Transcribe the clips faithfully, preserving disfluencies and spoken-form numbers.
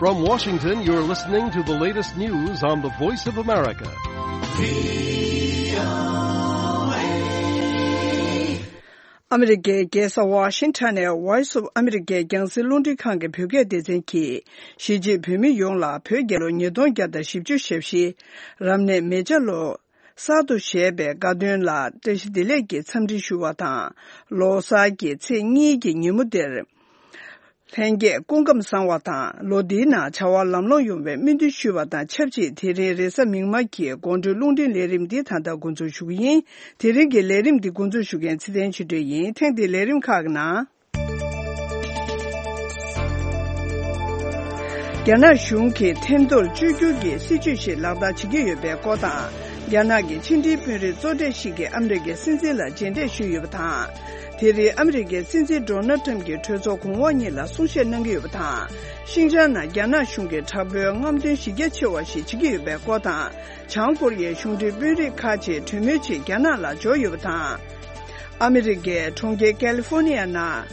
From Washington, you're listening to the latest news on the Voice of America. ཨ་མི་རི་ཀའི་རྒྱལ་ས་ཝ་ཤིང་ཊོན་ནས་Voice of America་རྒྱང་སྲིང་རླུང་འཕྲིན་ཁང་གི་བོད་སྐད་སྡེ་ཚན་གྱིས། གཞིས་བྱེས་བོད་མི་ཡོངས་ལ་བོད་རྒྱལ་ལོ་ཉིས་སྟོང་བརྒྱ་དང་བཞི་བཅུ་ཞེ་བཞི། རབ་གནས་མེ་བྱ་ལོ། གསར་དུ་བཞད་པའི་དགའ་སྟོན་ལ་བཀྲ་ཤིས་བདེ་ལེགས་ཀྱི་འཚམས་འདྲི་ཞུ་བ་དང་། ལོ་གསར་གྱི་ཚེས་གཉིས་ཀྱི་ཉིན་མོ་འདིར། ལྷན་རྒྱས་སྐུ་ཁམས་བཟང་བ་དང་། ལོ་འདིའི་ནང་བྱ་བ་ལམ་ལྷོང་ཡོང་བའི་སྨོན་འདུན་ཞུ་བ་དང་ཆབས་ཅིག་དེ་རིང་རེས་གཟའ་མིག་དམར་གྱི་དགོང་དྲོའི་རླུང་འཕྲིན་ལས་རིམ་འདི་ད་ལྟ་འགོ་འཛུགས་ཞུ་གི་ཡིན། དེ་རིང་གི་ལས་རིམ་འདི་འགོ་འཛུགས་ཞུ་མཁན་ཚེ་བརྟན་ཆོས་སྒྲོན་ཡིན། ཐེངས་འདིའི་ལས་རིམ་ཁག་གི་ནང་། རྒྱ་ནག་གཞུང་གིས་ཐེམ་ཐོར་བཅོས་བསྒྱུར་གྱི་སྲིད་ཇུས་ཤིག་ལག་བསྟར་བྱེད་ཀྱི་ཡོད་པའི་སྐོར་དང་། རྒྱ་ནག་གི་ཕྱི་འབྲེལ་དཔོན་རིགས་གཙོ་གྲས་ཤིག་གིས་ཨ་མི་རི་ཀའི་སྲིད་འཛིན་ལ་མཇལ་འཕྲད་ཞུས་ཡོད་པ་དང་། དེ་རིང་ཨ་མི་རི་ཀའི་སྲིད་འཛིན་ཌོ་ནལ་ཊམ་གྱིས་གྲོས་ཚོགས་གོང་འོག་གཉིས་ལ་གསུང་བཤད་གནང་གི་ཡོད་པ་དང་། ཤིན་ཅང་ནང་རྒྱ་ནག་གཞུང་གིས་དྲག་པོའི་རྔམ་སྟོན་གཞི་རྒྱ་ཆེ་བ་ཞིག་བྱེད་ཀྱི་ཡོད་པའི་སྐོར་དང་། བྱང་ཀོ་རི་ཡའི་གཞུང་འབྲེལ་དཔོན་རིགས་ཁག་ཅིག་གྲོས་མོལ་ཆེད་རྒྱ་ནག་ལ་འབྱོར་ཡོད་པ་དང་། ཨ་མི་རི་ཀའི་གྲོང་ཁྱེར་ཀ་ལི་ཧྥོ་ནི་ཡ་ནང་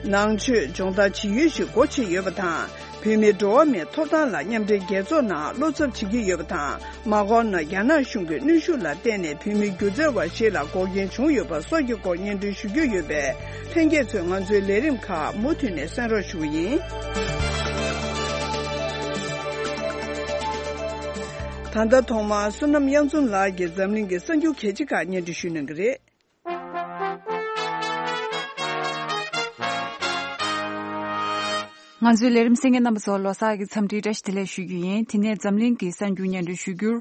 ནང་ཆོས་སྦྱོང་བརྡར་བྱེད་ཡུལ་ཞིག་སྒོ་ཕྱེ་ཡོད་པ་དང་། བོད་མིའི་འགྲོ་བ་མིའི་ཐོབ་ཐང་ལ་མཉམ་འབྲེལ་རྒྱལ་ཚོགས་ནང་བློ་འཚབ་བྱེད་ཀྱི་ཡོད་པ་དང་། མ་འགོར་ན་རྒྱ་ནག་གཞུང་གི་གནོན་ཤུགས་ལ་བརྟེན་ནས་བོད་མི་སྒྱུ་རྩལ་བ་ཞིག་ལ་འགོག་རྐྱེན་བྱུང་ཡོད་པ་སོགས་ཀྱི་སྐོར་སྙན་སྒྲོན་ཞུ་རྒྱུ་ཡོད་པས། ལྷན་རྒྱས་ཚོས་ང་ཚོའི་ལས་རིམ་ཁག་མུ་མཐུད་ནས་གསན་རོགས་ཞུ་གི་ཡིན། ད་ལྟ་ཐོག་མར་བསོད་ནམས་དབྱངས་འཛོམས་ལགས་ཀྱིས་འཛམ་གླིང་གི་གསར་འགྱུར་གལ་ཆེ་ཁག་སྙན་སྒྲོན་ཞུ་གནང་གི་རེད། ང་ཚོའི་ལས་རིམ་གསན་མཁན་རྣམ་པ་ཚོར་ལོ་གསར་གྱི་འཚམས་འདྲིའི་བཀྲ་ཤིས་བདེ་ལེགས་ཞུ་རྒྱུ་ཡིན། དེ་ནས་འཛམ་གླིང་གི་གསར་འགྱུར་སྙན་སྒྲོན་ཞུ་རྒྱུར།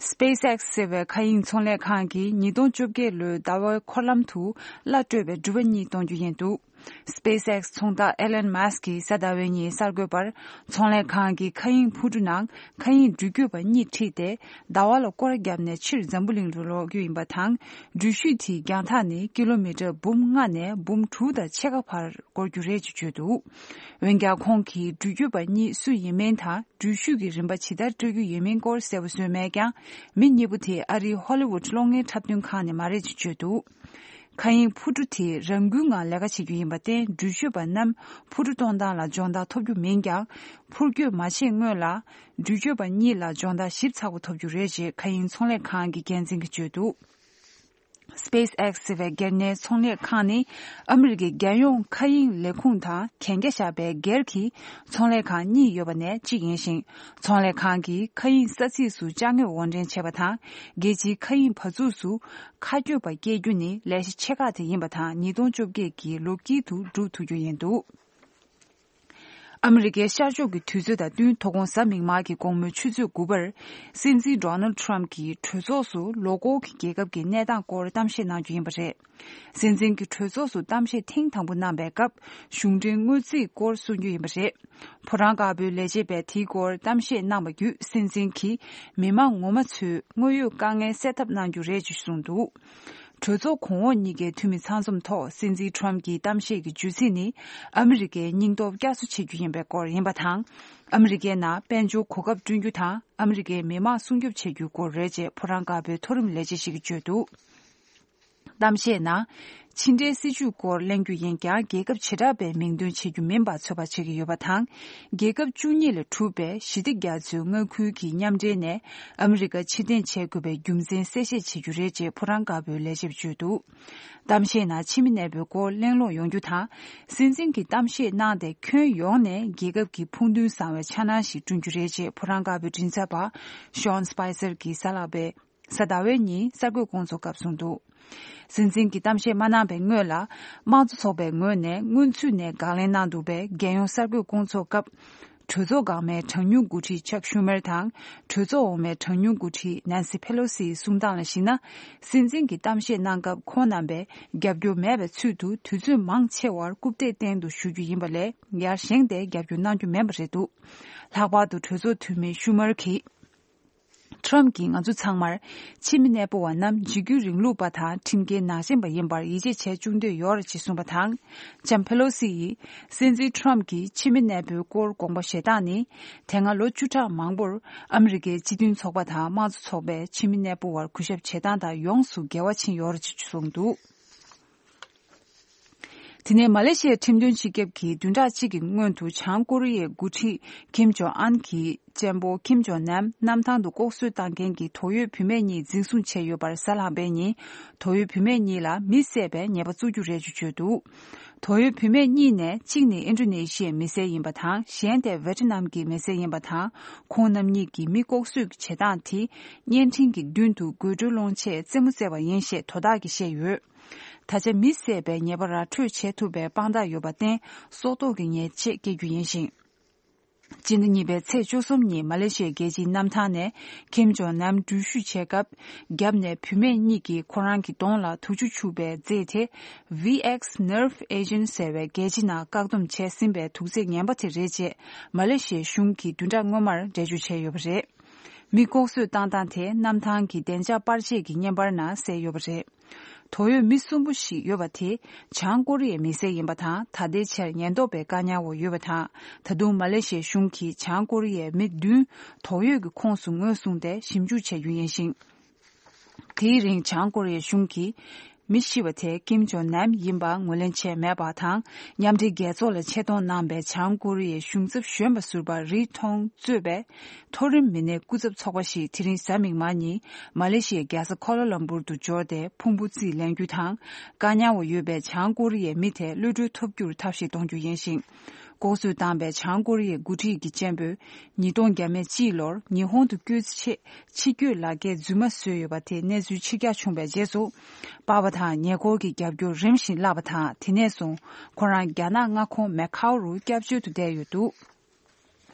SpaceX་ཟེར་བའི་མཁའ་དབྱིངས་ཚོང་ལས་ཁང་གིས་ཉིས་སྟོང་བཅོ་བརྒྱད་ལོའི་ཟླ་བའི་འཁོར་ལམ་དུ་གླ་སྤྲོད་པའི་འགྲུལ་པ་གཉིས་གཏོང་རྒྱུ་ཡིན་འདུག SpaceX་ཚོང་བདག་Elon Musk་གིས་གཟའ་ཟླ་བའི་ཉིན་གསར་འགོད་པར། ཚོང་ལས་ཁང་གིས་མཁའ་དབྱིངས་འཕུར་གྲུ་ནང་མཁའ་དབྱིངས་འགྲུལ་སྐྱོད་པ་གཉིས་ཁྲིད་དེ། ཟླ་བ་ལ་སྐོར་ར་བརྒྱབ་ནས་ཕྱིར་འཛམ་བུ་གླིང་དུ་ལོག་རྒྱུ་ཡིན་པ་དང་། འགྲུལ་བཞུད་དེའི་རྒྱང་ཐག་ནི་ཀི་ལོ་མི་ཊར་འབུམ་ལྔ་ནས་འབུམ་དྲུག་དང་ཕྱེད་ཀ་བར་འགོར་རྒྱུ་རེད་ཅེས་བརྗོད་འདུག་འོན་ཀྱང་། ཁོང་གིས་འགྲུལ་སྐྱོད་པ་གཉིས་སུ་ཡིན་མིན་དང་། འགྲུལ་བཞུད་ཀྱི་རིན་པ་ཇི་ལྟར་སྤྲོད་རྒྱུ་ཡིན་མིན་སྐོར་གསལ་པོ་བཟོས་མེད་ཀྱང་། མི་གཉིས་པོ་དེ་ཨ་རིའི་ཧོ་ལི་ཝུད་གློག་བརྙན་འཁྲབ་སྟོན་ཁང་ནས་མ་རེད་ཅེས་བརྗོད་འདུག་མཁའ་དབྱིངས་འཕུར་གྲུ་དེ་རང་འགུལ་ངང་ལས་ཀ་བྱེད་རྒྱུ་ཡིན་པར་བརྟེན། འགྲུལ་བཞུད་པ་རྣམས་འཕུར་གྲུ་གཏོང་སྟངས་ལ་སྦྱོང་བརྡར་ཐོབ་རྒྱུ་མིན་ཀྱང་། འཕུར་སྐྱོད་མ་བྱེད་སྔོན་ལ་འགྲུལ་སྐྱོད་པ་གཉིས་ལ་སྦྱོང་བརྡར་ཞིབ་ཚགས་པོ་ཐོབ་རྒྱུ་རེད་ཅེས་མཁའ་དབྱིངས་ཚོང་ལས་ཁང་གི་འགན་འཛིན་གྱིས་བརྗོད་འདུག SpaceX་ཟེར་བའི་སྒེར་གཉེར་ཚོང་ལས་ཁང་ནི་ཨ་མི་རི་ཀའི་རྒྱལ་ཡོངས་མཁའ་དབྱིངས་ལས་ཁུངས་དང་གན་རྒྱ་བཞག་པའི་སྒེར་གྱི་ཚོང་ལས་ཁང་གཉིས་ཡོད་པ་ནས་གཅིག་ཡིན་ཞིང་། ཚོང་ལས་ཁང་གིས་མཁའ་དབྱིངས་ས་ཚིགས་སུ་ཅ་དངོས་དབོར་འདྲེན་བྱེད་པ་དང་། རྒྱལ་སྤྱིའི་མཁའ་དབྱིངས་བར་འཛུགས་སུ་མཁའ་སྐྱོད་པ་སྐྱེལ་རྒྱུ་ནི་ལས་གཞི་ཆེ་ཁག་དེ་ཡིན་པ་དང་། ཉིས་སྟོང་བཅོ་བརྒྱད་ཀྱི་ལོ་དཀྱིལ་དུ་འགྲུབ་ཐུབ་རྒྱུ་ཡིན་འདུག་ཨ་མི་རི་ཀའི་ཤར་ཕྱོགས་ཀྱི་དུས་ཚོད་དང་བསྟུན། དོ་དགོང་གཟའ་མིག་དམར་གྱི་དགོང་མོའི་ཆུ་ཚོད་དགུ་པར། སྲིད་འཛིན་Donald Trump་གྱིས་གྲོས་ཚོགས་སུ་ལོ་འཁོར་གྱི་རྒྱལ་ཁབ་ཀྱི་གནས་སྟངས་སྐོར་གཏམ་བཤད་གནང་རྒྱུ་ཡིན་པ་རེད། སྲིད་འཛིན་གྱི་གྲོས་ཚོགས་སུ་གཏམ་བཤད་ཐེངས་དང་པོ་གནང་པའི་སྐབས། གཞུང་འབྲེལ་དངུལ་རྩིས་སྐོར་གསུང་རྒྱུ་ཡིན་པ་རེད། ཕོ་བྲང་དཀར་པོའི་ལས་བྱེད་པས་དེའི་སྐོར་གཏམ་བཤད་གནང་བ་བརྒྱུད། སྲིད་འཛིན་གྱིས་མི་མང་ངོ་མ་ཚོའི་དངོས་ཡོད་དཀའ་ངལ་སེལ་ཐབས་གནང་རྒྱུ་རེད་ཅེས་གསུངས་འདུག་གྲོས་ཚོགས་གོང་འོག་གཉིས་ཀའི་འཐུས་མི་ཚང་འཛོམས་ཐོག་སྲིད་འཛིན་Trump་གྱི་གཏམ་བཤད་ཀྱི་བརྗོད་ཚིག་ནི། ཨ་མི་རི་ཀའི་སྙིང་སྟོབས་བསྐྱར་གསོ་བྱེད་རྒྱུ་ཡིན་པའི་སྐོར་ཡིན་པ་དང་། ཨ་མི་རི་ཀའི་ནང་དཔལ་འབྱོར་གོ་སྐབས་བསྐྲུན་རྒྱུ་དང་། ཨ་མི་རི་ཀའི་མི་དམངས་སྲུང་སྐྱོབ་བྱེད་རྒྱུའི་སྐོར་རེད་ཅེས་ཕོ་བྲང་དཀར་པོའི་མཐོ་རིམ་ལས་བྱེད་ཞིག་གིས་བརྗོད་འདུག་གཏམ་བཤད་ནང་། ཕྱི་འབྲེལ་སྲིད་ཇུས་སྐོར་གླེང་རྒྱུ་ཡིན་ཀྱང་། རྒྱལ་ཁབ་བྱེ་བྲག་པའི་མིང་འདོན་བྱེད་རྒྱུ་མིན་པ་ཚོད་དཔག་བྱེད་ཀྱི་ཡོད་པ་དང་། རྒྱལ་ཁབ་བཅུ་གཉིས་ལས་གྲུབ་པའི་ཞི་བདེ་རྒྱ་མཚོའི་མངའ་ཁུལ་གྱི་མཉམ་འབྲེལ་ནས་ཨ་མི་རི་ཀ་ཕྱིར་འཐེན་བྱེད་དགོས་པའི་རྒྱུ་མཚན་གསལ་བཤད་བྱེད་རྒྱུ་རེད་ཅེས་ཕོ་བྲང་དཀར་པོའི་ལས་བྱེད་པས་བརྗོད་འདུག་གཏམ་བཤད་ནང་ཕྱི་མི་གནས་སྤོའི་སྐོར་གླེང་སློང་ཡོང་རྒྱུ་དང་། སྲིད་འཛིན་གྱིས་གཏམ་བཤད་གནང་སྟེ། ཁྱོན་ཡོངས་ནས་རྒྱལ་ཁབ་ཀྱི་ཕུགས་འདུན་བཟང་བའི་འཆར་སྣང་ཞིག་བསྐྲུན་རྒྱུ་རེད་ཅེས་ཕོ་བྲང་དཀར་པོའི་མགྲིན་ཚབ་པ་Sean Spicer་གྱིས་གཟའ་ལྷག་པའི་གཟའ་ཟླ་བའི་ཉིན་གསར་འགོད་སྐུ་ཚབ་སྐབས་གསུངས་འདུག་སྲིད་འཛིན་གྱིས་གཏམ་བཤད་མ་གནང་བའི་སྔོན་ལ། དམངས་གཙོ་ཚོགས་པའི་ངོས་ནས་སྔོན་ཚུད་ནས་དགག་ལན་གནང་འདུག་པས། རྒྱལ་ཡོངས་གསར་འགོད་སྐུ་ཚབ་སྐབས། གྲོས་ཚོགས་འགག་མའི་གྲངས་ཉུང་འགོ་ཁྲིད་Chuck Schumer་དང་། གྲོས་ཚོགས་འོག་མའི་གྲངས་ཉུང་འགོ་ཁྲིད་Nancy Pelosi་ཡི་གསུང་སྟངས་ལ་གཞིགས་ན། སྲིད་འཛིན་གྱིས་གཏམ་བཤད་གནང་སྐབས། ཁོང་རྣམ་པས་རྒྱབ་སྐྱོར་མེད་པའི་ཚུལ་དུ། དུས་ཚོད་མང་ཆེ་བར་རྐུབ་སྟེགས་སྟེང་དུ་བཞུགས་རྒྱུ་ཡིན་པ་ལས། ཡར་བཞེངས་ཏེ་རྒྱབ་སྐྱོར་གནང་རྒྱུ་མིན་པ་རེད་འདུག་ལྷག་པར་དུ། གྲོས་ཚོགས་འཐུས་མི་Schumer་གྱིས། Trump་གྱིས་ང་ཚོ་ཚང་མར་ཕྱི་མི་གནས་སྤོ་བ་རྣམས་འཇིགས་སྐུལ་རིང་ལུགས་པ་དང་ཁྲིམས་འགལ་ནང་ཞེན་པ་ཡིན་པར་ཡིད་ཆེས་བྱས་བཅུག་འདོད་ཡོད་རེད་ཅེས་གསུངས་པ་དང་། ལྕམ་Pelosi་ཡིས་སྲིད་འཛིན་Trump་གྱིས་ཕྱི་མི་གནས་སྤོའི་སྐོར་དགོངས་པ་བཞེས་སྟངས་ནི། དེ་སྔ་ལོ་བཅུ་ཕྲག་མང་པོར་ཨ་མི་རི་ཀའི་སྤྱི་མཐུན་ཚོགས་པ་དང་དམངས་གཙོ་ཚོགས་པས་ཕྱི་མི་གནས་སྤོ་བར་གུས་ཞབས་བྱེད་སྟངས་དང་ཡོངས་སུ་འགལ་བ་ཕྱིན་ཡོད་རེད་ཅེས་གསུངས་འདུག་དེ་ནས་མ་ལེ་ཤི་ཡའི་ཁྲིམས་དོན་སྤྱི་ཁྱབ་ཀྱིས་བདུན་ཕྲག་གཅིག་གི་སྔོན་དུ་བྱང་ཀོ་རི་ཡའི་འགོ་ཁྲིད་ཀིམ་ཇོང་ཨན་གྱི་གཅེན་པོ་ཀིམ་ཇོང་ནམ་གནམ་ཐང་དུ་ལྐོག་གསོད་བཏང་མཁན་གྱི་དོགས་ཡོད་བུད་མེད་གཉིས་འཛིན་བཟུང་བྱས་ཡོད་པར་གཟའ་ལྷག་པའི་ཉིན་དོགས་ཡོད་བུད་མེད་གཉིས་ལ་མི་བསད་པའི་ཉེས་པ་བཙུགས་རྒྱུ་རེད་ཅེས་བརྗོད་འདུག་དོགས་ཡོད་བུད་མེད་གཉིས་ནས་གཅིག་ནི་ཨིན་ཌོ་ནེ་ཤི་ཡའི་མི་སེར་ཡིན་པ་དང་གཞན་དེ་ཝེ་ཏི་ནམ་གྱི་མི་སེར་ཡིན་པ་དང་ཁོང་རྣམ་གཉིས་ཀྱིས་མི་ལྐོག་གསོད་ཀྱི་བྱེད་སྟངས་དེ་བརྙན་འཕྲིན་གྱི་མདུན་དུ་དགོད་བྲོ་སློང་ཆེད་རྩེད་མོ་རྩེ་བ་ཡིན་ཞེས་དོ་བདག་གིས་བཤད་ཡོད། ད་ཆ་མི་བསད་པའི་ཉེས་པ་ར་འཕྲོད་བྱེད་ཐུབ་པའི་དཔང་རྟགས་ཡོད་པར་བརྟེན་སྲོག་ཐོག་གི་ཉེས་ཆད་བཀལ་རྒྱུ་ཡིན་ཞིང་། སྤྱི་ཟླ་གཉིས་པའི་ཚེས་བཅུ་གསུམ་ཉིན་མ་ལེ་ཤི་ཡའི་རྒྱལ་སྤྱིའི་གནམ་ཐང་ནས་ཁིམ་ཇོང་ནམ་འགྲུལ་བཞུད་བྱེད་སྐབས་རྒྱབ་ནས་བུད་མེད་གཉིས་ཀྱིས་ཁོ་རང་གི་གདོང་ལ་དུག་ཆུ་བྱུགས་པའི་རྫས་དེ་V X Nerve Agent ཟེར་བའི་རྒྱལ་ཕྱི་ནང་བཀག་སྡོམ་བྱས་ཟིན་པའི་དུག་རྫས་ངན་པ་དེ་རེད་ཅེས་མ་ལེ་ཤི་ཡའི་གཞུང་གིས་བདུན་ཕྲག་སྔོན་མར་འགྲེལ་བརྗོད་བྱས་ཡོད་པ་རེད། མི་ལྐོག་གསོད་བཏང་སྟངས་དེ་གནམ་ཐང་གི་བདེ་འཇགས་པར་ཆས་ཀྱི་བརྙན་པར་ནང་གསལ་ཡོད་པ་རེད། དོགས་ཡོད་མི་གསུམ་པོ་ཞིག་ཡོད་པ་དེ་བྱང་ཀོ་རི་ཡའི་མི་སེར་ཡིན་པ་དང་ད་ལྟའི་ཆར་ཉེན་རྟོག་པས་བཀག་ཉར་འོག་ཡོད་པ་དང་ད་དུང་མ་ལེ་ཤི་ཡའི་གཞུང་གིས་བྱང་ཀོ་རི་ཡའི་མི་བདུན་དོགས་ཡོད་ཀྱི་ཁོངས་སུ་ངོས་བཟུང་སྟེ་ཞིབ་འཇུག་བྱ་རྒྱུ་ཡིན་ཞིང་། དེའི་རིང་བྱང་ཀོ་རི་ཡའི་གཞུང་གིས་མི་ཤི་བ་དེ་ཀིམ་ཇོང་ནམ་ཡིན་པ་ངོས་ལེན་བྱས་མེད་པ་དང་མཉམ་འབྲེལ་རྒྱལ་ཚོགས་ལ་ཆེད་གཏོང་གནང་པའི་བྱང་ཀོ་རི་ཡའི་གཞུང་ཚབ་གཞོན་པ་ཟུར་པ་རི་ཐོང་གཙོས་པའི་མཐོ་རིམ་མི་སྣའི་སྐུ་ཚབ་ཚོགས་པ་ཞིག་དེ་རིང་གཟའ་མིག་དམར་ཉིན་མ་ལེ་ཤི་ཡའི་རྒྱལ་ས་ཁོ་ལ་ལམ་པུར་དུ་འབྱོར་ཏེ་ཕུང་པོ་རྩིས་ལེན་རྒྱུ་དང་བཀག་ཉར་འོག་ཡོད་པའི་བྱང་ཀོ་རི་ཡའི་མི་དེ་གློད་གྲོལ་ཐོབ་རྒྱུར་ཐབས་ཤེས་གཏོང་རྒྱུ་ཡིན་ཞིང་། ལྐོག་གསོད་བཏང་པའི་བྱང་ཀོ་རི་ཡའི་འགོ་ཁྲིད་ཀྱི་གཅེན་པོས་ཉིས་སྟོང་བརྒྱ་མེད་གཅིག་ལོར་ཉི་ཧོང་དུ་བསྐྱོད་ཆེད་ཕྱི་སྐྱོད་ལག་འཁྱེར་རྫུན་མ་བཟོས་ཡོད་པ་དེ་གནས་ཚུལ་ཕྱིར་བསྒྲགས་བྱུང་བའི་རྗེས་སུ། པར་པ་དང་ཉེ་འཁོར་གྱི་རྒྱབ་སྐྱོར་རིམ་བཞིན་བརླག་པ་དང་དེ་ནས་བཟུང་ཁོ་རང་རྒྱ་ནག་མངའ་ཁོངས་མེ་ཁའོ་རུ་སྐྱབས་བཅོལ་དུ་བསྡད་ཡོད་འདུག་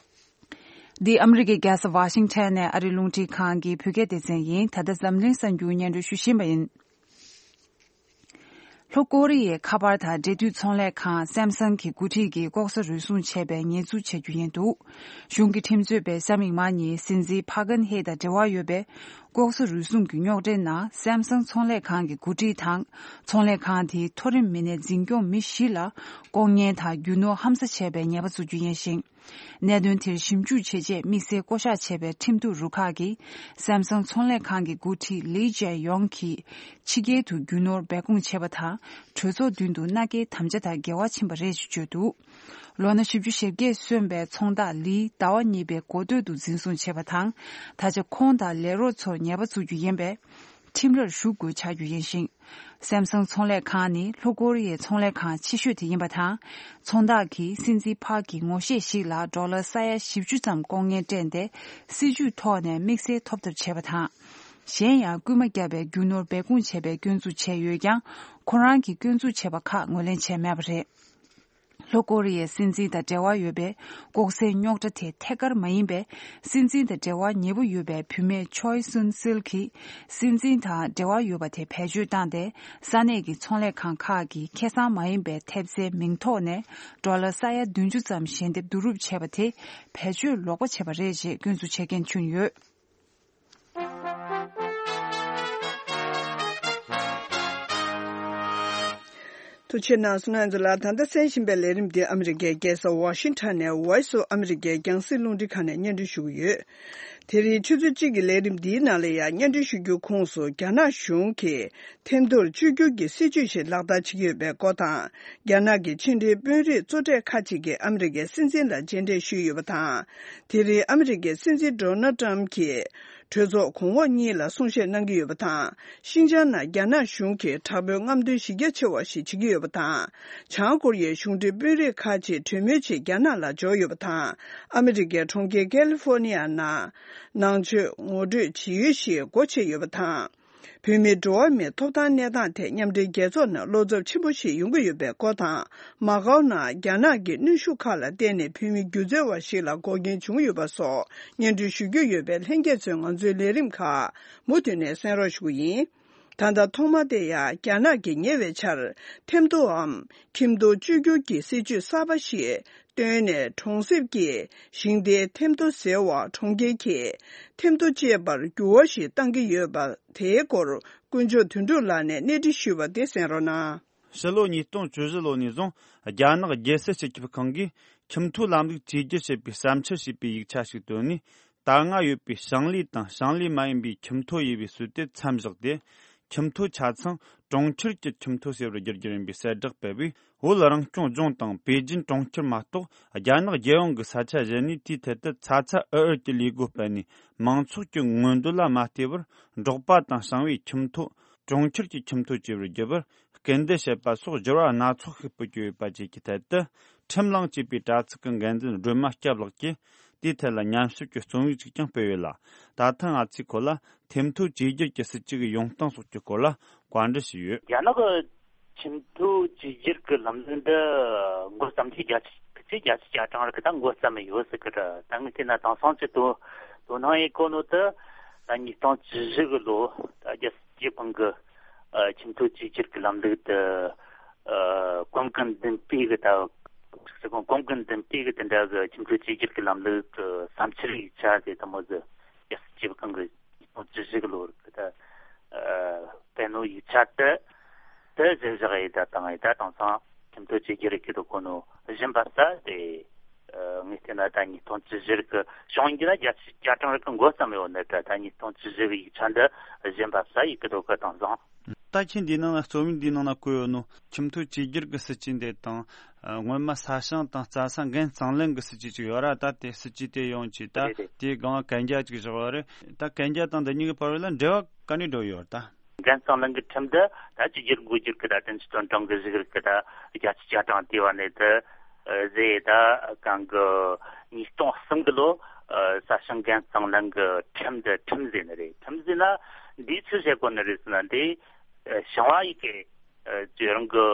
འདི་ཨ་མི་རི་ཀའི་རྒྱལ་ས་ཝ་ཤིང་ཊོན་ནས་ཨ་རིའི་རླུང་འཕྲིན་ཁང་གི་བོད་སྐད་སྡེ་ཚན་ཡིན། ད་ལྟ་འཛམ་གླིང་གསར་འགྱུར་སྙན་སྒྲོན་ཞུ་བཞིན་པ་ཡིན། ལྷོ་ཀོ་རི་ཡའི་ཁ་པར་དང་འབྲེལ་མཐུད་ཚོང་ལས་ཁང་སེམ་སང་གི་འགོ་ཁྲིད་ཀྱིས་ལྐོག་ཟ་རུལ་སུངས་བྱས་པའི་ཉེས་འཛུགས་བྱ་རྒྱུ་ཡིན་འདུག་གཞུང་གི་ཁྲིམས་རྩོད་པས་གཟའ་མིག་དམར་ཉིན་སྲིད་འཛིན་ཕ་ཁན་ཧེ་དང་འབྲེལ་བ་ཡོད་པའི་ལྐོག་ཟ་རུལ་སུངས་ཀྱི་རྙོག་དྲའི་ནང་སེམ་སང་ཚོང་ལས་ཁང་གི་འགོ་ཁྲིད་དང་ཚོང་ལས་ཁང་དེའི་མཐོ་རིམ་མི་སྣའི་འཛིན་སྐྱོང་མི་བཞི་ལ་ལྐོག་ཉན་དང་རྒྱུ་ནོར་ཧམ་ཟ་བྱས་པའི་ཉེས་པ་འཛུགས་རྒྱུ་ཡིན་ཞིང་། གནད་དོན་དེར་ཞིབ་འཇུག་བྱེད་ཆེད་དམིགས་བསལ་བསྐོ་གཞག་བྱས་པའི་ཁྲིམས་གཏུག་རུ་ཁག་གིས་སེམ་སང་ཚོང་ལས་ཁང་གི་འགོ་ཁྲིད་ལི་ཅན་ཡོང་གིས་ཕྱི་རྒྱལ་དུ་རྒྱུ་ནོར་སྦས་སྐུང་བྱས་པ་དང་གྲོས་ཚོགས་མདུན་དུ་མནའ་སྐྱེལ་དམ་བཅའ་དང་འགལ་བ་ཕྱིན་པ་རེད་ཅེས་བརྗོད་འདུག་ལོ་ན་བཞི་བཅུ་ཞེ་བརྒྱད་སོན་པའི་ཚོང་བདག་ལིས་ཟླ་བ་གཉིས་པའི་འགོ་སྟོད་དུ་འཛིན་བཟུང་བྱས་པ་དང་ད་ཆ་ཁོང་དང་ལས་རོགས་ཚོར་ཉེས་པ་འཛུགས་རྒྱུ་ཡིན་པས། ཁྲིམས་རར་ཞུགས་དགོས་ཆགས་རྒྱུ་ཡིན་ཞིང་། སེམ་སང་ཚོང་ལས་ཁང་ནི་ལྷོ་ཀོ་རི་ཡའི་ཚོང་ལས་ཁང་ཆེ་ཤོས་དེ་ཡིན་པ་དང་། ཚོང་བདག་གིས་སྲིད་འཛིན་ཕག་གི་ངོ་ཤེས་ཤིག་ལ་ཌོ་ལར་ས་ཡ་བཞི་བཅུ་ཙམ་ལྐོག་ཉན་སྤྲད་དེ་སྲིད་ཇུས་ཐོག་ནས་དམིགས་བསལ་ཐོབ་ཐབས་བྱས་པ་དང་། གཞན་ཡང་རྐུན་མ་བརྒྱབ་པའི་རྒྱུ་ནོར་སྦས་སྐུང་བྱས་པའི་སྐྱོན་འཛུགས་བྱས་ཡོད་ཀྱང་ཁོ་རང་གིས་སྐྱོན་འཛུགས་བྱས་པ་ཁག་ངོས་ལེན་བྱས་མེད་པ་རེད། ལྷོ་ཀོ་རི་ཡའི་སྲིད་འཛིན་དང་འབྲེལ་བ་ཡོད་པའི་ལྐོག་ཟའི་རྙོག་དྲ་དེ་ཐད་ཀར་མ་ཡིན་པའི་སྲིད་འཛིན་དང་འབྲེལ་བ་ཉེ་པོ་ཡོད་པའི་བུད་མེད་ཆོའི་སུན་སིལ་གྱིས་སྲིད་འཛིན་དང་འབྲེལ་བ་ཡོད་པ་དེ་བེད་སྤྱོད་བཏང་སྟེ་ས་གནས་ཀྱི་ཚོང་ལས་ཁང་ཁག་གིས་ཁེ་བཟང་མ་ཡིན་པའི་ཐེབས་རྩའི་མིང་ཐོག་ནས་ཌོ་ལར་ས་ཡ་བདུན་ཅུ་ཙམ་ཞལ་འདེབས་བསྡུ་རུབ་བྱས་པ་དེ་བེད་སྤྱོད་ལོག་པ་བྱས་པ་རེད་ཅེས་སྐྱོན་འཛུགས་བྱེད་མཁན་བྱུང་ཡོད། ཐུགས་རྗེ་གནང་སོང་། ང་ཚོ་ལ་ད་ལྟ་གསན་བཞིན་པའི་ལས་རིམ་འདི་ཨ་མི་རི་ཀའི་རྒྱལ་ས་ཝ་ཤིང་ཊོན་ནས་Voice of America་རྒྱང་སྲིང་རླུང་འཕྲིན་ཁང་ནས་སྙན་སྒྲོན་ཞུ་གི་ཡོད། དེ་རིང་ཆུ་ཚོད་གཅིག་གི་ལས་རིམ་འདིའི་ནང་ལ་ཡང་སྙན་སྒྲོན་ཞུ་རྒྱུའི་ཁོངས་སུ་རྒྱ་ནག་གཞུང་གིས་ཐེམ་ཐོར་བཅོས་བསྒྱུར་གྱི་སྲིད་ཇུས་ཤིག་ལག་བསྟར་བྱེད་ཀྱི་ཡོད་པའི་སྐོར་དང་། རྒྱ་ནག་གི་ཕྱི་འབྲེལ་དཔོན་རིགས་གཙོ་གྲས་ཁག་ཅིག་གིས་ཨ་མི་རི་ཀའི་སྲིད་འཛིན་ལ་མཇལ་འཕྲད་ཞུས་ཡོད་པ་དང་། དེ་རིང་ཨ་མི་རི་ཀའི་སྲིད་འཛིན་ཌོ་ནལ་ཏྲམ་གྱིས་གྲོས་ཚོགས་གོང་འོག་གཉིས་ལ་གསུང་བཤད་གནང་གི་ཡོད་པ་དང་། ཤིན་ཅང་ནང་རྒྱ་ནག་གཞུང་གིས་དྲག་པོའི་རྔམ་སྟོན་གཞི་རྒྱ་ཆེ་བ་ཞིག་བྱེད་ཀྱི་ཡོད་པ་དང་། བྱང་ཀོ་རི་ཡའི་གཞུང་འབྲེལ་དཔོན་རིགས་ཁག་ཅིག་གྲོས་མོལ་ཆེད་རྒྱ་ནག་ལ་འབྱོར་ཡོད་པ་དང་། ཨ་མི་རི་ཀའི་གྲོང་ཁྱེར་ཀེ་ལི་ཧྥོ་ནི་ཡ་ནང་ནང་ཆོས་ངོ་སྤྲོད་བྱེད་ཡུལ་ཞིག་སྒོ་ཕྱེ་ཡོད་པ་དང་། བོད་མིའི་འགྲོ་བ་མིའི་ཐོབ་ཐང་གནས་སྟངས་ཐད་མཉམ་འབྲེལ་རྒྱལ་ཚོགས་ནང་བློ་འཚབ་ཆེན་པོ་ཞིག་ཡོང་གི་ཡོད་པའི་སྐོར་དང་། མ་ཀའོ་ནང་རྒྱ་ནག་གི་གནོན་ཤུགས་ཁག་ལ་བརྟེན་ནས་བོད་མི་སྒྱུ་རྩལ་བ་ཞིག་ལ་འགོག་རྐྱེན་བྱུང་ཡོད་པ་སོགས་སྙན་སྒྲོན་ཞུ་རྒྱུ་ཡོད་པས། ལྷན་རྒྱས་ཚོས་ང་ཚོའི་ལས་རིམ་ཁག་མུ་མཐུད་ནས་གསན་རོགས་ཞུ་གི་ཡིན། ད་ལྟ་ཐོག་མ་དེ་ཡང་རྒྱ་ནག་གིས་ཉེ་བའི་ཆར་ཐེམ་ཐོའམ་ཁྱིམ་ཐོ་བཅོས་བསྒྱུར་གྱི་སྲིད་ཇུས་གསར་པ་ཞིག་བཏོན་ནས། གྲོང་གསེབ་ཀྱི་ཞིང་སྡེའི་ཐེམ་ཐོ་ཟེར་བ་གྲོང་ཁྱེར་གྱི་ཐེམ་ཐོ་ཅེས་པར་འགྱུར་བ་ཞིག་བཏང་གི་ཡོད་པ་དེའི་སྐོར་དཀོན་མཆོག་དོན་གྲུབ་ལགས་ནས་གནས་འདྲི་ཞུས་པ་དེ་གསན་རོགས་གནང་། ཕྱི་ལོ་ཉིས་སྟོང་བཅུ་བཞི་ལོ་ནས་བཟུང་རྒྱ་ནག་རྒྱལ་སྲིད་སྤྱི་ཁྱབ་ཁང་གིས་ཁྱིམ་ཐོའི་ལམ་ལུགས་བཅོས་བསྒྱུར་བྱེད་པའི་བསམ་འཆར་ཞེས་པའི་ཡིག་ཆ་ཞིག་བཏོན་ནས། ད་སྔ་ཡོད་པའི་ཞིང་ལས་དང་ཞིང་ལས་མ་ཡིན་པའི་ཁྱིམ་ཐོ་དབྱེ་བའི་སྲོལ་དེ་མཚམས་བཞག་སྟེ། ཁྱིམ་ཐོ་ཆ་ཚང་གྲོང་ཁྱེར་གྱི་ཁྱིམ་ཐོ་ཟེར་བར་བསྒྱུར་རྒྱུ་ཡིན་པའི་གསལ་བསྒྲགས་སྤེལ་བས། བོད་རང་སྐྱོང་ལྗོངས་དང་པེ་ཅིན་གྲོང་ཁྱེར་མ་གཏོགས། རྒྱ་ནག་རྒྱལ་ཡོངས་ཀྱི་ས་ཆ་གཞན་ནས་དེའི་ཐད་དུ་ཚ་ཚ་འུར་འུར་གྱི་ལས་སྒོ་སྤེལ་ནས། མང་ཚོགས་ཀྱི་མངོན་འདོད་ལ་མ་བལྟས་པར། འབྲོག་པ་དང་ཞིང་བའི་ཁྱིམ་ཐོ་གྲོང་ཁྱེར་གྱི་ཁྱིམ་ཐོ་བཅས་པར་བསྒྱུར་བར་སྐུལ་འདེད་བྱེད་པ་སོགས་འགྱུར་བ་སྣ་ཚོགས་ཤིག་སྤོ་རྒྱུ་ཡོད་པ་བཅས་ཀྱི་ཐད་དུ། ཁྲིམས་གླེང་བྱས་པའི་དྲ་ཚིགས་ཀྱི་འགན་འཛིན་སྒྲོལ་མ་སྐྱབས་ལགས་ཀྱིས། དེའི་ཐད་ལ་ཉམས་ཞིབ་ཀྱི་རྩོམ་ཡིག་ཅིག་ཀྱང་སྤེལ་ཡོད་ལ། ད་ཐེངས་ང་ཚོས་ཁོ་ལ་ཁྱིམ་ཐོ་བཅོས་བསྒྱུར་གྱི་སྲིད་ཇུས་ཀྱི་ཡོང་སྟངས་སོགས་ཀྱི་སྐོར་ལ་བཀའ་འདྲི་ཞུས་ཡོད། རྒྱ་ནག་གི་ཁྱིམ་ཐོ་བཅོས་བསྒྱུར་གྱི་ལམ་ལུགས་འདི་འགོ་བརྩམས་ཏེ་བརྒྱ་ཆ་ཁ་ཤས་བརྒྱ་ཆ་བརྒྱ་གྲངས་རིགས་ད་འགོ་བརྩམས་ཡོད་ཟེར་གི་རེད། ད་ངས་བལྟས་ན་དེང་སང་ཅིག་དོ་དོ་སྣང་ཡེ་གོ་ནོ་དེ་ད་ཉིས་སྟོང་བཅུ་བཞི་གི་ལོ་ད་རྒྱལ་སྲིད་སྤྱི་ཁང་གི་ཨ་ཁྱིམ་ཐོ་བཅོས་བསྒྱུར་གྱི་ལམ་ལུགས་དེ་ཨ་གོང་གི་འདུན་པའི་གི་ད་ཟེར་གོང་གོང་གི་འདུན་པའི་གི་དེ་འདྲ་གི་ཁྱིམ་ཐོ་བཅོས་བསྒྱུར་གྱི་ལམ་ལུགས་ཀྱི་བསམ་འཆར་ཡིག་ཆ་དེ་དེ་མོ་ཟིག་རྒྱལ་སྲིད་སྤྱི་ཁང་གི་ཉིས་སྟོང་བཅུ་བཞི་གི་ལོར་གི་ད་ཨ་སྤེལ་ནོ་ཡིག་ཆ་དེ་དེ་གཞིར་བཞག་ཡིན་ད་དང་ཡིན་ད་དེང་སང་ཁྱིམ་ཐོ་བཅོས་བསྒྱུར་གྱི་དོ་གོ་ནོ་གཞི་འབབ་ས་དེ་ཨ་ངས་བལྟས་ན་ད་ཉིས་སྟོང་བཅུ་བཞི་གི་བྱུང་ཡིན་གྱི་ན་བརྒྱ་ཆ་བརྒྱ་གྲངས་རིགས་ཀྱི་འགོ་བརྩམས་ཡོད་ནི་ད་ད་ཉིས་སྟོང་བཅུ་བཞི་གི་ཡིག་ཆ་འདི་གཞི་འབབ་ས་ཡིན་གི་དོ་གི་དེང་སང་། ད་ཁྱེད་འདིའི་ནང་ན་རྩོམ་ཡིག་འདིའི་ནང་ན་བཀོད་ཡོད་ནོ་ཁྱིམ་ཐོ་བཅོས་བསྒྱུར་གྱི་སྲིད་ཇུས་འདི་དང་། ཨ། སྔོན་མ་ས་ཞིང་དང་རྩྭ་ས་འགན་གཙང་ལེན་གྱི་སྲིད་ཇུས་ཅིག་ཡོད་ར། ད་དེ་སྲིད་ཇུས་དེ་ཡོང་ཅིག་ད་རེད་རེད། དེའི་སྒང་གན་རྒྱ་ཅིག་བཞག་ཡོད་རེད། ད་གན་རྒྱ་དང་འདི་གཉིས་ཀྱི་བར་ལ་འབྲེལ་བ་ག་ནས་འགྲོ་ཡོད་ད། འགན་གཙང་ལེན་གྱི་ཁྲིམས་འདི་ད་བཅོས་བསྒྱུར་བགོ་བསྒྱུར་གྱི་ད་དོན་གྱི་དོན་གྲངས་ཀྱི་གཞུག་ལུགས་ཀྱི་ད་བརྒྱ་ཆ་བརྒྱ་གྲངས་དེ་བ་ནས་དེ་ཟེ་ད་གང་གི་ཉིས་སྟོང་གསུམ་གི་ལོ་ས་ཞིང་འགན་གཙང་ལེན་གྱི་ཁྲིམས་འདི་ཁྲིམས་ཟེ་ནི་རེད། ཁྲིམས་ཟེ་ན་འདིའི་ཚུལ་བྱེད་དགོས་ནི་རེད་ཟེར་ན་འདི་ཞིང་བ་ཡི་གེ་ཨ་ཅི་རང་གི་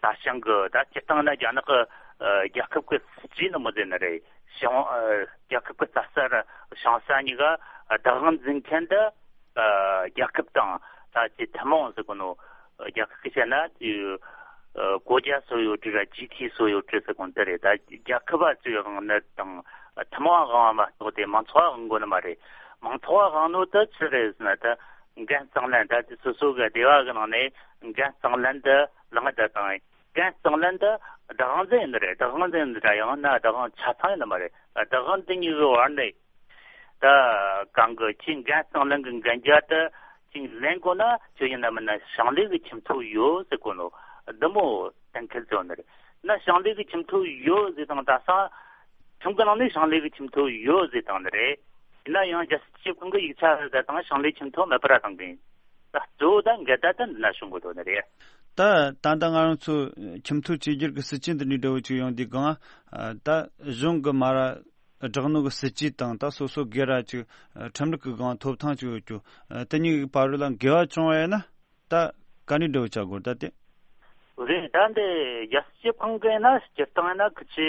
ས་ཞིང་གི་ད་སྤྱིར་བཏང་ན་རྒྱ་ནག་གི་ཨ་རྒྱལ་ཁབ་ཀྱི་སྲིད་ཇུས་ནི་མོ་ཟེར་ནི་རེད། ཞིང་ཨ་རྒྱལ་ཁབ་ཀྱི་རྩྭ་ས་ར་ཞིང་ས་གཉིས་ཀ་བདག་དབང་འཛིན་མཁན་འདི་ཨ་རྒྱལ་ཁབ་དང་ད་ཅི་ཐུན་མོང་ཟེར་གོ་ནོ། རྒྱལ་ཁབ་ཀྱི་བཤད་ན་ཅི་ཨ་国家所有制ར་集体所有制ཟེར་གོ་ནོ་དེ་རེད། ད་རྒྱལ་ཁབ་བ་ཚོའི་དབང་ནི་དང་ཐུན་མོང་དབང་བ་མ་གཏོགས་དེ་མང་ཚོགས་དབང་གོ་ནི་མ་རེད། མང་ཚོགས་དབང་ནོ་དེ་ཅི་རེད་ཟེར་ན་ད། འགན་གཙང་ལེན་ད་དེ་སོ་སོ་གི་སྡེ་བ་གི་ནང་ནས་འགན་གཙང་ལེན་དུ་ལངས་ད་དང་འགན་གཙང་ལེན་དུ་བདག་དབང་འཛིན་ཡིན་ནི་རེད། བདག་དབང་འཛིན་ཡིན་ནི་རེད། ཡང་ན་བདག་དབང་ཆ་ཚང་ཡིན་ནི་མ་རེད། བདག་དབང་འཛིན་ཡིན་གི་བར་ནས་ད་གང་གི་ཁྱི་འགན་གཙང་ལེན་གི་འགན་རྒྱ་དུ་ཅིག་ལེན་དགོས་ན་ཁྱོད་ཡིན་ན་མིན་ན་ཞིང་ལས་གི་ཁྱིམ་ཐོ་ཡོད་ཟེར་གོ་ནོ་འདི་མོ་གཏན་འཁེལ་བྱས་ནི་རེད། ན་ཞིང་ལས་གི་ཁྱིམ་ཐོ་ཡོད་ཟེར་དང་ད་སང་ཁྲིམས་གི་ནང་ནས་ཞིང་ལས་གི་ཁྱིམ་ཐོ་ཡོད་ཟེར་དང་ནི་རེད། ཡིན་ན་ཡང་རྒྱལ་སྲིད་སྤྱི་ཁང་གི་ཡིག་ཆ་ཟེར་དང་ཞིང་ལས་ཁྱིམ་ཐོ་མེད་པར་བཏང་གི་ཡིན། ད་གཙོ་བོ་ད་འགལ་ཟླ་ད་འདི་ན་བྱུང་གི་འདུག་ནི་རེད། ད་ད་ལྟ་ང་རང་ཚོ་ཁྱིམ་ཐོ་བཅོས་བསྒྱུར་གྱི་སྲིད་ཇུས་འདི་འདྲའི་འདྲ་བོ་ཅིག་ཡོང་དུས་སྒང་ད་གཞུང་གི་མ་ར་བསྒྲགས་ནོ་གི་སྲིད་ཇུས་དང་ད་སོ་སོ་སྒེར་ར་ཅིག་ཁྲིམས་ལུགས་ཀྱི་སྒང་ཐོབ་ཐང་ཅིག་ཡོད་རྒྱུ་དེ་གཉིས་ཀྱི་བར་ལ་འགལ་བ་བྱུང་བ་ཡིན་ན། ད་ག་ནས་འགྲོ་བྱ་དགོས་ད་དེ། རེད། ད་འདི་རྒྱལ་སྤྱི་ཁང་གི་ན་སྤྱིར་བཏང་ན་ཁི་ཆེ་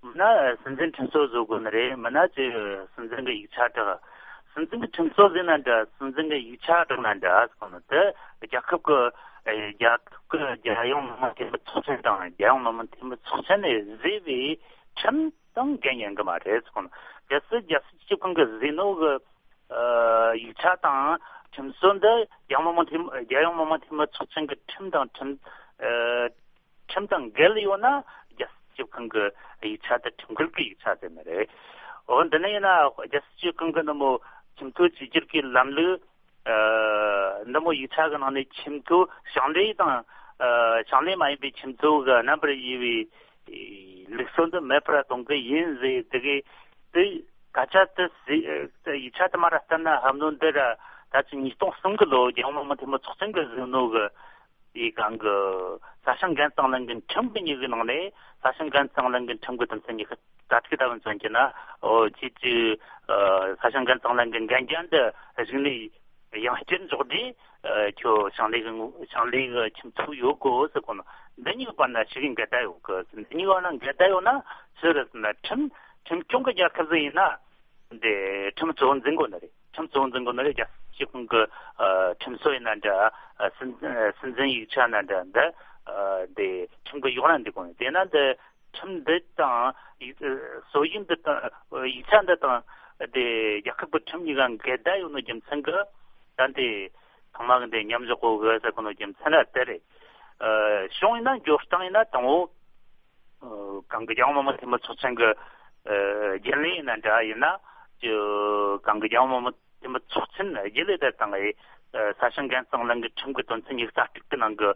མིན་ན་སྲིད་འཛིན་ཁྲིམས་སྲོལ་བཟོ་དགོས་ནི་རེད། མིན་ན་ཅི་སྲིད་འཛིན་གི་ཡིག་ཆ་བསྒྲགས། སྲིད་འཛིན་གི་ཁྲིམས་སྲོལ་ཟེར་ན་འདྲ། སྲིད་འཛིན་གི་ཡིག་ཆ་བསྒྲགས་ན་འདྲ་ཟེར་གོ་ནི་དེ་རྒྱལ་ཁབ་གི་རྒྱལ་ཁབ་གི་རྒྱལ་ཡོངས་མི་དམངས་འཐུས་མི་ཚོགས་ཆེན་དང་རྒྱལ་ཡོངས་མི་དམངས་འཐུས་མི་ཚོགས་ཆེན་ནས་བཟོས་པའི་ཁྲིམས་དང་འགལ་ཉན་གི་མ་རེད་ཟེར་གོ་ནི། གལ་སྲིད་རྒྱལ་སྲིད་སྤྱི་ཁང་གི་བཟོས་ནོ་གི་ཨ་ཡིག་ཆ་དང་ཁྲིམས་སྲོལ་འདི་རྒྱལ་ཡོངས་མི་དམངས་འཐུས་རྒྱལ་ཡོངས་མི་དམངས་འཐུས་མི་ཚོགས་ཆེན་གྱི་ཁྲིམས་དང་ཁྲིམས་ཨ་ཁྲིམས་དང་འགལ་ཡོད་ན་རྒྱལ་སྲིད་སྤྱི་ཁང་གི་ཡིག་ཆ་དེ་ཁྲིམས་འགལ་གྱི་ཡིག་ཆ་ཟེར་ནི་རེད། འོ་འདི་ནི་ཡིན་ན་རྒྱལ་སྲིད་སྤྱི་ཁང་གི་ནི་མོ་ཁྱིམ་ཐོ་བཅོས་བསྒྱུར་གྱི་ལམ་ལུགས་ཨ་འདི་མོ་ཡིག་ཆ་གི་ནང་ནས་ཁྱིམ་ཐོ་ཞིང་ལས་དང་ཨ་ཞིང་ལས་མ་ཡིན་པའི་ཁྱིམ་ཐོ་གི་རྣམ་པར་དབྱེ་བའི་ལུགས་སྲོལ་འདི་མེད་པར་གཏོང་གི་ཡིན་ཟེར་དེ་གི་དེ་སྐད་ཆ་དེ་ཟེར་ཡིག་ཆ་དེ་མ་ར་བལྟས་ན་ཧམ་ནོ་འདི་ར་ད་ཅི་ཉིས་སྟོང་གསུམ་གི་ལོ་རྒྱལ་ཡོངས་མི་དམངས་འཐུས་མི་ཚོགས་ཆེན་གི་བཟོས་ནོ་གི་ཡི་གང་གི་ས་ཞིང་འགན་གཙང་ལེན་གི་ཁྲིམས་གི་གཉིས་གི་ནང་ནས་ས་ཞིང་འགན་གཙང་ལེན་གི་ཁྲིམས་གི་དོན་ཚན་གཉིས་ཀ་གྲ་སྒྲིག་ལྟ་བུ་མཚོན་གྱི་ན་ཨོ་ཅི་ཅི་ས་ཞིང་འགན་གཙང་ལེན་གི་འགན་རྒྱ་འདི་གཞུག་ནས་ཡང་བསྐྱར་འཇོག་དུས་ཁྱོད་ཞིང་ལས་གི་ཞིང་ལས་གི་ཁྱིམ་ཚུགས་ཡོད་གོ་ཟེར་གོ་ནོ། འདི་གཉིས་ཀྱི་བར་ན་ཞིག་གི་འགལ་ཟླ་ཡོད་གི། འདི་གཉིས་ཀྱི་བར་ན་འགལ་ཟླ་ཡོད་ན་ཕྱིར་ན་ཁྲིམས་ཁྲིམས་སྐྱོང་གི་རྒྱལ་ཁབ་ཟིག་ཡིན་ན་འདི་ཁྲིམས་གཙོ་བོ་འཛིན་དགོས་ནི་རེད། ཁྲིམས་གཙོ་བོ་འཛིན་དགོས་ནི་རེད། རྒྱལ་སྤྱི་ཁང་གི་ཁྲིམས་སྲོལ་ཡིན་ན་འདྲ། སྲིད་སྲིད་འཛིན་ཡིག་ཆ་ན་འདྲ་འདི་འདི་ཁྲིམས་ཀྱི་འོག་ན་འདུག་དགོས་ནི། དེས་ན་འདི་ཁྲིམས་འདི་དང་ཡིག་སྲོལ་ཡིག་འདི་དང་ཡིག་ཆ་འདི་དང་དེ་རྒྱལ་ཁབ་ཀྱི་ཁྲིམས་གཉིས་ཀ་འགལ་ཟླ་ཡོད་ནོ་རྒྱུ་མཚན་གྱིས་ད་འདི་ཚང་མ་གི་འདི་མཉམ་འཇོག་གོ་གི་ཟེར་གོ་ནོ་རྒྱུ་མཚན་ར་དེ་རེད། ཨ་གཞུང་ཡིན་ན་འགྱུར་སྟངས་ཡིན་ན་དང་པོ་ཨ་གང་གི་རྒྱལ་ཡོངས་མི་དམངས་འཐུས་མི་ཚོགས་ཆེན་གྱི་ཨ་རྒྱུན་ལས་ཡིན་ན་འདྲ་ཡིན་ན་ཅི་གང་གི་རྒྱལ་ཡོངས་མི་དམངས་འཐུས་མི་ཚོགས་ཆེན་རྒྱུན་ལས་དེ་དང་ཨེ། ས་ཞིང་འགན་གཙང་ལེན་གྱི་ཁྲིམས་ཀྱི་དོན་ཚན་ཉི་ཤུ་རྩ་དྲུག་གི་ནང་གི་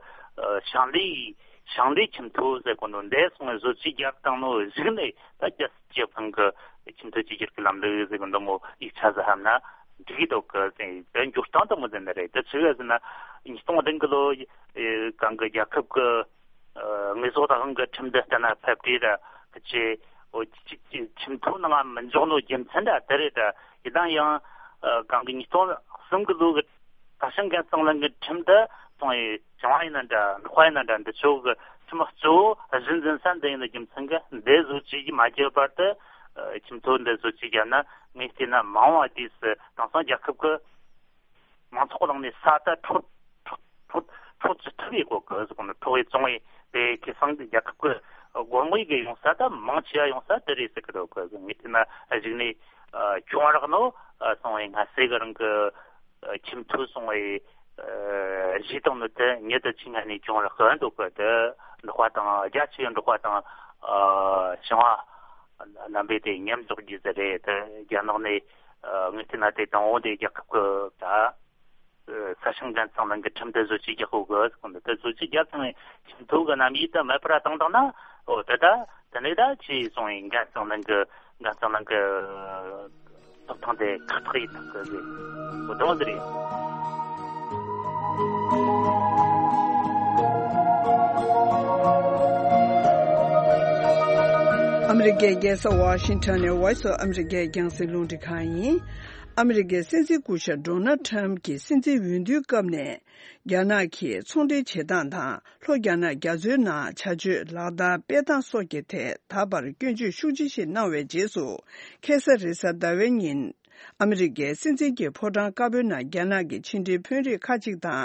ཞིང་ལས་ཞིང་ལས་ཁྱིམ་ཐོ་ཟེར་གོ་ནོ་འདས་སོང་བའི་བཟོ་བཅོས་བརྒྱབ་བཏང་ནོ་གཞུག་ནས་ད་རྒྱལ་སྲིད་སྤྱི་ཁང་གི་ཁྱིམ་ཐོ་བཅོས་བསྒྱུར་གྱི་ལམ་ལུགས་ཟེར་གོ་འདི་མོ་ཡིག་ཆ་ཟིག་ཧམ་ན་འགྲིག་གི་འདུག་གི་ཟེར་དེ་འགྱུར་སྟངས་དེ་མོ་ཟེར་ནི་རེད། དེ་ཆི་ཟེར་ན་ཉིས་སྟོང་བདུན་གི་ལོ་གང་གི་རྒྱལ་ཁབ་ཀྱི་དངོས་ཟོག་དང་དབང་གི་ཁྲིམས་འདི་ལྟ་ན་ཕེབས་དུས་ར་ཁྱེད་ཁྱིམ་ཐོ་ནང་མི་འཇོག་ནོ་རྒྱུ་མཚན་ར་དེ་རེད། ད་ཡིན་ན་ཡང་གང་གི་ཉིས་སྟོང་གསུམ་གི་ལོ་གི་ས་ཞིང་འགན་གཙང་ལེན་གྱི་ཁྲིམས་དེ་སོང་ཡི་ཞིང་བ་ཡིན་ན་འདྲ་འབྲོག་པ་ཡིན་ན་འདྲ་འདི་ཚོ་གི་ཁྲིམས་གཙོ་བོ་གཞི་འཛིན་ས་འདི་ཡིན་ན་རྒྱུ་མཚན་གི་འདི་བཟོ་བཅོས་ཀྱི་མ་བརྒྱབ་བར་དུ་ཁྱིམ་ཐོ་འདི་བཟོ་བཅོས་བརྒྱབ་ན་ངས་བལྟས་ན་མང་བ་དུས་སུ་དེང་སང་རྒྱལ་ཁབ་གི་མང་ཚོགས་ནང་ནས་ས་ད་འཕྲོག་འཕྲོག་འཕྲོག་འཕྲོག་ཅི་ཐུབ་ཡི་གོ་གི་ཟེར་གོ་ནི་འཕྲོག་ཡི་བཙོང་ཡི་དེ་ཁེ་སང་གི་རྒྱལ་ཁབ་གི་སྒོར་མོ་ཡི་གི་ཡོང་ས་ད་མང་ཆེ་བ་ཡོང་ས་དེ་རེད་ཟེར་གི་འདུག་གི་ངས་བལྟས་ན་གཞུག་ནས་གྱོང་རག་ནོ་སོང་བའི་ང་སེ་གི་རང་གི་ཁྱིམ་ཐོ་སོང་བའི་གཞས་དང་ནི་དེ་ཉིད་དུ་ཆིང་ང་ནས་གྱོང་རག་གི་འདུག་གི་དེ་འབྲོག་པ་དང་རྒྱ་ཆེ་བའི་འབྲོག་པ་དང་ཞིང་བ་རྣམ་པས་དེ་ཉམས་རྫོགས་རྒྱུ་ཟེར་རེད། དེ་རྒྱ་ནག་ནས་ངས་བལྟས་ན་དེ་དང་བོ་དེ་རྒྱལ་ཁབ་གི་ད། ས་ཞིང་འགན་གཙང་ལེན་གྱི་ཁྲིམས་དེ་བཟོ་བཅོས་རྒྱག་དགོས་གི་ཟེར་གོ་འདི་དེ་བཟོ་བཅོས་རྒྱབ་ཚང་བའི་ཁྱིམ་ཐོ་གི་རྣམ་དབྱེ་དེ་མེད་པར་བཏང་བཏང་ན་འོ་དེ་ད་དེ་ནས་ད་ཆི་སོང་བའི་འགན་གཙང་ལེན་གྱི་འགན་གཙང་ལེན་གྱི་ཐོབ་ཐང་དེ་ཁག་ཐེག་ཡིན་ཐག་གི་ཟེར་འོ་དེ་མོ་འདི་རེད། ཨ་མི་རི་ཀའི་རྒྱལ་ས་ཝ་ཤིང་ཊོན་ནས་Voice of America རྒྱང་སྲིང་རླུང་འཕྲིན་ཁང་ཡིན། ཨ་མི་རི་ཀའི་སྲིད་འཛིན་སྐུ་ཞབས་ཌོ་ནལ་ཊམ་གྱི་སྲིད་འཛིན་འོས་བསྡུའི་སྐབས་ནས་རྒྱ་ནག་གིས་ཚོང་འབྲེལ་བྱེད་སྟངས་དང་ལྷོ་རྒྱ་ནག་རྒྱ་མཚོའི་ནང་བྱ་སྤྱོད་ལག་བསྟར་སྤེལ་སྟངས་སོགས་ཀྱི་ཐད་ད་བར་སྐྱོན་བརྗོད་ཤུགས་ཆེ་ཞིག་གནང་བའི་རྗེས་སུ། ཁ་སང་རེས་གཟའ་ཟླ་བའི་ཉིན་ཨ་མི་རི་ཀའི་སྲིད་འཛིན་གྱི་ཕོ་བྲང་དཀར་པོའི་ནང་རྒྱ་ནག་གི་ཕྱི་འབྲེལ་དཔོན་རིགས་ཁག་ཅིག་དང་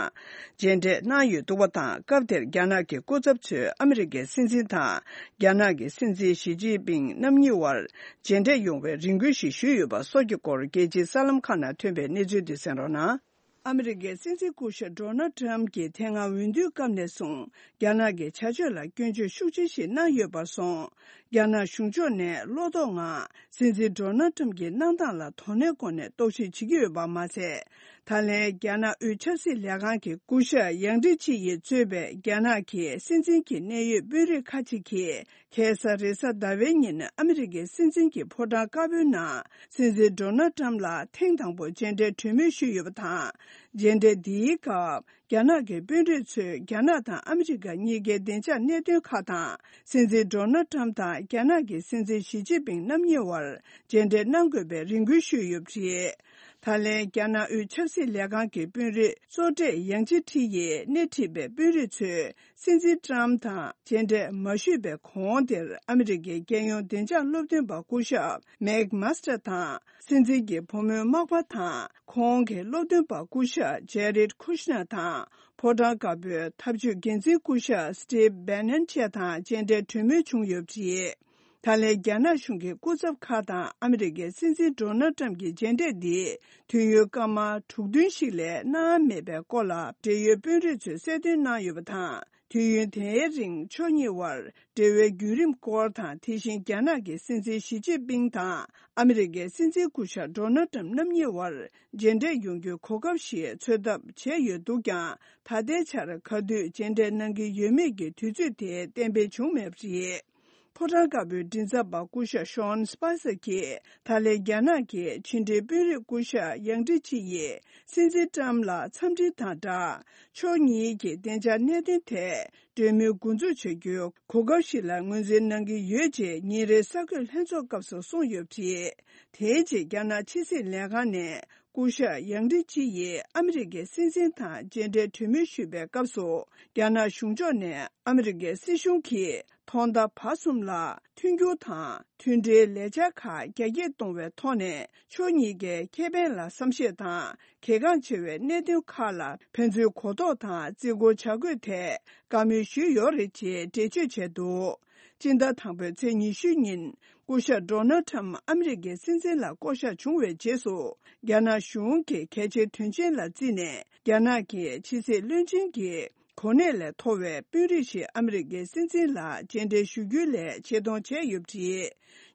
མཇལ་འཕྲད་གནང་ཡོད་འདུག་པ་དང་། སྐབས་དེར་རྒྱ་ནག་གི་སྐུ་ཚབ་ཚོས་ཨ་མི་རི་ཀའི་སྲིད་འཛིན་དང་རྒྱ་ནག་གི་སྲིད་འཛིན་ཞི་ཅིན་ཕིང་རྣམ་གཉིས་དབར་མཇལ་འཕྲད་ཡོང་བའི་རེ་སྐུལ་ཞིག་ཞུས་ཡོད་པ་སོགས་ཀྱི་སྐོར་རྒྱལ་སྤྱིའི་གསར་ལམ་ཁག་ནང་ཐོན་པའི་གནས་ཚུལ་འདི་གསན་རོགས་གནང་། ཨ་མི་རི་ཀའི་སྲིད་འཛིན་སྐུ་ཞབས་ཌོ་ནལ་ཊམ་གྱིས་དེ་སྔ་འོས་བསྡུའི་སྐབས་ནས་བཟུང་རྒྱ་ནག་གི་བྱ་སྤྱོད་ལ་སྐྱོན་བརྗོད་ཤུགས་ཆེ་ཞིག་གནང་ཡོད་པར་སོང་། རྒྱ་ནག་གཞུང་ཕྱོགས་ནས་བློ་དོགས་ངང་སྲིད་འཛིན་ཌོ་ནལ་ཊམ་གྱི་གནང་སྟངས་ལ་དོ་སྣང་སྒོ་ནས་རྟོག་ཞིབ་བྱེད་ཀྱི་ཡོད་པ་མ་ཟད། ད་ལན་རྒྱ་ནག་དབུས་ཆབ་སྲིད་ལས་ཁང་གི་སྐུ་ཞབས་ཡང་ཀྲི་ཅི་ཡིས་གཙོས་པའི་རྒྱ་ནག་གི་སྲིད་འཛིན་གྱི་གནད་ཡོད་དཔོན་རིགས་ཁག་ཅིག་གིས། ཁ་སང་རེས་གཟའ་ཟླ་བའི་ཉིན་ཨ་མི་རི་ཀའི་སྲིད་འཛིན་གྱི་ཕོ་བྲང་དཀར་པོའི་ནང་སྲིད་འཛིན་ཌོ་ནལ་ཊམ་ལ་ཐེངས་དང་པོ་མཇལ་འཕྲད་གྲོས་མོལ་ཞུས་ཡོད་པ་དང་། མཇལ་འཕྲད་འདིའི་སྐབས་རྒྱ་ནག་གི་དཔོན་རིགས་ཚོས་རྒྱ་ནག་དང་ཨ་མི་རི་ཀ་གཉིས་ཀའི་བདེ་འཇགས་གནད་དོན་ཁག་དང་། སྲིད་འཛིན་ཌོ་ནལ་ཊམ་དང་རྒྱ་ནག་གི་སྲིད་འཛིན་ཞི་ཅིན་ཕིང་རྣམ་གཉིས་དབར་མཇལ་འཕྲད་གནང་དགོས་པའི་རེ་སྐུལ་ཞུས་ཡོད་པ་རེད། ད་ལན་རྒྱ་ནག་དབུས་ཆབ་སྲིད་ལས་ཁང་གི་དཔོན་རིགས་གཙོ་གྲས་ཡང་ཅི་ཁྲི་ཡིས་སྣེ་ཁྲིད་པའི་དཔོན་རིགས་ཚོས། སྲིད་འཛིན་ཊམ་དང་མཇལ་འཕྲད་མ་ཞུས་པའི་གོང་དེར་ཨ་མི་རི་ཀའི་རྒྱལ་ཡོངས་བདེ་འཇགས་སློབ་སྟོན་པ་སྐུ་ཞབས་མེག་མཱ་སི་ཊར་དང་། སྲིད་འཛིན་གྱི་བུ་མོའི་མག་པ་དང་། ཁོང་གི་སློབ་སྟོན་པ་སྐུ་ཞབས་ཇེ་རིད་ཁུ་ཤ་ནར་དང་། ཕོ་བྲང་དཀར་པོའི་འཐབ་ཇུས་འགན་འཛིན་སྐུ་ཞབས་སི་ཊིབ་བྷེ་ནན་བཅས་དང་མཇལ་འཕྲད་གྲོས་མོལ་བྱུང་ཡོད་པ་རེད། ད་ལན་རྒྱ་ནག་གཞུང་གི་སྐུ་ཚབ་ཁག་དང་ཨ་མི་རི་ཀའི་སྲིད་འཛིན་ཌོ་ནལ་ཊམ་གྱི་མཇལ་འཕྲད་འདི་དུས་ཡུན་སྐར་མ་དྲུག་བདུན་ཞིག་ལས་གནང་མེད་པའི་སྐོར་ལ་འབྲེལ་ཡོད་དཔོན་རིགས་ཚོས་གསལ་སྟོན་གནང་ཡོད་པ་དང་། དུས་ཡུན་དེའི་རིང་ཕྱོགས་གཉིས་དབར་འབྲེལ་བའི་བརྒྱུད་རིམ་སྐོར་དང་། དེ་བཞིན་རྒྱ་ནག་གི་སྲིད་འཛིན་ཞི་ཅིན་ཕིང་དང་ཨ་མི་རི་ཀའི་སྲིད་འཛིན་སྐུ་ཞབས་ཌོ་ནལ་ཊམ་རྣམ་གཉིས་དབར་མཇལ་འཕྲད་ཡོང་རྒྱུའི་གོ་སྐབས་ཤིག་འཚོལ་ཐབས་བྱས་ཡོད་འདུག་ཀྱང་། ད་ལྟའི་ཆར་ག་དུས་མཇལ་འཕྲད་གནང་གི་ཡོད་མེད་ཀྱི་དུས་ཚོད་དེ་གཏན་འབེབས་བྱུང་མེད་པ་རེད། ཕོ་བྲང་དཀར་པོའི་མགྲིན་ཚབ་པ་སྐུ་ཞབས་ཤོན་སི་པ་སར་གྱིས་ད་ལན་རྒྱ་ནག་གི་ཕྱི་འབྲེལ་དཔོན་རིགས་སྐུ་ཞབས་ཡང་ཀྲི་ཅི་ཡིས་སྲིད་འཛིན་ཊམ་ལ་འཚམས་འདྲི་དང་སྦྲགས། ཕྱོགས་གཉིས་ཀྱི་བདེ་འཇགས་གནད་དོན་ཐད་གྲོས་མོལ་འགོ་འཛུགས་བྱ་རྒྱུའི་གོ་སྐབས་ཤིག་ལ་ངོས་འཛིན་གནང་གི་ཡོད་ཅེས་ཉིན་རེའི་གསར་འགོད་ལྷན་ཚོགས་སྐབས་སུ་གསུངས་ཡོད་པ་རེད། དེའི་རྗེས་རྒྱ་ནག་ཕྱི་སྲིད་ལས་ཁང་ནས། སྐུ་ཞབས་ཡང་ཀྲི་ཅི་ཡིས་ཨ་མི་རི་ཀའི་སྲིད་འཛིན་དང་མཇལ་འཕྲད་གྲོས་མོལ་ཞུས་པའི་སྐབས་སུ། རྒྱ་ནག་གཞུང་ཕྱོགས་ནས་ཨ་མི་རི་ཀའི་སྲིད་གཞུང་གིས་ཐོག་མཐའ་བར་གསུམ་ལ་མཐུན་འགྱུར་དང་མཐུན་སྒྲིལ་ལས་འཆར་ཁག་རྒྱ་སྐྱེད་གཏོང་བའི་ཐོག་ནས་ཕྱོགས་གཉིས་ཀའི་ཁེ་ཕན་ལ་བསམ་ཤེས་དང་གལ་འགངས་ཆེ་བའི་གནད་དོན་ཁག་ལ་ཕན་ཚུན་གོ་རྟོགས་དང་བརྩི་བཀུར་བྱ་དགོས་ཐད་བཀའ་མོལ་ཞུས་ཡོད་རེད་ཅེས་འགྲེལ་བརྗོད་བྱས་འདུག་སྤྱི་ཟླ་དང་པོའི་ཚེས་ཉི་ཤུ་ཉིན། སྐུ་ཞབས་ཌོ་ནལ་ཊམ་ཨ་མི་རི་ཀའི་སྲིད་འཛིན་ལ་བསྐོ་གཞག་བྱུང་བའི་རྗེས་སུ། རྒྱ་ནག་གཞུང་གི་གལ་ཆེའི་དོན་ཆེན་ལ་བརྩིས་ནས། རྒྱ་ནག་གི་ཕྱི་སྲིད་བློན་ཆེན་གྱི་ གོ་གནས་ལས་མཐོ་བའི་དཔོན་རིགས་ཤིག་ཨ་མི་རི་ཀའི་སྲིད་འཛིན་ལ་མཇལ་འཕྲད་ཞུ་རྒྱུའི་སླད་ཆེད་གཏོང་བྱས་ཡོད་པ་རེད།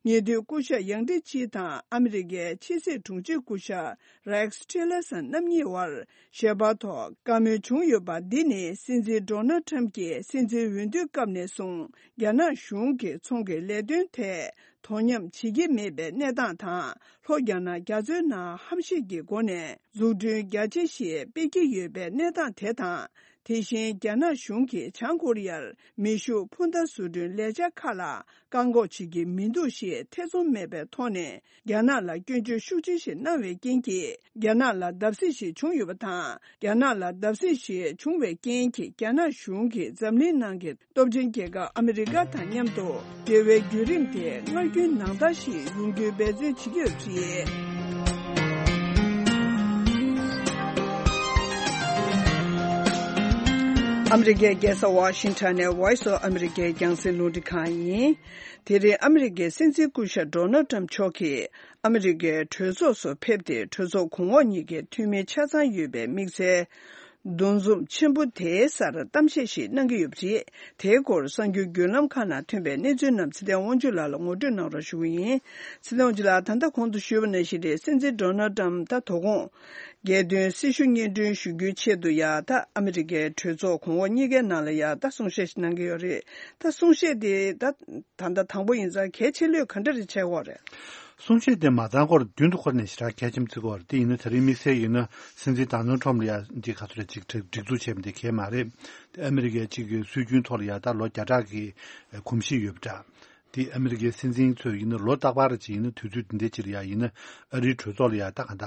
ཉེ་དུས་སྐུ་ཞབས་ཡང་ཀྲི་ཅི་དང་ཨ་མི་རི་ཀའི་ཕྱི་སྲིད་དྲུང་ཆེ་སྐུ་ཞབས་རེག་སི་ཊི་ལར་སན་རྣམ་གཉིས་བར་ཞལ་པར་ཐོག་བཀའ་མོལ་བྱུང་ཡོད་པ་འདི་ནི་སྲིད་འཛིན་ཌོ་ནལ་ཊམ་གྱི་སྲིད་འཛིན་འོས་བསྡུའི་སྐབས་ནས་བཟུང་རྒྱ་ནག་གཞུང་གི་ཚོང་གི་ལས་དོན་ཐད་དོ་མཉམ་བྱེད་ཀྱི་མེད་པའི་གནས་སྟངས་དང་། ལྷོ་རྒྱ་ནག་རྒྱ་མཚོའི་ནང་ཧམ་ཤེད་ཀྱི་སྒོ་ནས་འཛུགས་སྐྲུན་རྒྱ་ཆེ་ཞིག་སྤེལ་གྱི་ཡོད་པའི་གནས་སྟངས་དེ་དང་། དེ་བཞིན་རྒྱ་ནག་གཞུང་གིས་བྱང་ཀོ་རི་ཡར་མེ་ཤུགས་འཕུར་མདའ་བཟོ་སྐྲུན་ལས་འཆར་ཁག་ལ་བཀག་འགོག་བྱེད་ཀྱི་མི་འདུག་ཞེས་ཐེ་ཚོམ་མེད་པའི་ཐོག་ནས་རྒྱ་ནག་ལ་སྐྱོན་བརྗོད་ཤུགས་ཆེ་ཞིག་གནང་བའི་རྐྱེན་གྱིས། རྒྱ་ནག་ལ་བརྡབ་གསིག་ཞིག་བྱུང་ཡོད་པ་དང་། རྒྱ་ནག་ལ་བརྡབ་གསིག་ཞིག་བྱུང་བའི་རྐྱེན་གྱིས་རྒྱ་ནག་གཞུང་གིས་འཛམ་གླིང་ནང་གི་སྟོབས་ཆེན་རྒྱལ་ཁབ་ཨ་མི་རི་ཀ་དང་མཉམ་དུ་འབྲེལ་བའི་བརྒྱུད་རིམ་དེ་སྔར་རྒྱུན་ནང་ལྟར་ཞིག་ཡོང་རྒྱུའི་འབད་བརྩོན་བྱེད་ཀྱི་ཡོད་པ་རེད། ཨ་མི་རི་ཀའི་རྒྱལ་ས་ཝ་ཤིང་ཊོན་ནས་Voice of America་རྒྱང་སྲིང་རླུང་འཕྲིན་ཁང་ཡིན། དེ་རིང་ཨ་མི་རི་ཀའི་སྲིད་འཛིན་སྐུ་ཞབས་ཌོ་ནལ་ཊམ་མཆོག་གིས་ཨ་མི་རི་ཀའི་གྲོས་ཚོགས་སུ་ཕེབས་ཏེ། གྲོས་ཚོགས་གོང་འོག་གཉིས་ཀའི་འཐུས་མི་ཆ་ཚང་ཡོད་པའི་དམིགས་བསལ་འདུ་འཛོམས་ཆེན་པོ་དེའི་སར་གཏམ་བཤད་ཞིག་གནང་གི་ཡོད་པ་རེད། དེའི་སྐོར་གསར་འགྱུར་བརྒྱུད་ལམ་ཁག་ནང་ཐོན་པའི་གནས་ཚུལ་རྣམས་ཚེ་བརྟན་དབང་ཕྱུག་ལགས་ལ་ངོ་སྤྲོད་གནང་རོགས་ཞུ་གི་ཡིན། ཚེ་བརྟན་དབང་ཕྱུག་ལགས། ད་ལྟ་གོང་དུ་ཞུས་པ་ནང་བཞིན་རེད། སྲིད་འཛིན་ཌོ་ནལ་ཊམ་ད་དོ་དགོང་རྒྱལ་དོན་སྲི་ཞུ་སྙན་སྒྲོན་ཞུ་རྒྱུའི་ཆེད་དུ་ཡ་ད་ཨ་མི་རི་ཀའི་གྲོས་ཚོགས་གོང་འོག་གཉིས་ཀའི་ནང་ལ་ཡ་ད་གསུང་བཤད་ཞིག་གནང་གི་ཡོད་རེད། ད་གསུང་བཤད་དེ་ད་ད་ལྟ་དང་པོ་ཡིན་ཙང་གལ་ཆེ་ལོས་ག་འདྲ་རེ་བྱས་ཡོད་རེད། གསུང་བཤད་དེ་མ་ཚང་སྐོར་རྒྱུན་དུ་འཁོར་ནས་ཞེ་དྲག་གལ་ཆེན་པོ་བརྩི་གི་ཡོད་རེད། དེ་ཡིན་ན་དེ་རིང་དམིགས་བསལ་ཡིན་ན་སྲིད་འཛིན་ཌོ་ནལ་ཊམ་ལ་ཡ་འདི་ག་ཚོད་རེ་ཅིག་སྒྲིག་སྒྲིག་འཛུགས་བྱས་པ་འདི་གལ་མ་རེད། དེ་ཨ་མི་རི་ཀའི་གཅིག་གི་སྲོལ་རྒྱུན་ཐོག་ལ་ཡ་ད་ལོ་བརྒྱ་ཕྲག་གི་གོམས་གཤིས་ཡོད་པ་འདྲ། དེ་ཨ་མི་རི་ཀའི་སྲིད་འཛིན་ཚོས་ཡིན་ན་ལོ་རྟག་པར་ཅིག་ཡིན་ན་དུས་ཚོད་འདི་འདྲའི་ཅིག་ལ་ཡ་ཡིན་ན་ཨ་རིའི་གྲོས་ཚོགས་ལ་ཡ་ད་ག་ད་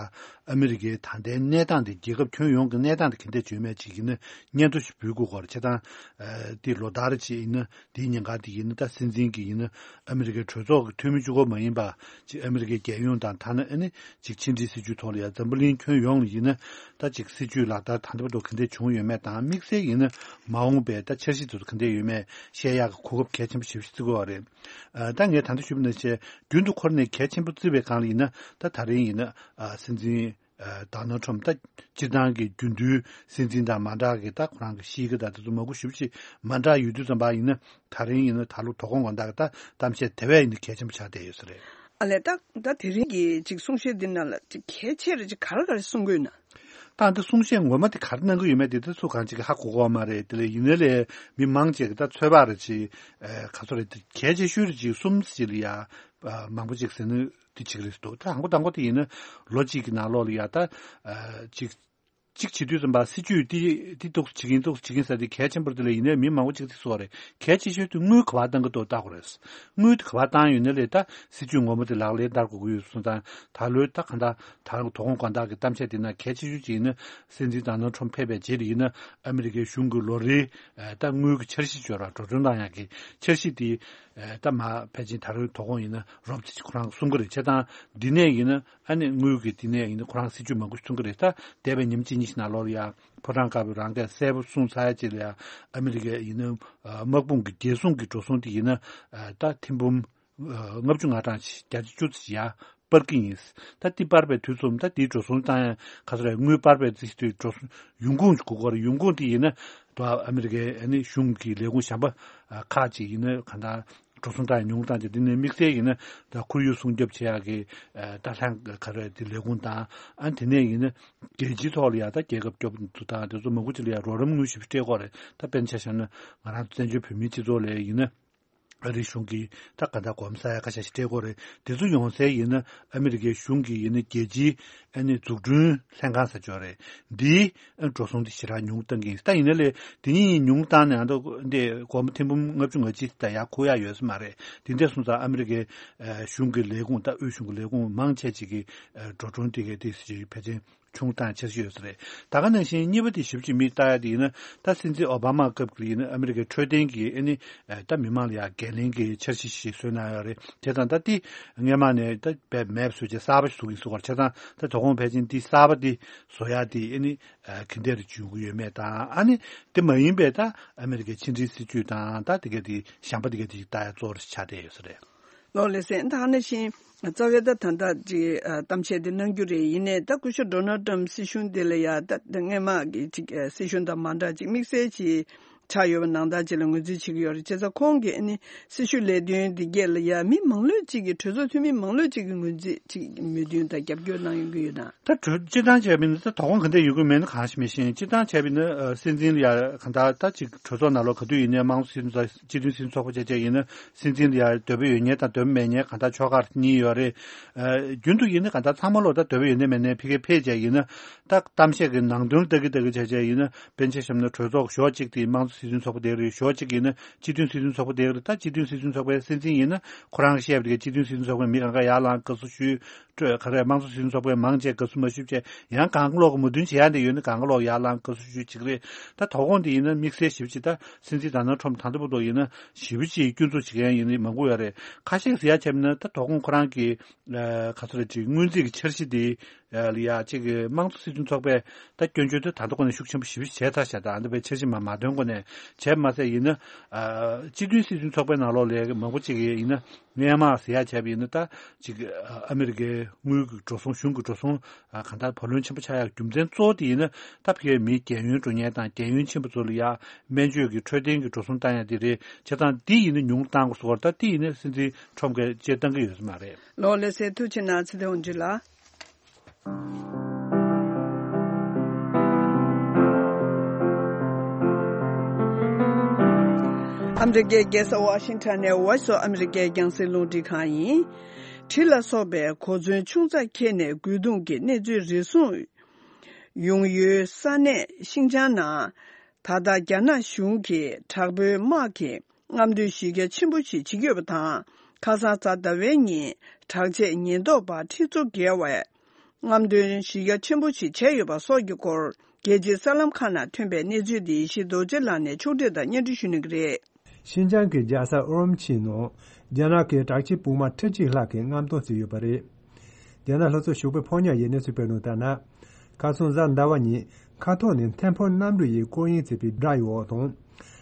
ཨ་མི་རི་ཀའི་ད་ལྟའི་གནས་སྟངས་དེ་རྒྱལ་ཁབ་ཁྱོན་ཡོངས་ཀྱི་གནས་སྟངས་དེ་ག་འདྲ་བྱུང་མེད་ཅིག་ཡིན་ན་སྙན་ཐོ་ཞིག་འབུལ་དགོས་སྐོར་བྱེད་སྟངས་དེ་ལོ་ལྟར་ཅིག་ཡིན་ན། དེའི་ཉེན་ཁ་དེ་ཡིན་ན་ད་སྲིད་འཛིན་གྱི་ཡིན་ན་ཨ་མི་རི་ཀའི་གྲོས་ཚོགས་ཀྱི་འཐུས་མི་གཅིག་པོ་མ་ཡིན་པ་ཅིག་ཨ་མི་རི་ཀའི་རྒྱལ་ཡོངས་དང་ཐ་ན་ཨ་ནི་ཅིག་ཕྱི་འབྲེལ་སྲིད་ཇུས་ཐོག་ལ་ཡང་འཛམ་བུ་གླིང་ཁྱོན་ཡོངས་ལ་ཡིན་ན་ད་ཅིག་སྲིད་ཇུས་ལག་བསྟར་ད་ལྟ་བར་དུ་ག་འདྲས་བྱུང་ཡོད་མེད་དང་དམིགས་བསལ་ཡིན་ན་མ་འོངས་པའི་ད་འཆར་གཞི་དེ་ཚོ་ག་འདྲས་ཡོད་མེད་བཤད་ཡག་གི་གོ་སྐབས་གལ་ཆེན་པོ་ཞེ་པོ་ཞིག་བརྩི་དགོས་པ་རེད། ད་ངས་ད་ལྟ་ཞུས་པ་ནང་བཞིན་རྒྱུན་དུ་འཁོར་ནས་གལ་ཆེན་པོ་བརྩི་བའི་སྒང་ལ་ཡིན་ན་ད་ད་རིང་ཡིན་ན་སྲིད་འཛིན། ཌོ་ནལ་ཊམ་ད་སྤྱིར་བཏང་གི་རྒྱུན་དུའི་སྲིད་འཛིན་དང་མ་འདྲ་གི་ད་ཁོ་རང་གི་གཤིས་ཀ་དང་དེ་ཚོ་མང་པོ་ཞེ་པོ་ཅིག་མ་འདྲ་ཡོད་དུས་ཙམ་པ་ཡིན་ན་ད་རིང་ཡིན་ན་ད་ལོ་དོ་དགོང་དགོང་དག་གི་ད་གཏམ་བཤད་དེ་བས་ཡིན་ན་གལ་ཆེན་པོ་ཆགས་བསྡད་ཡོད་ས་རེད། ཨ་ལས་ད་ད་དེ་རིང་གི་ཅིག་གསུང་བཤད་འདི་ནང་ལ་ཅིག་གལ་ཆེ་རུ་ཅིག་ག་རེ་ག་རེ་གསུང་གི་ཡོད་ན། ད་འདི་གསུང་བཤད་ངོ་མ་དེ་ག་རེ་གནང་གི་ཡོད་མེད་དེ་ད་ཚུར་གང་ཅིག་ཧ་གོ་གོ་མ་རེད། དེ་ལས་ཡིན་ནའི་ལས་མི་མང་ཅིག་གི་ད་ཚོད་དཔག་རེ་ཅིག་ག་ཚོད་རེད། གལ་ཆེ་ཤོས་རེ་ཅིག་གསུམ་ཅིག་ལ་ཡ་མང་པོ་ཅིག་ཟེར་ན། དེ་གཅིག་རེད་འདུག་ད་དང་པོ་དང་པོ་དེ་ཡིན་ན་ལོ་གཅིག་གི་ནང་ལོགས་ལ་ཡ་ད་ཨ་གཅིག་གཅིག་བྱེད་དུས་ཙམ་པ་སྲིད་ཇུས་དེ་དེ་འདུག་སེ་བྱེད་ཀྱིན་འདུག་སེ་བྱེད་ཀྱིན་ཟེར་དེ་གལ་ཆེན་པོ་རེད། དེ་ལས་ཡིན་ནའི་མི་མང་པོ་ཅིག་དེ་སོགས་རེད། གལ་ཆེ་ཤོས་དེ་དངུལ་ག་པར་བཏང་གི་འདུག་ལྟ་དགོས་རེད། དངུལ་དེ་ག་པར་བཏང་ཡོད་ན་ལས་ད་སྲིད་ཇུས་ངོ་མ་དེ་ལག་ལེན་བསྟར་དགོས་ཀྱི་ཡོད་སོང་ཙང་ད་ལོའི་ད་གང་ལྟར་ད་རང་དོ་དགོང་དགོང་དག་གི་གཏམ་བཤད་དེ་ན་གལ་ཆེ་ཤོས་ཅིག་ཡིན་ན་སྲིད་འཛིན་ཌོ་ནལ་ཊམ་ཕེབས་པའི་རྗེས་ལ་ཡིན་ན་ཨ་མི་རི་ཀའི་གཞུང་གི་ལོ་རེའི་ད་དངུལ་གྱི་འཆར་གཞི་སྦྱོར་བ་འགྲོ་གྲོན་བཏང་ཡག་གི་འཆར་གཞི་དེ་ད་མ་ཕལ་ཆེར་ད་རང་དོ་དགོང་ཡིན་ན་རོབ་ཙམ་ཅིག་ཁོ་རང་གསུང་གི་རེད། བྱས་ཙང་འདི་ནས་ཡིན་ན། ཨ་ནི་དངུལ་གྱི་དེ་ནས་ཡིན་ན་ཁོ་རང་སྲིད་ཇུས་མང་པོ་ཞིག་གསུང་གི་རེད། ད་འདས་པའི་ཉིན་གཅིག་གཉིས་ཤིག་ནང་ལོགས་ལ་ཡ་ཕོ་བྲང་དཀར་པོའི་རང་སྐད་གསལ་པོ་གསུངས་ཚར་རྗེས་ལ་ཡ་ཨ་མི་རི་ཀའི་ཡིན་ན་དམག་དཔུང་གི་རྒྱལ་སྲུང་གི་འགྲོ་སོང་དེ་ཡིན་ན་ད་ཐེར་འབུམ་ལྔ་བཅུ་ང་གྲངས་ཤིག་བརྒྱ་ཆ་བཅུ་ཙམ་ཡ་སྤར་གྱི་ཡིན། ད་དེ་སྤར་བའི་དུས་ཙམ་ད་དེའི་འགྲོ་སོང་བཏང་ཡ་ག་ཚོད་རེད། དངུལ་སྤར་བའི་རྩིས་དུས་འགྲོ་སོང་ཡོང་ཁུངས་ཤིག་དགོས་ཀྱི་རེད། ཡོང་ཁུངས་དེ་ཡིན་ན་ད་ཨ་མི་རི་ཀའི་ཨ་ནི་གཞུང་གི་ལས་ཁུངས་གཞན་པ་ཁག་ཅིག་ཡིན་ན་ག་འདྲ། འགྲོ་སོང་བཏང་ཡ་ཉུང་བཏང་ཅིག་འདི་ནས་དམིགས་བསལ་ཡིན་ན་ད་ཁོར་ཡུག་སྲུང་སྐྱོབ་བྱེད་ཡག་གི་ད་ལྷན་ག་རེ་དེ་ལས་ཁུངས་དང་ཨ་དེ་ནས་ཡིན་ན་རྒྱལ་སྤྱིའི་ཐོག་ལ་ཡ་ད་རྒྱལ་ཁབ་སྐྱོབ་འདུག་དང་དེ་ཚོ་མང་པོ་ཅིག་ལ་ཡ་རོགས་རམ་དངུལ་ཞིག་སྤྲད་དགོས་རེད། ད་དཔེར་ན་ཆ་བཞག་ན་ང་རང་ཚོ་བཙན་བྱོལ་བོད་མིའི་སྤྱི་ཚོགས་ལ་ཡིན་ན་ཨ་རིའི་གཞུང་གིས་ད་ག་ད་གོམ་ས་ཡ་ཁ་ཤས་ཤིག་སྤྲད་དགོས་རེད། དེ་ཚོ་ཡོང་སའི་ཡིན་ན་ཨ་མི་རི་ཀའི་གཞུང་གིས་ཡིན་ན་རྒྱལ་སྤྱིའི་ཨ་ནི་འཛུགས་སྐྲུན་ལྷན་ཁང་ཟེར་ཅིག་ཡོད་རེད། འདིའི་འགྲོ་སོང་དེ་ཞེ་དྲག་ཉུང་བཏང་གི་ཡིན། ད་ཡིན་ན་ལས་དེ་གཉིས་ཉུང་བཏང་ནས་ཨ་མདོ་འདི་སྒོར་མོ་ཐེར་འབུམ་ལྔ་བཅུ་ང་གཅིག་ད་ཡར་འཁུར་ཡག་ཡོད་ས་མ་རེད། དེ་འདྲ་སོང་ཙང་ཨ་མི་རི་ཀའི་ཨ་གཞུང་གི་ལས་ཁུངས་ད་དབུས་གཞུང་གི་ལས་ཁུངས་མང་ཆེ་ཅིག་གི་ཨ་འགྲོ་གྲོན་དེ་གའི་དེ་ཕལ་ཆེར་ཆུང་བཏང་འཆར་གཞི་ཡོད་ས་རེད། ད་ག་ནང་བཞིན་གཉིས་པ་དེ་ཞིབ་ཅིག་མིག་ལྟ་ཡག་དེ་ཡིན་ན་ད་སྲིད་འཛིན་ཨོ་བྷ་མ་སྐབས་ཀྱི་ཡིན་ན་ཨ་མི་རི་ཀའི་འཕྲོད་བསྟེན་གྱི་ཨ་ནི་ད་མི་མང་ལ་ཡང་འགན་ལེན་གྱི་འཆར་གཞི་ཞིག་བཟོས་གནང་ཡོད་རེད། དེ་དང་ད་དེ་སྔས་མ་ནས་ད་དཔེ་མེད་པ་བཟོས་བྱས་གསར་པ་ཞིག་བཟོ་གི་ཡིན་ཟེར་བ་རེད། བྱས་ཙང་ད་དོ་དགོང་ཕལ་ཆེར་འདི་གསར་པ་འདི་བཟོ་ཡག་དེ་ཨ་ནི་ག་འདྲ་རེ་བྱུང་གི་ཡོད་མེད་དང་ཨ་ནི་དེ་མ་ཡིན་པའི་ད་ཨ་མི་རི་ཀའི་ཕྱི་འབྲེལ་སྲིད་ཇུས་དང་ད་དེ་ག་དེ་གཞན་པ་དེ་ག་དེ་ཞིག་ལྟ་ཡག་གཙོ་བོ་རེ་ཆགས་བསྡད་ཡོད་ས་རེད། ལགས་ལགས་སེ། ད་ག་ནང་བཞིན་རྩ་བའི་ད་ད་ལྟ་ཅིག་ཨ་གཏམ་བཤད་དེ་གནང་རྒྱུ་རེད། ཡིན་ནའི་ད་སྐུ་ཞབས་ཌོ་ནལ་ཊམ་སྲིད་གཞུང་དེ་ལ་ཡ་ད་སྔས་མ་གི་ཅིག་ཨ་སྲིད་གཞུང་དང་མ་འདྲ་ཅིག་དམིགས་བསལ་ཅིག་ཆགས་ཡོད་པ་ནང་ལྟར་ཅིག་ལ་ངོས་འཛིན་བྱེད་ཀྱི་ཡོད་རེད། བྱས་ཙང་ཁོང་གིས་ཨ་ནི་སྲི་ཞུ་ལས་དོན་འདི་གས་ལ་ཡ་མི་མང་ལོས་ཅིག་གིས་གྲོས་ཚོགས་འཐུས་མི་མང་ལོས་ཅིག་གིས་ངོས་འཛིན་ཅིག་མོས་མཐུན་དང་རྒྱབ་སྐྱོར་གནང་ཡོང་གི་ཡོད་ན། ད་གྲོས་སྤྱིར་བཏང་བྱས་པ་ཡིན་ན་ད་དོ་དགོང་ག་འདྲ་ཡོང་གི་མེད་ན་གང་ཞིག་མི་ཤེས། སྤྱིར་བཏང་བྱས་པ་ཡིན་ན་ཨ་སྲིད་འཛིན་ལ་ཡ་གང་ལྟར་ད་ཅིག་གྲོས་ཚོགས་ནང་ལོགས་ག་དུས་ཡིན་ནའི་དམངས་གཙོ་སྲིད་གཙོ་སྤྱི་མཐུན་སྲིད་གཙོ་ཚོགས་པ་བྱས་བྱས་ཡིན་ན་སྲིད་འཛིན་ལ་ཡ་འདོད་པ་ཡོད་མཁན་དང་འདོད་པ་མེད་མཁན་གང་ལྟར་ཕྱོགས་ཁག་གཉིས་ཡོད་རེད། ཨ་རྒྱུན་དུ་ཡིན་ན་གང་ལྟར་ཚང་མ་ལོག་ད་འདོད་པ་ཡོད་ནའི་མེད་ནའི་ཕ་གིར་ཕེབས་བྱས་ཡིན་ན་ད་གཏམ་བཤད་ཀྱི་ནང་དོན་ལྟ་གི་ལྟ་གི་བྱས་བྱས་ཡིན་ན་དཔེར་ན་ཆ་བཞག་ན་གྲོས་ཚོགས་གཞོགས་གཅིག་དེ་དམངས་གཙོ་སྲིད་གཙོ་ཚོགས་པ་དེ་རེད། གཞོགས་གཅིག་ཡིན་ན་སྤྱི་མཐུན་སྲིད་གཙོ་ཚོགས་པ་དེ་རེད། ད་སྤྱི་མཐུན་སྲིད་གཙོ་ཚོགས་པའི་སྲིད་འཛིན་ཡིན་ན་ཁོ་རང་གིས་བཤད་པ་དེ་ག་སྤྱི་མཐུན་སྲིད་གཙོ་ཚོགས་པས་མི་གང་ག་ཡར་ལངས་དགའ་བསུ་ཞུས། ག་རེ་དམངས་གཙོ་སྲིད་གཙོ་ཚོགས་པས་མང་ཆེ་དགའ་བསུ་མ་ཞུས་བྱས་ཡང་གང་ལོག་གི་མོས་མཐུན་བྱེད་ཡ་འདི་ཡོད་ན་གང་ལོག་ཡར་ལངས་དགའ་བསུ་ཞུས་བྱེད་ཀྱི་རེད། ད་དོ་དགོང་འདི་ཡིན་ན་དམིགས་བསལ་ཞེ་པོ་ཅིག་ད་སྲིད་འཛིན་ཌོ་ནལ་ཊམ་ད་ལྟ་བར་དུ་ཡིན་ན་ཞེ་པོ་ཅིག་སྐྱོན་འཛུགས་བྱེད་མཁན་ཡིན་ནི་མང་པོ་ཡོད་རེད། ཁ་ཤས་ཟེར་ཡ་བྱས་ན་ད་དོ་དགོང་ཁོ་རང་གི་ཨ་ག་ཚོད་རེད་ཅིག་སྔོན་རྩིས་ཀྱི་འཆར་གཞི་འདི་ཨ་ལ་ཡ་ཅིག་དམངས་གཙོ་སྲིད་གཙོ་ཚོགས་པས་ད་སྐྱོན་བརྗོད་དེ་ད་ལྟ་ཁོ་ནས་ཤུགས་ཆེན་པོ་ཞེ་པོ་ཅིག་བྱས་ཚར་ཤག་ད་ཨ་འདི་བའི་འཆར་གཞི་མ་མ་འདོན་གོང་ནས་བྱས་མ་ཚད་ཡིན་ན་ཨ་སྤྱི་མཐུན་སྲིད་གཙོ་ཚོགས་པའི་ནང་ལོགས་ལ་མང་པོ་ཅིག་ཡིན་ན། སྔས་མ་ཟེར་ཡ་བྱས་པ་ཡིན་ན་ད་ཅིག་ཨ་མི་རི་ཀའི་དངུལ་གྱི་འགྲོ་སོང་གཞུང་གི་འགྲོ་སོང་ཨ་གང་ལྟར་བུ་ལོན་ཆེན་པོ་ཆགས་ཡག་རྒྱུ་མཚན་གཙོ་བོ་དེ་ཡིན་ན་ད་ཕ་གིའི་མི་རྒན་ཡོལ་འགྲོ་མཁན་དང་རྒན་ཡོལ་ཕྱིན་པ་ཚོ་ལ་ཡ་སྨན་བཅོས་ཀྱི་འཕྲོད་བསྟེན་གྱི་འགྲོ་སོང་བཏང་ཡ་དེ་རེད། བྱས་ཙང་དེ་ཡིན་ན་ཉུང་རུ་བཏང་དགོས་སོ། ད་དེ་ཡིན་ན་སྲིད་འཛིན་ཁྲོམ་གྱིས་བཅད་བཏང་གི་ཡོད་ས་མ་རེད། ལགས་ལགས་སེ། ཐུགས་རྗེ་གནང་། ཚེ་བརྟན་དབང་ཕྱུག་ལགས། ཨ་མི་རི་ཀའི་རྒྱལ་ས་ཝ་ཤིང་ཊོན་ནས་Voice of America རྒྱང་སྲིང་རླུང་འཕྲིན་ཁང་ཡིན། གྲི་ལ་སོགས་པའི་གོ་མཚོན་ཆུང་ཙག་འཁྱེར་ནས་རྒོལ་རྡུང་གི་གནས་ཚུལ་རེ་ཟུང་ཡོང་ཡུལ་ས་གནས་ཤིན་ཅང་ནང་། ད་ལྟ་རྒྱ་ནག་གཞུང་གིས་དྲག་པོའི་དམག་གི་རྔམ་སྟོན་གཞི་རྒྱ་ཆེན་པོ་ཞིག་བྱེད་ཀྱི་ཡོད་པ་དང་། ཁ་སང་གཟའ་ཟླ་བའི་ཉིན་དྲག་ཆས་ཉེན་རྟོག་པ་ཁྲི་ཚོ་བརྒལ་བས་རྔམ་སྟོན་གཞི་རྒྱ་ཆེན་པོ་ཞིག་བྱས་ཡོད་པ་སོགས་ཀྱི་སྐོར་རྒྱལ་སྤྱིའི་གསར་ལམ་ཁག་ནང་ཐོན་པའི་གནས་ཚུལ་འདི་ཡེ་ཤེས་རྡོ་རྗེ་ལགས་ནས་ཕྱོགས་སྒྲིག་དང་སྙན་སྒྲོན་ཞུ་གནང་གི་རེད། ཤིན་ཅང་གི་རྒྱལ་ས་ཨུ་རུམ་ཆིའི་ནང་རྒྱ་ནག་གི་དྲག་ཆས་དཔུང་དམག་ཁྲི་གཅིག་ལྷག་གིས་རྔམ་སྟོན་བྱས་ཡོད་པ་རེད། རྒྱ་ནག་ལྷོ་ཕྱོགས་ཞོགས་པའི་ཕོ་ཉ་ཡི་གནས་ཚུལ་སྤེལ་དོན་ལྟར་ན། ཁ་སང་གཟའ་ཟླ་བ་ཉིན་མཁའ་ཐོག་ནས་ཐེམ་ཕོ་གནམ་གྲུ་ཡིས་སྐོར་གཡེང་བྱེད་པའི་སྒྲ་ཡི་འོག་དང་།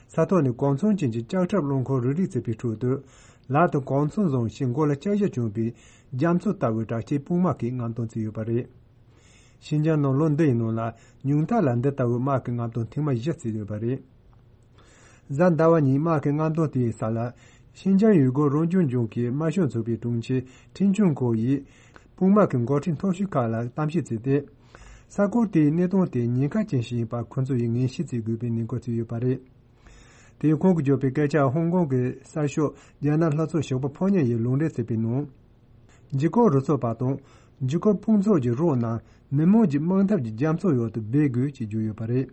ས་ཐོག་ནས་གོ་མཚོན་ཅན་གྱི་ལྕགས་ཁྲབ་རླངས་འཁོར་རུབ་རུབ་བྱེད་པའི་ཁྲོད་དུ། ལག་ཏུ་གོ་མཚོན་བཟུང་ཞིང་མགོ་ལ་ལྕགས་ཞྭ་གྱོན་པའི་རྒྱ་མཚོ་ལྟ་བུའི་དྲག་ཆས་དཔུང་དམག་གིས་རྔམ་སྟོན་བྱས་ཡོད་པ་རེད། ཤིན་ཅང་ནང་ལོ་འདི་ཡི་ནང་ལ་ཉུང་མཐའ་ལ་འདི་ལྟ་བུའི་དམག་གི་རྔམ་སྟོན་ཐེངས་མ་བཞི་བྱས་ཡོད་པ་རེད། གཟའ་ཟླ་བ་ཉིན་དམག་གི་རྔམ་སྟོན་དེའི་ས་ལ། ཤིན་ཅང་ཡུལ་སྐོར་རང་སྐྱོང་ལྗོངས་ཀྱི་དམར་ཤོག་ཚོགས་པའི་དྲུང་ཆེ་ཁྲིན་ཆུང་ཁོ་ཡིས། དཔུང་དམག་གི་འགོ་ཁྲིད་མཐོ་ཤོས་ཁག་ལ་གཏམ་བཤད་བྱས་ཏེ། ས་ཁུལ་དེའི་གནས་སྟངས་དེ་ཉེན་ཁ་ཅན་ཞིག་ཡིན་པ་ཁོ་ཚོ་ཡིས་ངེས་ཤེས་བྱེད་དགོས་པའི་ནན་སྐུལ་བྱས་ཡོད་པ་རེད། དེ་ཡང་ཁོང་གིས་བརྗོད་པའི་སྐད་ཆ་ཧོང་ཀོང་གི་གསར་ཤོག་རྒྱ་ནག་ལྷོ་ཕྱོགས་ཞོགས་པ་ཕོ་ཉ་ཡིས་ལུང་འདྲེན་བྱས་པའི་ནང་། འཇིགས་སྐུལ་རུ་ཚོགས་པ་དང་། འཇིགས་སྐུལ་དཔུང་ཚོགས་ཀྱི་རོགས་རྣམས་མི་མང་གི་དམག་འཐབ་ཀྱི་རྒྱ་མཚོའི་འོག་ཏུ་སྦས་དགོས་ཅེས་བརྗོད་ཡོད་པ་རེད།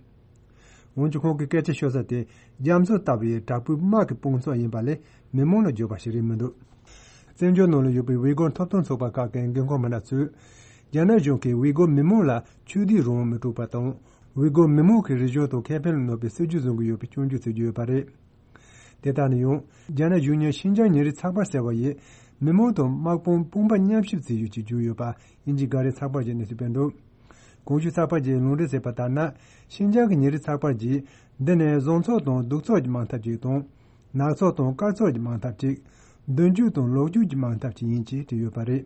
འོན་ཀྱང་ཁོང་གིས་སྐད་ཆ་ཤོར་ས་དེ་རྒྱ་མཚོ་ལྟ་བུའི་དྲག་པོའི་དམག་གི་དཔུང་ཚོགས་ཡིན་པ་ལས་མི་མང་ལ་བརྗོད་པ་ཞིག་རེད་མི་འདུག་བཙན་བྱོལ་ནང་ལ་ཡོད་པའི་ཝི་གོར་ཐོབ་ཐང་ཚོགས་པ་ཁག་གི་འགན་ཁུར་མི་སྣ་ཚོས། རྒྱ་ནག་གཞུང་གིས་ཝི་གོར་མི་མང་ལ་ཆོས་དད་རང་དབང་མི་སྤྲོད་པ་དང་། ཝི་གོར་མི་མང་གི་རིག་གཞུང་དང་ཁེ་ཕན་ལ་གནོད་པའི་སྲིད་ཇུས་བཟུང་གི་ཡོད་པའི་སྐྱོན་བརྗོད་བྱེད་ཀྱི་ཡོད་པ་རེད། དེ་ལྟར་ན་ཡང་། རྒྱ་ནག་གཞུང་གཉེར་ཤིན་ཅང་ཉིན་རེའི་ཚགས་པར་ཟེར་བ་ཡིས། མི་མང་དང་དམག་དཔུང་དཔུང་པ་མཉམ་གཤིབ་བྱས་ཡོད་ཅེས་བརྗོད་ཡོད་པ་དབྱིན་ཇིའི་འགའ་རེ་ཚགས་པར་གྱིས་གནས་ཚུལ་སྤེལ་འདུག་གོང་ཞུས་ཚགས་པར་གྱིས་ལུང་འདྲེན་བྱས་པ་ལྟར་ན། ཤིན་ཅང་གི་ཉིན་རེའི་ཚགས་པར་གྱིས། འདི་ནི་བཟང་ཚོགས་དང་སྡུག་ཚོགས་ཀྱི་དམག་འཐབ་ཅིག་དང་། ནག་ཚོགས་དང་དཀར་ཚོགས་ཀྱི་དམག་འཐབ་ཅིག་མདུན་སྐྱོད་དང་ལོག་སྐྱོད་ཀྱི་དམག་འཐབ་ཅིག་ཡིན་ཅེས་བྲིས་ཡོད་པ་རེད།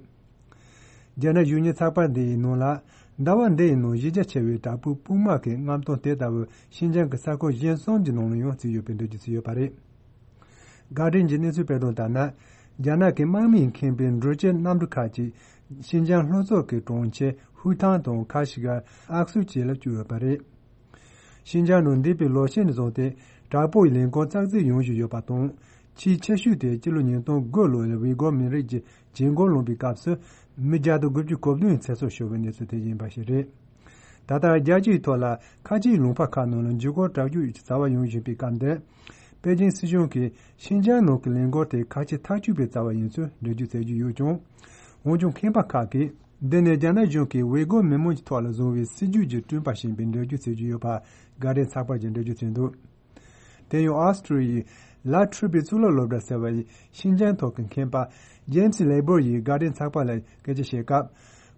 རྒྱ་ནག་གཞུང་གཉེར་ཚགས་པར་འདི་ཡི་ནང་ལ། ཟླ་བ་འདི་ཡི་ནང་གཞི་རྒྱ་ཆེ་བའི་དྲག་པོའི་དཔུང་དམག་གི་རྔམ་སྟོན་དེ་ལྟ་བུ་ཤིན་ཅང་གི་ས་ཁུལ་གཞན་གསུམ་གྱི་ནང་ལ་ཡང་བརྩིས་ཡོད་པའི་འགྲེལ་བརྗོད་བྱས་ཡོད་པ་རེད། གྷར་ཌེན་གྱི་གནས་ཚུལ་སྤེལ་དོན་ལྟར་ན། རྒྱ་ནག་གི་དམག་མིས་ཁེངས་པའི་འགྲུལ་སྐྱེལ་གནམ་གྲུ་ཁག་ཅིག་ཤིན་ཅང་ལྷོ་ཕྱོགས་ཀྱི་གྲོང་ཁྱེར་ཧུའུ་ཐང་དང་ཁ་ཤི་ཀར་ཨག་སུ་བཅས་ལ་བསྐྱོད་ཡོད་པ་རེད། ཤིན་ཅང་ནང་འདས་པའི་ལོ་ཤས་ནས་བཟུང་སྟེ་དྲག་པོའི་ལས་འགུལ་ཙག་འཛུགས་ཡོང་བཞིན་ཡོད་པ་དང་། ཆེས་ཆེ་ཤོས་དེ་སྤྱི་ལོ་ཉིས་སྟོང་དགུ་ལོ་ལ་ཝི་གོར་མི་རིགས་ཀྱི་བྱེད་སྒོ་ལངས་པའི་སྐབས་སུ་མི་བརྒྱ་དང་དགུ་བཅུ་གོ་བདུན་ཚེ་སྲོག་ཤོར་བའི་གནས་ཚུལ་དེ་ཡིན་པ་ཞིག་རེད། ད་ལྟ་རྒྱལ་སྤྱིའི་ཐོག་ལ་ཁ་ཆེའི་ལུང་པ་ཁག་ནང་ལ་འཇིགས་སྐུལ་དྲག་སྤྱོད་ཀྱི་བྱ་བ་ཡོང་བཞིན་པའི་སྐབས་འདིར། པེ་ཅིང་སྲིད་གཞུང་གིས་ཤིན་ཅང་ནང་གི་ལས་འགུལ་དེ་ཁ་ཆེ་ཐག་གཅོད་པའི་བྱ་བ་ཡིན་ཚུལ་འགྲེལ་བརྗོད་བྱེད་ཀྱི་ཡོད་ཀྱང་། འོན་ཀྱང་མཁས་པ་ཁག་གིས། འདི་ནི་རྒྱ་ནག་གཞུང་གིས་ཝེ་གོ་མི་མང་གི་ཐོག་ལ་བཟུང་བའི་སྲིད་ཇུས་ཀྱི་བསྐྲུན་པ་ཞིག་ཡིན་པའི་འགྲེལ་བརྗོད་བྱེད་ཀྱི་ཡོད་པ་གྷར་ཌེན་ཚགས་པར་གྱིས་འགྲེལ་བརྗོད་བྱས་འདུག་དེ་ཡང་ཨོ་སི་ཀྲི་ཡའི་ལ་ཁྲུ་པའི་གཙུག་ལག་སློབ་གྲྭ་ཟེར་བ་ཡི་ཤིན་ཅང་ཐོག་གི་མཁས་པ་ཇེམ་སི་ལེ་བོར་ཡིས་གྷར་ཌེན་ཚགས་པར་ལ་སྐད་ཆ་བཤད་སྐབས།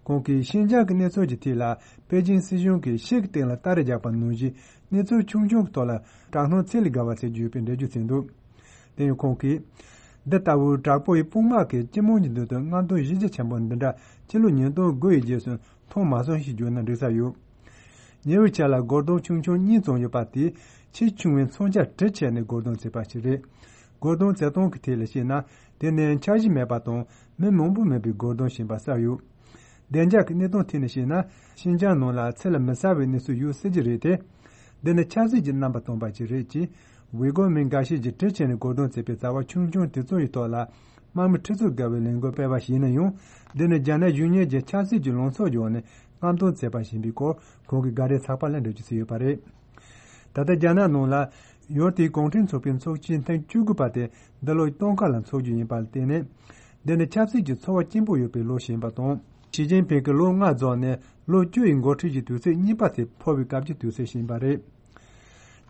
ཁོང་གིས་ཤིན་ཅང་གི་གནས་ཚུལ་གྱི་ཐད་ལ་པེ་ཅིང་སྲིད་གཞུང་གིས་ཤིག་གི་སྟེང་ལ་སྟ་རེ་རྒྱག་པ་ནང་བཞིན་གནས་ཚུལ་ཆུང་ཆུང་གི་ཐོག་ལ་དྲག་སྣང་ཚད་ལས་བརྒལ་བ་བྱེད་ཀྱི་ཡོད་པའི་འགྲེལ་བརྗོད་བྱས་འདུག་དེ་ཡང་ཁོང་གིས། འདི་ལྟ་བུའི་དྲག་པོ་ཡི་དཔུང་དམག་གིས་སྤྱི་དམངས་ཀྱི་མདུན་དུ་རྔམ་སྟོན་གཞི་རྒྱ་ཆེན་པོ་འདི་འདྲ་སྤྱི་ལོ་ཉིས་སྟོང་དགུ་ཡི་རྗེས་སུ་མཐོང་མ་སོང་ཞེས་བརྗོད་ན་འགྲིག་ས་ཡོད། ཉེ་བའི་ཆར་ལ་སྒོར་དོང་ཆུང་ཆུང་གཉིས་བཙོང་ཡོད་པ་དེ་ཆེས་ཆུང་བའི་མཚོན་ཆ་གྲི་ཆད་ནས་སྒོར་དོང་བཙལ་བ་ཞིག་རེད། སྒོར་དོང་བཙལ་སྟངས་ཀྱི་ཐད་ལ་བཤད་ན། དེ་ནི་འཆར་གཞི་མེད་པ་དང་མི་མང་པོ་མེད་པའི་སྒོར་དོང་ཞིག་ཡིན་པ་གསལ་ཡོད། བདེ་འཇགས་ཀྱི་གནས་སྟངས་ཐད་ནས་བཤད་ན། ཤིན་ཅང་ནང་ལ་ཚེ་ལ་མི་གསལ་བའི་གནས་ཚུལ་ཡོད་སྲིད་ཀྱི་རེད་དེ། འདི་ནི་ཆབ་སྲིད་ཀྱི་རྣམ་པ་སྟོན་པ་ཞིག་རེད་ཅེས། ཝི་གོ་མི་འགའ་ཤས་ཀྱིས་གྲི་ཆད་ནས་སྒོར་དོང་བཙལ་བའི་བྱ་བ་ཆུང་ཆུང་དེ་ཚོ་ཡི་ཐོག་ལ། དམག་མི་ཁྲི་ཚོ་བརྒལ་བའི་ལས་འགུལ་སྤེལ་བ་ཞིག་ཡིན་ན་ཡང་། འདི་ནི་རྒྱ་ནག་གཞུང་གཉེར་གྱི་ཆབ་སྲིད་ཀྱི་ལངས་ཕྱོགས་ཀྱི་འོག་ནས་རྔམ་སྟོན་བྱས་པ་ཞིག་ཡིན་པའི་སྐོར་ཁོང་གིས་འགའ་རེ་ཚགས་པར་ལ་འགྲེལ་བརྗོད་བྱས་ཡོད་པ་རེད། ད་ལྟ་རྒྱ་ནག་ནང་ལ་ཡུལ་དེའི་གུང་ཁྲན་ཚོགས་པའི་ཚོགས་ཆེན་ཐེངས་བཅུ་དགུ་པ་དེ་འདི་ལོ་སྟོན་ཁ་ལ་འཚོགས་རྒྱུ་ཡིན་པར་བརྟེན་ནས། འདི་ནི་ཆབ་སྲིད་ཀྱི་ཚོར་བ་སྐྱེན་པོ་ཡོད་པའི་ལོ་ཞིག་ཡིན་པ་དང་། ཞི་ཅིན་ཕིང་གིས་ལོ་ལྔ་རྫོགས་ནས་ལོ་བཅུ་ཡི་འགོ་ཁྲིད་ཀྱི་དུས་ཚོད་གཉིས་པ་དེ་འཕོ་བའི་སྐབས་ཀྱི་དུས་ཚོད་ཞིག་ཡིན་པ་རེད།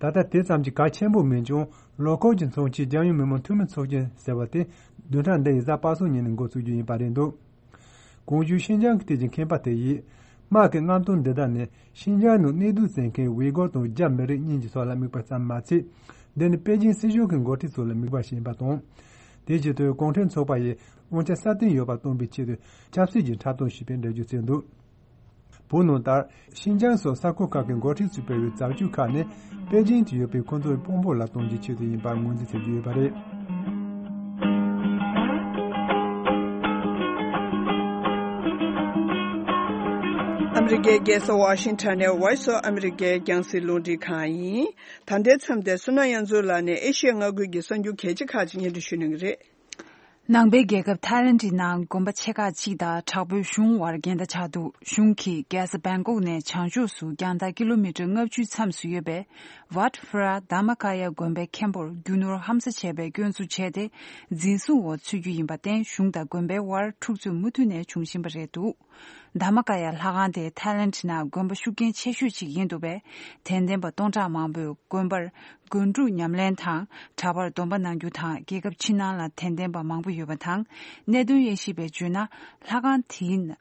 ད་ལྟ་དེ་ཙམ་གྱིས་གལ་ཆེན་པོ་མིན་ཀྱང་། ལོ་འཁོར་གྱི་མཚོན་ཆའི་རྒྱལ་ཡོངས་མི་དམངས་འཐུས་མི་ཚོགས་ཆེན་ཟེར་བ་དེ་བདུན་ཕྲག་འདི་ཡི་གཟའ་པ་སངས་ཉིན་ནས་འགོ་ཚུགས་རྒྱུ་ཡིན་པ་རེད་འདུག་གོང་ཞུས་ཤིན་ཅང་གི་ཐད་ཀྱི་མཁས་པ་དེ་ཡིས། དམག་གི་རྔམ་སྟོན་འདི་དག་ནི་ཤིན་ཅང་ནང་གནས་སྡོད་བྱེད་མཁན་ཝེ་གོར་དང་རྒྱ་མི་རིགས་གཉིས་ཀྱི་ཕྱོགས་ལ་དམིགས་པ་ཙམ་མ་ཚད། འདི་ནི་པེ་ཅིན་སྲིད་གཞུང་གི་འགོ་ཁྲིད་ཚོ་ལ་དམིགས་པ་ཞིག་ཡིན་པ་དང་། དེའི་ཆེད་དུ་གུང་ཁྲན་ཚོགས་པ་ཡིས་དབང་ཆ་སྲ་བརྟན་ཡོད་པ་སྟོན་པའི་ཆེད་དུ་ཆབ་སྲིད་ཀྱི་འཁྲབ་སྟོན་ཞེས་པའི་འགྲེལ་བརྗོད་བྱས་འདུག་བོད་ནང་ལྟར། ཤིན་ཅང་སོགས་ས་ཁུལ་ཁག་གི་འགོ་ཁྲིད་ཚོས་སྤེལ་བའི་བྱ་སྤྱོད་ཁག་ནི་པེ་ཅིན་དུ་ཡོད་པའི་ཁོང་ཚོའི་དཔོན་པོ་ལ་གཏོང་རྒྱུའི་ཆེད་དུ་ཡིན་པར་ངོས་འཛིན་བྱེད་ཀྱི་ཡོད་པ་རེད། ཨ་མི་རི་ཀའི་རྒྱལ་ས་ཝ་ཤིང་ཊོན་ནས་Voice of America རྒྱང་སྲིང་རླུང་འཕྲིན་ཁང་ཡིན། ད་ལྟའི་མཚམས་དེར་བསོད་ནམས་དབྱངས་མཚོ་ལགས་ནས་ཨེ་ཤི་ཡ་མངའ་ཁུལ་གྱི་གསར་འགྱུར་གལ་ཆེ་ཁག་ཅིག་སྙན་སྒྲོན་ཞུ་གནང་གི་རེད། ནང་པའི་རྒྱལ་ཁབ་ཐའི་ལེན་ཌི་ནང་དགོན་པ་ཆེ་ཁག་ཅིག་དང་དྲག་པོའི་གཞུང་དབར་འགལ་ཟླ་ཆགས་འདུག་གཞུང་གིས་རྒྱལ་ས་བེང་ཀོག་ནས་བྱང་ཕྱོགས་སུ་རྒྱང་ཐག་ཀི་ལོ་མི་ཊར་ལྔ་བཅུའི་མཚམས་སུ་ཡོད་པའི་ཝཱཊ་ཕུ་ར་དྷརྨ་ཀ་ཡ་དགོན་པའི་མཁན་པོར་རྒྱུ་ནོར་ཧམ་ཟ་བྱས་པའི་སྐྱོན་འཛུགས་བྱས་ཏེ། འཛིན་བཟུང་འོག་ཚུད་རྒྱུ་ཡིན་པར་བརྟེན། གཞུང་དང་དགོན་པའི་དབར་འཁྲུག་རྩོད་མུ་མཐུད་ནས་འབྱུང་བཞིན་པ་རེད་འདུག་དྷརྨ་ཀ་ཡ་ལྷ་ཁང་དེ་ཐའི་ལེན་ཌི་ནང་དགོན་པ་ཤུགས་རྐྱེན་ཆེ་ཤོས་ཤིག་ཡིན་འདུག་པས། དད་ལྡན་པ་སྟོང་ཕྲག་མང་པོས་དགོན་པར་སྒོ་འགྲོ་ཉམས་ལེན་དང་གྲྭ་པར་སྡོམ་པ་གནང་རྒྱུ་དང་། རྒྱལ་ཁབ་ཕྱི་ནང་ལ་དད་ལྡན་པ་མང་པོ་ཡོད་པ་དང་། གནད་དོན་དབྱེ་ཞིབ་པས་བརྗོད་ན། ལྷ་ཁང་དེའི་ནང་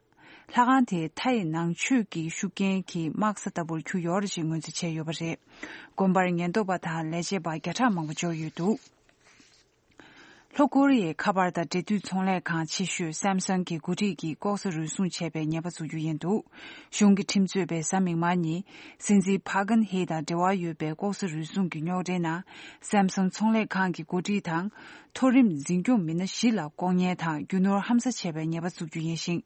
ལྷ་ཁང་དེ་མཐའ་ཡི་ནང་ཆོས་ཀྱི་ཤུགས་རྐྱེན་གྱི་དམག་ས་ལྟ་བུར་གྱུར་ཡོད་རེད་ཅེས་ངོས་འཛིན་བྱས་ཡོད་པ་རེད། དགོན་པར་ཉེན་རྟོག་པ་དང་ལས་བྱེད་པ་བརྒྱ་ཕྲག་མང་པོ་འབྱོར་ཡོད་འདུག་ལྷོ་ཀོ་རི་ཡའི་ཁ་པར་དང་འབྲེལ་མཐུད་ཚོང་ལས་ཁང་ཆེ་ཤོས་སེམ་སང་གི་འགོ་ཁྲིད་ཀྱིས་ལྐོག་ཟ་རུལ་སུངས་བྱས་པའི་ཉེས་པ་འཛུགས་རྒྱུ་ཡིན་འདུག་གཞུང་གི་ཁྲིམས་རྩོད་པས་གཟའ་མིག་དམར་ཉིན་སྲིད་འཛིན་ཕཱ་ཁན་ཧེ་དང་འབྲེལ་བ་ཡོད་པའི་ལྐོག་ཟ་རུལ་སུངས་ཀྱི་རྙོག་དྲའི་ནང་སེམ་སང་ཚོང་ལས་ཁང་གི་འགོ་ཁྲིད་དང་། མཐོ་རིམ་འཛིན་སྐྱོང་མི་སྣ་བཞི་ལ་ལྐོག་ཉན་དང་རྒྱུ་ནོར་ཧམ་ཟ་བྱས་པའི་ཉེས་པ་འཛུགས་རྒྱུ་ཡིན་ཞིང་།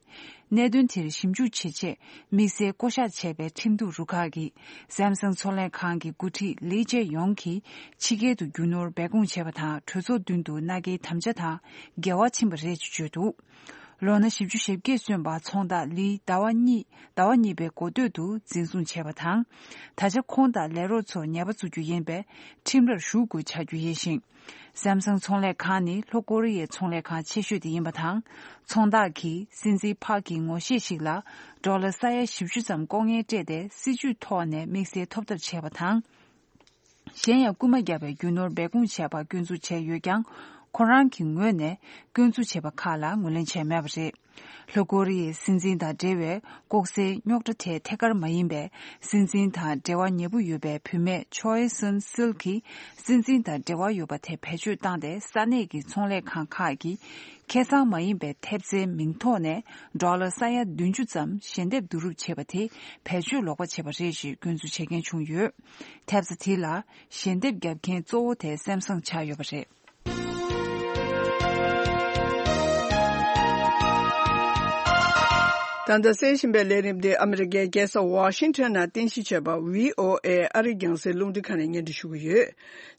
གནད་དོན་དེར་ཞིབ་འཇུག་བྱེད་ཆེད་དམིགས་བསལ་བསྐོ་གཞག་བྱས་པའི་ཁྲིམས་གཏུག་རུ་ཁག་གིས་སེམ་སང་ཚོང་ལས་ཁང་གི་འགོ་ཁྲིད་ལི་ཅེ་ཡོང་གིས་ཕྱི་རྒྱལ་དུ་རྒྱུ་ནོར་སྦས་སྐུང་བྱས་པ་དང་གྲོས་ཚོགས་མདུན་དུ་མནའ་སྐྱེལ་དམ་བཅའ་དང་འགལ་བ་ཕྱིན་པ་རེད་ཅེས་བརྗོད་འདུག་ལོ་ན་བཞི་བཅུ་ཞེ་བརྒྱད་སོན་པ་ཚོང་བདག་ལི་ཟླ་བ་གཉིས་ཟླ་བ་གཉིས་པའི་འགོ་སྟོད་དུ་འཛིན་བཟུང་བྱས་པ་དང་། ད་ཆ་ཁོང་དང་ལས་རོགས་ཚོར་ཉེས་པ་འཛུགས་རྒྱུ་ཡིན་པས་ཁྲིམས་རར་ཞུགས་དགོས་ཆགས་རྒྱུ་ཡིན་ཞིང་། སེམ་སང་ཚོང་ལས་ཁང་ནི་ལྷོ་ཀོ་རི་ཡའི་ཚོང་ལས་ཁང་ཆེ་ཤོས་དེ་ཡིན་པ་དང་། ཚོང་བདག་གིས་སྲིད་འཛིན་ཕག་གི་ངོ་ཤེས་ཤིག་ལ་ཌོ་ལར་ས་ཡ་བཞི་བཅུ་ཙམ་ལྐོག་རྔན་སྤྲད་དེ་སྲིད་ཇུས་ཐོག་ནས་དམིགས་བསལ་ཐོབ་ཐབས་བྱས་པ་དང་། གཞན་ཡང་རྐུན་མ་བརྒྱབ་པའི་རྒྱུ་ནོར་སྦས་སྐུང་བྱས་པར་སྐྱོན་འཛུགས་བྱས་ཡོད་ཀྱང་། ཁོ་རང་གི་ངོས་ནས་སྐྱོན་འཛུགས་བྱས་པ་ཁག་ལ་ངོས་ལེན་བྱས་མེད་པ་རེད། ལྷོ་ཀོ་རི་ཡའི་སྲིད་འཛིན་དང་འབྲེལ་བའི་ལྐོག་ཟའི་རྙོག་དྲ་དེ་ཐད་ཀར་མ་ཡིན་པའི་སྲིད་འཛིན་དང་འབྲེལ་བ་ཉེ་པོ་ཡོད་པའི་བུད་མེད་ཆོའེ་སུན་སིལ་གྱིས་སྲིད་འཛིན་དང་འབྲེལ་བ་ཡོད་པ་དེ་བེད་སྤྱོད་བཏང་སྟེ་ས་གནས་ཀྱི་ཚོང་ལས་ཁང་ཁག་གིས་ཁེ་བཟང་མ་ཡིན་པའི་ཐེབས་རྩའི་མིང་ཐོག་ནས་ཌོ་ལར་ས་ཡ་བདུན་ཅུ་ཙམ་ཞལ་འདེབས་བསྡུ་རུབ་བྱས་པ་དེ་བེད་སྤྱོད་ལོག་པ་བྱས་པ་རེད་ཅེས་སྐྱོན་འཛུགས་བྱེད་མཁན་བྱུང་ཡོད། ཐེབས་རྩ་དེ་ལ་ཞལ་འདེབས་བརྒྱབ་མཁན་གཙོ་བོ་དེ་སེམ་སང་ཆགས་ཡོད་པ་རེད། ད་ལྟ་གསན་བཞིན་པའི་ལས་རིམ་འདི་ཨ་མི་རི་ཀའི་རྒྱལ་ས་ཝ་ཤིང་ཊོན་ནང་རྟེན་གཞི་བྱས་པ་བྷི་ཨོ་ཨེ་ཨ་རིའི་རྒྱང་སྲིང་རླུང་འཕྲིན་ཁང་ནས་སྙན་སྒྲོན་ཞུ་གི་ཡོད།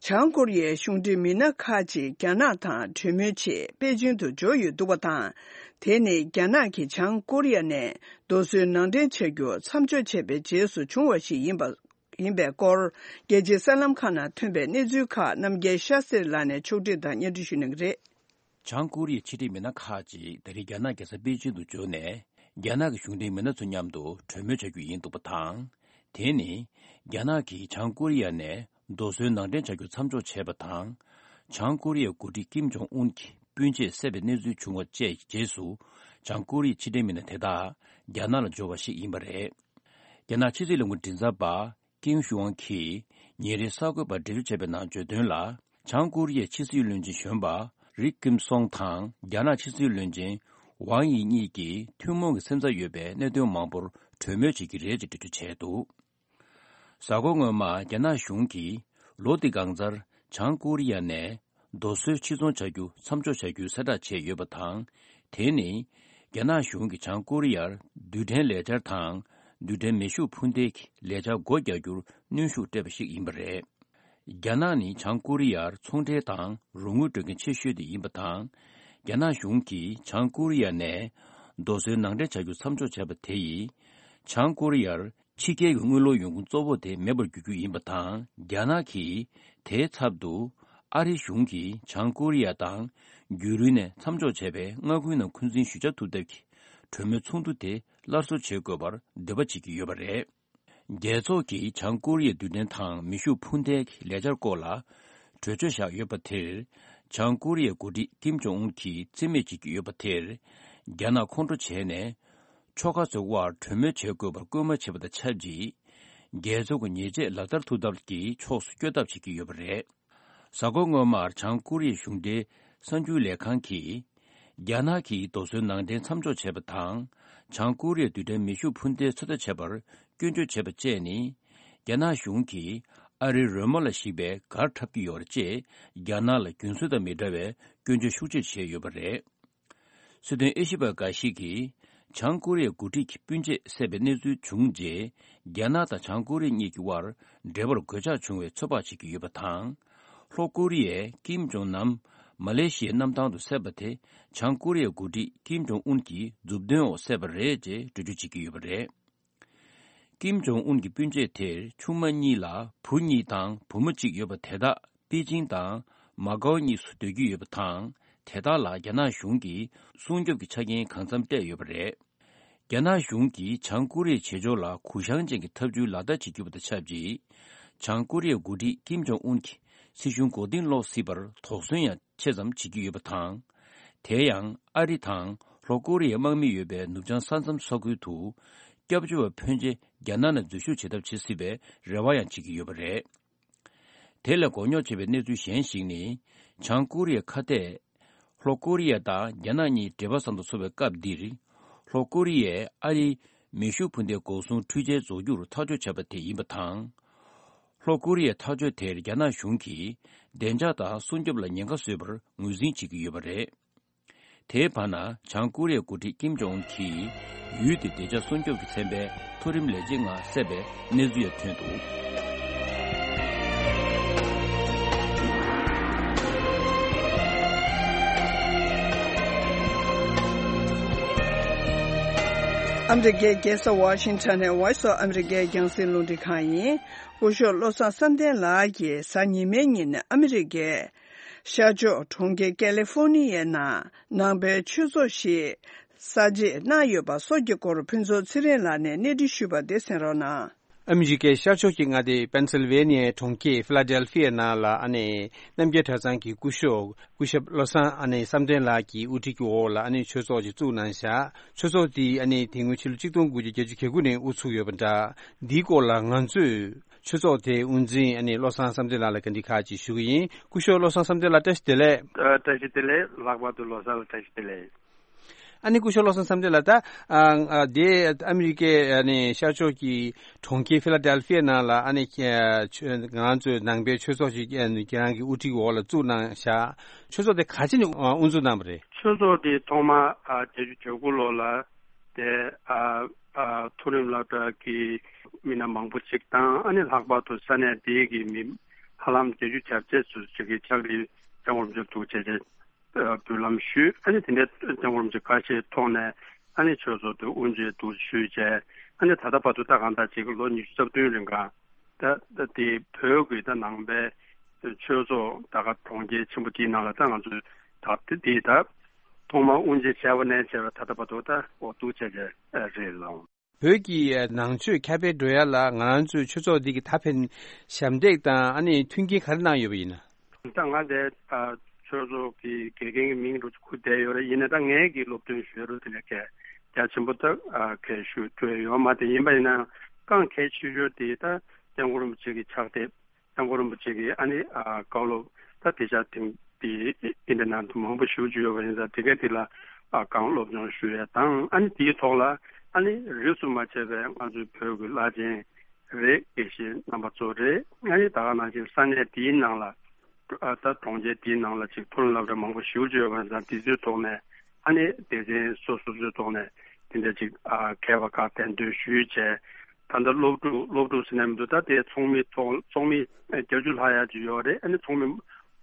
བྱང་ཀོ་རི་ཡའི་གཞུང་འབྲེལ་མི་སྣ་ཁག་ཅིག་རྒྱ་ནག་དང་གྲོས་མོལ་ཆེད་པེ་ཅིང་དུ་འབྱོར་ཡོད་འདུག་པ་དང་། དེ་ནི་རྒྱ་ནག་གིས་བྱང་ཀོ་རི་ཡ་ནས་རྡོ་སོལ་ནང་འདྲེན་བྱ་རྒྱུ་མཚམས་འཇོག་བྱས་པའི་རྗེས་སུ་བྱུང་བ་ཞིག་ཡིན་པ། ཡིན་པའི་སྐོར། རྒྱལ་སྤྱིའི་གསར་ལམ་ཁག་ནང་ཐོན་པའི་གནས་ཚུལ་ཁག་རྣམ་རྒྱལ་ཤཱ་སེར་ལགས་ནས་ཕྱོགས་སྒྲིག་དང་སྙན་སྒྲོན་ཞུ་གནང་གི་རེད། བྱང་ཀོ་རི་ཡའི་ཕྱི་འབྲེལ་མི་སྣ་ཁག་ཅིག་ད་རེས་རྒྱ་ནག་རྒྱལ་ས་པེ་ཅིང་དུ་འབྱོར་ནས། རྒྱ་ནག་གི་གཞུང་འབྲེལ་མི་སྣ་ཚོ་མཉམ་དུ་གྲོས་མོལ་བྱ་རྒྱུ་ཡིན་འདུག་པ་དང་། དེ་ནི། རྒྱ་ནག་གིས་བྱང་ཀོ་རི་ཡ་ནས་རྡོ་སོལ་ནང་འདྲེན་བྱ་རྒྱུ་མཚམས་འཇོག་བྱས་པ་དང་། བྱང་ཀོ་རི་ཡའི་འགོ་ཁྲིད་ཀིམ་ཇོང་ཨུན་གྱི་སྤུན་མཆེད་བསད་པའི་གནས་ཚུལ་བྱུང་བ་བཅས་ཀྱི་རྗེས་སུ། བྱང་ཀོ་རི་ཡའི་ཕྱི་འབྲེལ་མི་སྣ་དེ་དག་རྒྱ་ནག་ལ་འབྱོར་བ་ཞིག་ཡིན་པ་རེད། རྒྱ་ནག་ཕྱི་སྲིད་ལས་ཁུངས་མགྲིན་ཚབ་པ། ཀེང་ཞུའང་གིས་ཉིན་རེའི་གསར་འགོད་པར་འགྲེལ་བརྗོད་བྱས་པའི་ནང་བརྗོད་དོན་ལ། བྱང་ཀོ་རི་ཡའི་ཕྱི་སྲིད་བློན་ཆེན་གཞོན་པ་ རི་ཀིམ་སོང་དང་རྒྱ་ནག་ཕྱི་སྲིད་བློན་ཆེན་ཝང་ཡི་གཉིས་ཀྱིས་ཐུན་མོང་གི་སེམས་འཚབ་ཡོད་པའི་གནད་དོན་མང་པོར་གྲོས་མོལ་བྱེད་ཀྱི་རེད་ཅེས་འགྲེལ་བརྗོད་བྱས་འདུག་གཟའ་འཁོར་སྔོན་མ་རྒྱ་ནག་གཞུང་གིས་ལོ་འདི་གང་ཚར་བྱང་ཀོ་རི་ཡ་ནས་རྡོ་སོལ་ཕྱིར་ཚོང་བྱ་རྒྱུ་མཚམས་འཇོག་བྱ་རྒྱུའི་གསལ་བསྒྲགས་བྱས་ཡོད་པ་དང་། དེ་ནི་རྒྱ་ནག་གཞུང་གིས་བྱང་ཀོ་རི་ཡར་རྡུལ་ཕྲན་ལས་འཆར་དང་རྡུལ་ཕྲན་མེ་ཤུགས་འཕུར་མདེལ་གྱི་ལས་འཆར་སྒོ་རྒྱག་རྒྱུར་གནོན་ཤུགས་སྤྲད་པ་ཞིག་ཡིན་པ་རེད། རྒྱ་ནག་ནི་བྱང་ཀོ་རི་ཡར་ཚོང་འབྲེལ་དང་རོགས་དངུལ་སྤྲོད་མཁན་ཆེ་ཤོས་དེ་ཡིན་པ་དང་། རྒྱ་ནག་གཞུང་གིས་བྱང་ཀོ་རི་ཡ་ནས་རྡོ་སོལ་ནང་འདྲེན་བྱ་རྒྱུ་མཚམས་འཇོག་བྱས་པ་དེ་ཡིས། བྱང་ཀོ་རི་ཡར་ཕྱི་རྒྱལ་གྱི་དངུལ་ལོར་ཡོང་ཁུངས་གཙོ་བོ་དེ་མེད་པར་འགྱུར་རྒྱུ་ཡིན་པ་དང་། རྒྱ་ནག་གིས་དེའི་ཚབ་ཏུ་ཨ་རིའི་གཞུང་གིས་བྱང་ཀོ་རི་ཡ་དང་རྒྱུན་རིང་ནས་མཚམས་འཇོག་བྱས་པའི་མངའ་ཁུལ་ནང་འཁོན་འཛིན་ཞུ་བྱ་ཐུབ་ཐབས་ཀྱི་གྲོས་མོལ་ཚོགས་འདུ་དེ་སླར་གསོ་བྱེད་དགོས་པར་འདོད་པ་བྱེད་ཀྱི་ཡོད་པ་རེད། རྒྱལ་ཚོགས་ཀྱིས་བྱང་ཀོ་རི་ཡའི་རྡུལ་ཕྲན་དང་མེ་ཤུགས་འཕུར་མདེལ་གྱི་ལས་འཆར་སྐོར་ལ་གྲོས་ཆོད་བཞག་ཡོད་པ་དེར། བྱང་ཀོ་རི་ཡའི་འགོ་ཁྲིད་ཀིམ་ཇོང་ཨུན་གྱིས་རྩིས་མེད་བྱེད་ཀྱི་ཡོད་པ་དེར། རྒྱ་ནག་ཁོང་ཁྲོ་བྱས་ནས། ཕྱོགས་ཁག་ཚོའི་དབར་གྲོས་མོལ་བྱེད་དགོས་པར་སྐུལ་མ་བྱས་པ་དང་ཆབས་ཅིག་རྒྱལ་ཚོགས་ཀྱི་ཉེས་ཆད་ལག་བསྟར་ཐུབ་ཐབས་ཀྱི་ཕྱོགས་སུ་བསྐྱོད་ཐབས་བྱེད་ཀྱི་ཡོད་པ་རེད། གཟའ་འཁོར་སྔོན་མར་བྱང་ཀོ་རི་ཡའི་གཞུང་འབྲེལ་གསར་འགྱུར་ལས་ཁང་གིས། རྒྱ་ནག་གིས་རྡོ་སོལ་ནང་འདྲེན་མཚམས་འཇོག་བྱས་པ་དང་། བྱང་ཀོ་རི་ཡས་རྡུལ་ཕྲན་མེ་ཤུགས་འཕུར་མདེལ་ཚོད་ལྟ་བྱེད་པར་སྐྱོན་བརྗོད་བྱས་པ་བཅས་ནི། རྒྱ་ནག་གཞུང་གིས་ཨ་རིའི་རོལ་མོ་ལ་གཞིགས་པའི་གར་འཁྲབ་ཀྱི་ཡོད་རེད་ཅེས་རྒྱ་ནག་ལ་རྒྱུན་སྲོལ་དང་མི་འདྲ་བའི་སྐྱོན་བརྗོད་ཤུགས་ཆེ་བྱས་ཡོད་པ་རེད། སྲིད་དོན་དབྱེ་ཞིབ་པ་འགའ་ཞིག་གིས། བྱང་ཀོ་རི་ཡའི་འགོ་ཁྲིད་ཀྱི་སྤུན་མཆེད་བསད་པའི་གནས་ཚུལ་བྱུང་རྗེས། རྒྱ་ནག་དང་བྱང་ཀོ་རི་ཡ་གཉིས་ཀྱི་དབར་འབྲེལ་བར་གོད་ཆག་བྱུང་བའི་ཚོད་དཔག་བྱེད་ཀྱི་ཡོད་པ་དང་། ལྷོ་ཀོ་རི་ཡས་ཀིམ་ཇོང་ནམ་མ་ལེ་ཤི་ཡའི་གནམ་ཐང་དུ་བསད་པ་དེ། བྱང་ཀོ་རི་ཡའི་འགོ་ཁྲིད་ཀིམ་ཇོང་ཨུན་གྱི་མཛུབ་སྟོན་འོག་བསད་པ་རེད་ཅེས་འགྲེལ་བརྗོད་བྱེད་ཀྱི་ཡོད་པ་རེད། ཀིམ་ཇོང་ཨུན་གྱི་སྤུན་མཆེད་དེར་ཆུང་མ་གཉིས་ལ་བུ་གཉིས་དང་བུ་མོ་གཅིག་ཡོད་པ་དེ་དག་པེ་ཅིང་དང་མ་ཀའོ་གཉིས་སུ་སྡོད་ཀྱི་ཡོད་པ་དང་། དེ་དག་ལ་རྒྱ་ནག་གཞུང་གིས་སྲུང་སྐྱོབ་ཀྱི་ཆ་རྐྱེན་གང་འཚམ་སྤྲད་ཡོད་པ་རེད། རྒྱ་ནག་གཞུང་གིས་བྱང་ཀོ་རི་ཡའི་བྱེད་ཕྱོགས་ལ་གུ་བཤངས་ཅན་གྱི་ཐབས་ཇུས་ལག་བསྟར་བྱེད་རྒྱུ་དང་ཆབས་ཅིག་བྱང་ཀོ་རི་ཡའི་འགོ་ཁྲིད་ཀིམ་ཇོང་ཨུན་གྱི་སྲིད་གཞུང་མགོ་རྟིང་སློག་སྲིད་པར་དོགས་ཟོན་ཡང་ཆེ་ཙམ་བྱེད་ཀྱི་ཡོད་པ་དང་། དེ་ཡང་ཨ་རི་དང་ལྷོ་ཀོ་རི་ཡའི་དམག་མི་ཡོད་པའི་ནུབ་བྱང་ས་མཚམས་ས་ཁུལ་དུ་སྐྱབས་བཅོལ་བ་ཕོན་ཆེ་རྒྱ་ནག་ནང་འཛུལ་ཞུགས་བྱེད་ཐབས་བྱེད་སྲིད་པའི་རེ་བ་ཡང་བྱེད་ཀྱི་ཡོད་པ་རེད། དེ་ལས་མགོ་རྙོག་ཆེ་བའི་གནས་ཚུལ་གཞན་ཞིག་ནི། བྱང་ཀོ་རི་ཡའི་ཁ་གཏད། ལྷོ་ཀོ་རི་ཡ་དང་རྒྱ་ནག་གཉིས་འབྲེལ་བ་བཟང་དུ་སོང་བའི་སྐབས་འདིར། ལྷོ་ཀོ་རི་ཡས་ཨ་རིའི་མེ་ཤུགས་འཕུར་མདེལ་འགོག་སྲུང་འཕྲུལ་ཆས་རྫོགས་རྒྱུར་ཐག་གཅོད་བྱས་པ་དེ་ཡིན་པ་དང་། ལྷོ་ཀོ་རི་ཡའི་ཐག་གཅོད་དེར་རྒྱ་ནག་གཞུང་གིས་བདེ་འཇགས་དང་སྲུང་སྐྱོབ་ལ་ཉེན་ཁ་བཟོས་པར་ངོས་འཛིན་བྱེད་ཀྱི་ཡོད་པ་རེད། དེའི་བར་ན་བྱང་ཀོ་རི་ཡའི་འགོ་ཁྲིད་ཀིམ་ཇོང་ཨུན་གྱིས་ཡུལ་དེའི་བདེ་འཇགས་སྲུང་སྐྱོབ་ཀྱི་ཚན་པའི་མཐོ་རིམ་ལས་བྱེད་ལྔ་བསད་པའི་གནས་ཚུལ་ཡང་ཐོན་འདུག་ཨ་མི་རི་ཀའི་རྒྱལ་ས་ཝ་ཤིང་ཊོན་ནས་Voice of America རྒྱང་སྲིང་རླུང་འཕྲིན་ཁང་ཡིན། སྐུ་ཞབས་བློ་བཟང་བསམ་གཏན་ལགས་ཀྱིས་གཟའ་ཉི་མའི་ཉིན་ཨ་མི་རི་ཀའི་ཤར་ཕྱོགས་གྲོང་ཁྱེར་ཀེ་ལི་ཧྥོ་ནི་ཡའི་ནང་ནང་པའི་ཆོས་ཚོགས་ཤིག་གསར་འབྱེད་གནང་ཡོད་པ་སོགས་ཀྱི་སྐོར་ཕུན་ཚོགས་ཚེ་རིང་ལགས་ནས་གནས་འདྲི་ཞུས་པ་དེ་གསན་རོགས་གནང་། ཨ་མི་རི་ཀའི་ཤར་ཕྱོགས་ཀྱི་མངའ་སྡེ་པེན་སིལ་ཝེ་ནི་ཡའི་གྲོང་ཁྱེར་ཕི་ལ་ཌེལ་ཧྥི་ཡའི་ནང་ལ་ཨ་ནེ་རྣམ་རྒྱལ་གྲྭ་ཚང་གི་སྐུ་ཞབས་སྐུ་ཞབས་བློ་བཟང་ཨ་ནེ་བསམ་གཏན་ལགས་ཀྱི་དབུ་ཁྲིད་ཀྱི་འོག་ལ་ཨ་ནེ་ཆོས་ཚོགས་ཅིག་བཙུགས་གནང་བཞག་ཆོས་ཚོགས་དེ་ཨ་ནེ་དེ་སྔོན་ཕྱི་ལོ་གཅིག་སྟོང་དགུ་བརྒྱ་བརྒྱད་ཅུ་གྱ་དགུ་ནས་དབུ་ཚུགས་ཡོད་པ་འདྲ། འདིའི་སྐོར་ལ་ང་ཚོས། ཆོས་ཚོགས་དེའི་དབུ་འཛིན་ཨ་ནི་བློ་བཟང་བསམ་གཏན་ལགས་ལ་བཀའ་འདྲི་ཁག་ཅིག་ཞུ་གི་ཡིན། སྐུ་ཞབས་བློ་བཟང་བསམ་གཏན་ལགས་བཀྲ་ཤིས་བདེ་ལེགས། ཨ། བཀྲ་ཤིས་བདེ་ལེགས། ལྷག་པར་དུ་ལོ་གསར་ལ་བཀྲ་ཤིས་བདེ་ལེགས། ཨ་ནི་སྐུ་ཞབས་བློ་བཟང་བསམ་གཏན་ལགས་ད། ཨ། ཨ། དེ་ཨ་མི་རི་ཀའི་ཨ་ནི་ཤར་ཕྱོགས་ཀྱི་གྲོང་ཁྱེར་ཕི་ལ་ཌེལ་ཧྥི་ཡ་ནང་ལ་ཨ་ནི་ཨ། ཆོས་ང་ཚོའི་ནང་པའི་ཆོས་ཚོགས་ཤིག་ཨ་ནི་ཁྱེད་རང་གི་དབུ་ཁྲིད་འོག་ལ་བཙུགས་གནང་བཞག་ཆོས་ཚོགས་དེ་ག་ཅི་ནས་ཨ། དབུ་འཛུགས་གནང་བ་རེད། ཆོས་ཚོགས་དེ་ཐོག་མ་ཨ། བརྒྱད་ཅུ་གྱ་དགུ་ལོ་ལ། དེ་ཨ་ཨ་མཐོ་རིམ་སློབ་གྲྭ་གི་མི་སྣ་མང་པོ་ཅིག་དང་ཨ་ནི་ལྷག་པར་དུ་ས་གནས་དེའི་གི་མི་ཧ་ལམ་བརྒྱད་ཅུ་གྱ་བརྒྱད་ཙམ་ཅིག་གིས་ཕྱག་ལས་སྐྱབས་མགོན་རིན་པོ་ཆེར་ཐུགས་རྗེ་ཆེ་འབུལ་ལམ་ཞུས། ཨ་ནི་དེ་འདྲའི་སྐྱབས་མགོན་རིན་པོ་ཆེ་བཀའ་ཆད་ཐོག་ནས་ཨ་ནི་ཆོས་ཚོགས་དེ་དབུ་འབྱེད་དུ་ཞུས་བྱས། ཨ་ནི་ད་ལྟ་བར་དུ་ད་གང་ལྟར་ཅིག་ལོ་ཉི་ཤུ་རྩ་བདུན་རིང་ག་ད་ད་དེ་བོད་ཀྱི་ད་ནང་པའི་ཆོས་ཚོགས་ད་ག་གྲོང་ཁྱེར་ཆེན་པོ་དེའི་ནང་ལ་ད་ང་ཚོས་ད་དེ་དེ་ད་ཐོག་མར་དབུ་འབྱེད་བྱས་པ་ནས་བྱས་པ་ད་ལྟ་བར་དུ་ད་འོ་འདུག་བྱས་བྱས་རེད་ལགས། བོད་ཀྱི་ནང་ཆོས་ཁྱབ་སྤེལ་འགྲོ་ཡ་ལ་ང་རང་ཚོའི་ཆོས་ཚོགས་འདི་གི་ད་ཕན་ཞབས་འདེགས་དང་ཨ་ནི་མཐུན་རྐྱེན་ག་རེ་གནང་ཡོད་པ་ཡིན་ན། ད་ང་དེ་ཆོས་ཚོགས་ཀྱི་དགེ་རྒན་གྱི་མིང་རུ་ཁུར་བསྡད་ཡོད་རེད། ཡིན་ན་ད་ངས་ཀྱི་སློབ་སྟོན་ཞུ་ཡ་རུ་དེ་ལས་གལ་རྒྱ་ཆེན་པོ་ད་གལ་ཞུ་ཐུབ་ཡ་ཡོད་མ་རེད། ཡིན་པ་ཡིན་ན་རྐང་གལ་ཆེ་ཤོས་དེ་ད་སྐྱབས་མགོན་རིན་པོ་ཆེ་གི་ཕྱག་དེབ། སྐྱབས་མགོན་རིན་པོ་ཆེ་གི་ཨ་ནི་ཨ་བཀའ་སློབ་ད་དེ་ཆ་དེང་ དེ་ཨིན་ཊར་ནེཊ་དུ་མང་པོ་ཞེ་པོ་ཅིག་ཡོད་པ་ཡིན་ཙང་དེ་ག་དེ་ལ་ཨ་གང་སློབ་སྦྱོང་ཞུ་ཡས་དང་། ཨ་ནི་དེའི་ཐོག་ལ་ཨ་ནི་རིས་སུ་མ་ཆད་པའི་ང་ཚོའི་བོད་ཀྱི་བླ་ཆེན་རེད། དགེ་བཤེས་རྣམ་པ་ཚོ་རེད། ཨ་ནི་ད་ག་ནང་བཞིན་ས་གནས་དེའི་ནང་ལ་ཨ་ད་གྲོང་ཁྱེར་དེའི་ནང་ལ་ཅིག་མཐོ་རིམ་སློབ་གྲྭ་མང་པོ་ཞེ་པོ་ཅིག་ཡོད་པ་ཡིན་ཙང་དེ་ཚོའི་ཐོག་ནས་ཨ་ནི་སྡེ་ཚན་སོ་སོ་སོའི་ཐོག་ནས་དེ་འདྲ་ཅིག་ཨ་མཁས་པ་ཁག་གདན་འདྲེན་ཞུས་བྱས། ད་ལྟ་སློབ་ཕྲུག་སློབ་ཕྲུག་ཟེར་ན་མི་འདུག་ད་དེ་ཚོགས་མི་ཚོགས་ཚོགས་མི་བརྒྱད་ཅུ་ལྷག་ཡག་ཅིག་ཡོད་རེད། ཨ་ནི་ཚོགས་མི་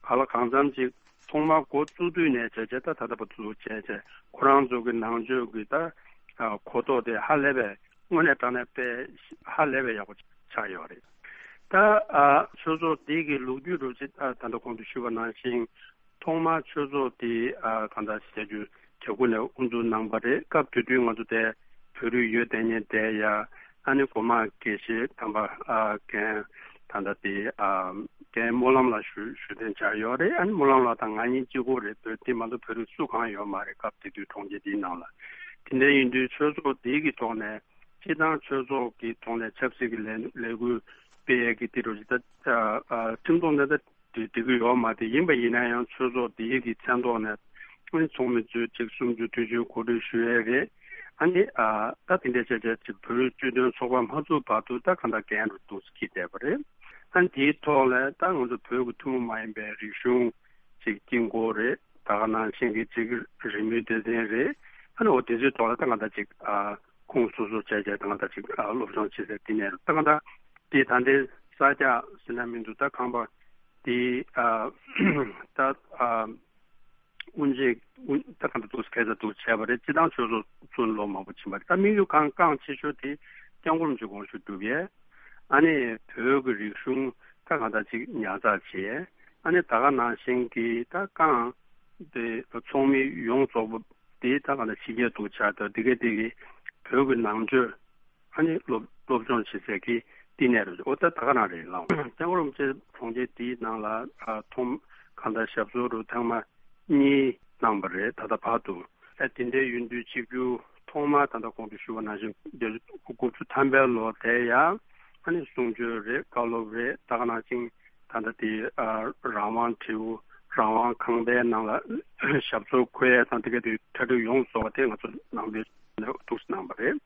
ག་ལ་གང་འཚམ་ཅིག་ཐོག་མར་འགོ་བཙུགས་དུས་ནས་བྱས་བྱས་ད་ད་ལྟ་བར་དུ་བྱས་བྱས་ཁོ་རང་ཚོ་གི་ནང་ཆོས་ཀྱི་ད་གོ་རྟོགས་དེ་ཧ་ལས་པའི་དངོས་གནས་དྲང་གནས་དཔེ་ཧ་ལས་པའི་ཡག་པོ་ཆགས་ཡོད་རེད། ད་ཆོས་ཚོགས་འདི་གི་ལོ་རྒྱུས་རུ་ཅིག་ད་ད་ལྟ་གོང་དུ་ཞུས་པ་ནང་བཞིན། ཐོག་མར་ཆོས་ཚོགས་དེ་ཨ་གང་ལྟར་བྱ་རྒྱུ་བྱ་རྒྱུ་ནས་དབུ་འཛུགས་གནང་བ་རེད། སྐབས་དེ་དུས་ང་ཚོ་དེ་བོད་རིགས་ཡོད་དེ་ཉིད་དེ་ཡ་ཨ་ནི་གོང་མ་དགེ་བཤེས་དམ་པ་ཨ་རྒན་ད་ལྟ་དེ་ཨ་རྒན་སྨོན་ལམ་ལགས་ཞུ་ཞུ་གཏན་འཇགས་ཡོད་རེད། ཨ་ནི་སྨོན་ལམ་ལགས་དང་ང་གཉིས་གཅིག་པོ་རེད། བོད་དེ་མ་གཏོགས་བོད་རིགས་སུ་གང་ཡོད་མ་རེད། སྐབས་དེ་དུས་གྲོང་ཁྱེར་དེའི་ནང་ལ། དེ་འདྲ་ཡིན་དུས་ཆོས་ཚོགས་དེ་གི་ཐོག་ནས་སྤྱི་བཏང་ཆོས་ཚོགས་ཀྱི་ཐོག་ནས་ཆབ་སྲིད་ཀྱི་ལས་ལས་འགུལ་སྤེལ་ཡས་ཀྱི་དེ་འདྲ་ཅིག་ད་ཨ་ཁྲིམས་ཐོག་ནས་ད། དེ་འགྲིག་གི་ཡོད་མ་རེད། ཡིན་པ་ཡིན་ན་ཡང་ཆོས་ཚོགས་འདིའི་གི་མཚན་ཐོག་ནས་ཚོགས་མི་ཚོས་ཅིག་གསུམ་བཅུ་བདུན་ཅུ་གོ་སྒྲིག་ཞུ་ཡས་རེད། ཨ་ནི་ཨ་ད་དེ་འདྲ་བྱས་བྱས་ཅིག་བོད་རིགས་སྤྱི་མཐུན་ཚོགས་པ་མ་བཙུགས་བར་དུ་ད་གང་ལྟར་འགན་རུ་འདུག་སེ་འཁྱེར་བསྡད་པ་རེད། ཨ་ནི་དེའི་ཐོག་ལ་ད་ང་ཚོ་བོད་ཀྱི་ཐུན་མོང་མ་ཡིན་པའི་རིག་གཞུང་ཅིག་དཀྱིལ་འཁོར་རེད། ད་ག་ནང་བཞིན་གྱི་ཅིག་རི་མོའི་སྡེ་ཚན་རེད། ཨ་ནི་འོ་དེ་ཚོའི་ཐོག་ལ་ད་གང་ལྟར་ཅིག་ཨ། ཁུངས་སོ་སོ་བྱས་བྱས་ད་གང་ལྟར་ཅིག་ཨ་སློབ་སྦྱོང་བྱེད་སའི་བསྟི་གནས་རུ་ད་གང་ལྟར་དེ་ད་ལྟའི་ས་སྐྱ་ཟེར་ན་མི་འདུག་ད་ཁང་པ་དེ་ཨ་ད་ཨ་དབུ་འབྱེད་དབུ་ད་གང་ལྟར་འདུག་སྐད་ཆ་འདུག་བྱས་པ་རེད། སྤྱི་བཏང་ཆོས་ཚོགས་བཙུགས་ནས་ལོ་མང་པོ་ཕྱིན་པ་རེད། ད་དམིགས་ཡུལ་གང་རྐང་ཆེ་ཤོས་དེ་སྐྱབས་མགོན་རིན་པོ་ཆེ་དགོངས་ཞུ་སྒྲུབ་ཡས། ཨ་ནི་བོད་ཀྱི་རིག་གཞུང་ད་གང་ལྟར་ཅིག་ཉར་ཚགས་བྱས། ཨ་ནི་ད་ག་ནང་བཞིན་གྱི་ད་རྐང་དེ་ཚོགས་མི་ཡོངས་རྫོགས་པོ་དེ་ད་གང་ལྟར་ཕྱི་རྒྱལ་དུ་ཆགས་ད་དེ་ག་དེ་གི་བོད་ཀྱི་ནང་ཆོས། ཨ་ནི་སློབ་སློབ་སྦྱོང་བྱེད་སའི་གི་བསྟི་གནས་རེད། འོ་ད་ད་ག་རང་རེད་ལགས། སྐྱབས་མགོན་རིན་པོ་ཆེ་གྲོང་ཁྱེར་འདིའི་ནང་ལ་ཨ་ཐོག་གང་ལྟར་ཞབས་སོར་རུ་ཐེངས་མ་གཉིས་གནང་བ་རེད། ད་ལྟ་བར་དུ་ཨ་དེ་འདྲའི་ཡིན་དུས་གཅིག་གྱུར་ཐོག་མར་ད་ལྟ་གོང་དུ་ཞུས་པ་ནང་བཞིན་དགུ་བཅུ་ཐམ་པའི་ལོ་དེ་ཡང་ཨ་ནི་གསུང་ཆོས་རེད། བཀའ་སློབ་རེད། ད་ག་ནང་བཞིན་ད་ལྟ་དེ་ཨ་རང་དབང་དྲིལ་བུ་རང་དབང་ཁང་པའི་ནང་ལ་ཞབས་སོར་འཁོད་ཡས་དང་དེ་ག་དེ་གྲ་སྒྲིག་ཡོངས་རྫོགས་པ་དེ་ང་ཚོ་ནང་པའི་ནས་འདུག་སེ་གནང་བ་རེད།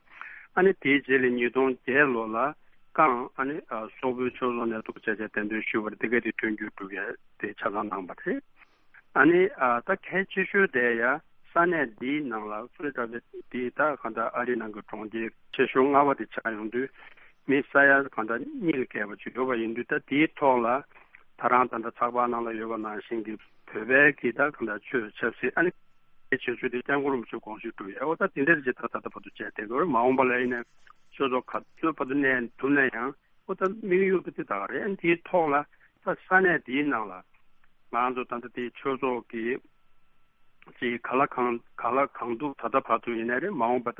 ཨ་ནི་དེའི་རྗེས་ལ་ཉིས་སྟོང་བརྒྱད་ལོ་ལ་རྐང་ཨ་ནི་ཨ་སོག་པོའི་ཆོས་ཚོགས་ནས་འདུག་བྱས་བྱས་གདན་འདྲེན་ཞུས་པ་རེད། དེ་ག་དེ་མཐུན་འགྱུར་སྒྲུབ་ཡས་དེ་ཆ་ཚང་གནང་བ་རེད། ཨ་ནི་ཨ་ད་གལ་ཆེ་ཤོས་དེ་ཡ་ས་གནས་འདིའི་ནང་ལ་སུ་ལ་གྲྭ་པའི་འདི་ད་གང་ལྟར་ཨ་རིའི་ནང་གི་གྲོང་ཁྱེར་ཆེ་ཤོས་ལྔ་པ་དེ་ཆགས་ཡོང་དུས་མི་ས་ཡ་གང་ལྟར་གཉིས་ལས་བརྒལ་བ་ཅིག་ཡོད་པ་ཡིན་དུས། ད་དེའི་ཐོག་ལ་ད་རང་ད་ལྟ་ཚགས་པར་ནང་ལ་ཡོད་པ་ནང་བཞིན་གྱི་བོད་པའི་གི་ད་གང་ལྟར་ཆོས་ཆབ་སྲིད་ཨ་ནི་གལ་ཆེ་ཤོས་དེ་སྐྱབས་མགོན་རིན་པོ་ཆེ་དགོངས་ཞུ་སྒྲུབ་ཡས། འོ་ད་དེ་འདྲ་ཅིག་ད་ད་ལྟ་བར་དུ་བྱས་བསྡད་ཡོད་རེད། མ་འོངས་པ་ལ་ཡིན་ནའི་ཆོས་ཚོགས་ག་ཚོད་བར་དུ་གནས་ཐུབ་ན་ཡང་འོ་ད་དམིགས་ཡུལ་དེ་དེ་ད་ག་རེད། ཨ་ནི་དེའི་ཐོག་ལ་ད་ས་གནས་དེའི་ནང་ལ་ང་ཚོ་ད་ལྟ་དེ་ཆོས་ཚོགས་ཀྱི་ཅིག་ག་ལ་གང་ག་ལ་གང་འདུག་ད་ལྟ་བར་དུ་ཡིན་ནའི་རེད། མ་འོངས་པ་ད་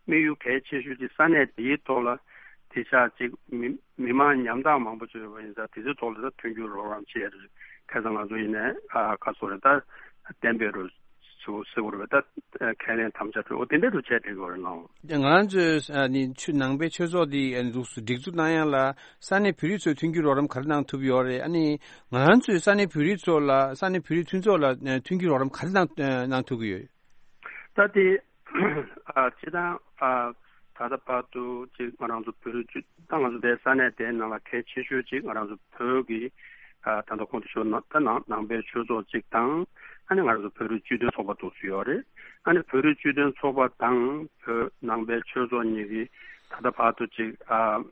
དམིགས་ཡུལ་གལ་ཆེ་ཤོས་ཅིག་ས་གནས་དེའི་ཐོག་ལ་དེ་ཆ་ཅིག་མི་མི་མང་ཉམ་ཐག་མང་པོ་ཅིག་ཡོད་པ་ཡིན་ཙང་དེ་ཚོའི་ཐོག་ལ་ད་མཐུན་འགྱུར་རོགས་རམ་བྱེད་ཡ་རེད། ཁ་སང་ང་ཚོ་ཡིན་ནའི་ཨ་ཁ་སོ་རེད་ད་གཏན་འབེབས་རུ་ཟེར་བ་རེད་པ། ད་ཁས་ལེན་དམ་བཅའ་གྲོས་འོ་དེ་འདྲ་རུ་བྱས་བསྡད་ཡོད་རེད་ལགས། ང་ཚོས་ཨ་ནི་ཆུ་ནང་པའི་ཆོས་ཚོགས་འདི་ཨ་ནི་འདུག་སེ་སྒྲིག་འཛུགས་གནང་ཡ་ལ་ས་གནས་བོད་རིགས་ཚོས་མཐུན་འགྱུར་རོགས་རམ་ག་རེ་གནང་ཐུབ་ཡོད་རེད། ཨ་ནི་ང་ཚོས་ས་གནས་བོད་རིགས་ཚོ་ལ་ས་གནས་བོད་རིགས་མཐུན་ཚོགས་ལ་ཨ་མཐུན་འགྱུར་རོགས་རམ་ག་རེ་གནང་གནང་ཐུབ་ཀྱི་ཡོད། ད་དེ་ཨ་སྤྱིར་བཏང་ཨ་ད་ལྟ་བར་དུ་ཅིག་ང་རང་ཚོ་བོད་རིགས་ཅིག་ད་ང་ཚོ་དེ་ས་གནས་དེའི་ནང་ལ་གལ་ཆེ་ཤོས་ཅིག་ང་རང་ཚོ་བོད་ཀྱི་ཨ་ད་ལྟ་གོང་དུ་ཞུས་ན་ད་ནང་ནང་པའི་ཆོས་ཚོགས་ཅིག་དང་ཨ་ནི་ང་རང་ཚོ་བོད་རིགས་སྤྱི་མཐུན་ཚོགས་པ་འདུག་སེ་ཡོད་རེད། ཨ་ནི་བོད་རིགས་སྤྱི་མཐུན་ཚོགས་པ་དང་བོད་ནང་པའི་ཆོས་ཚོགས་གཉིས་ཀྱིས་ད་ལྟ་བར་དུ་ཅིག་ཨ།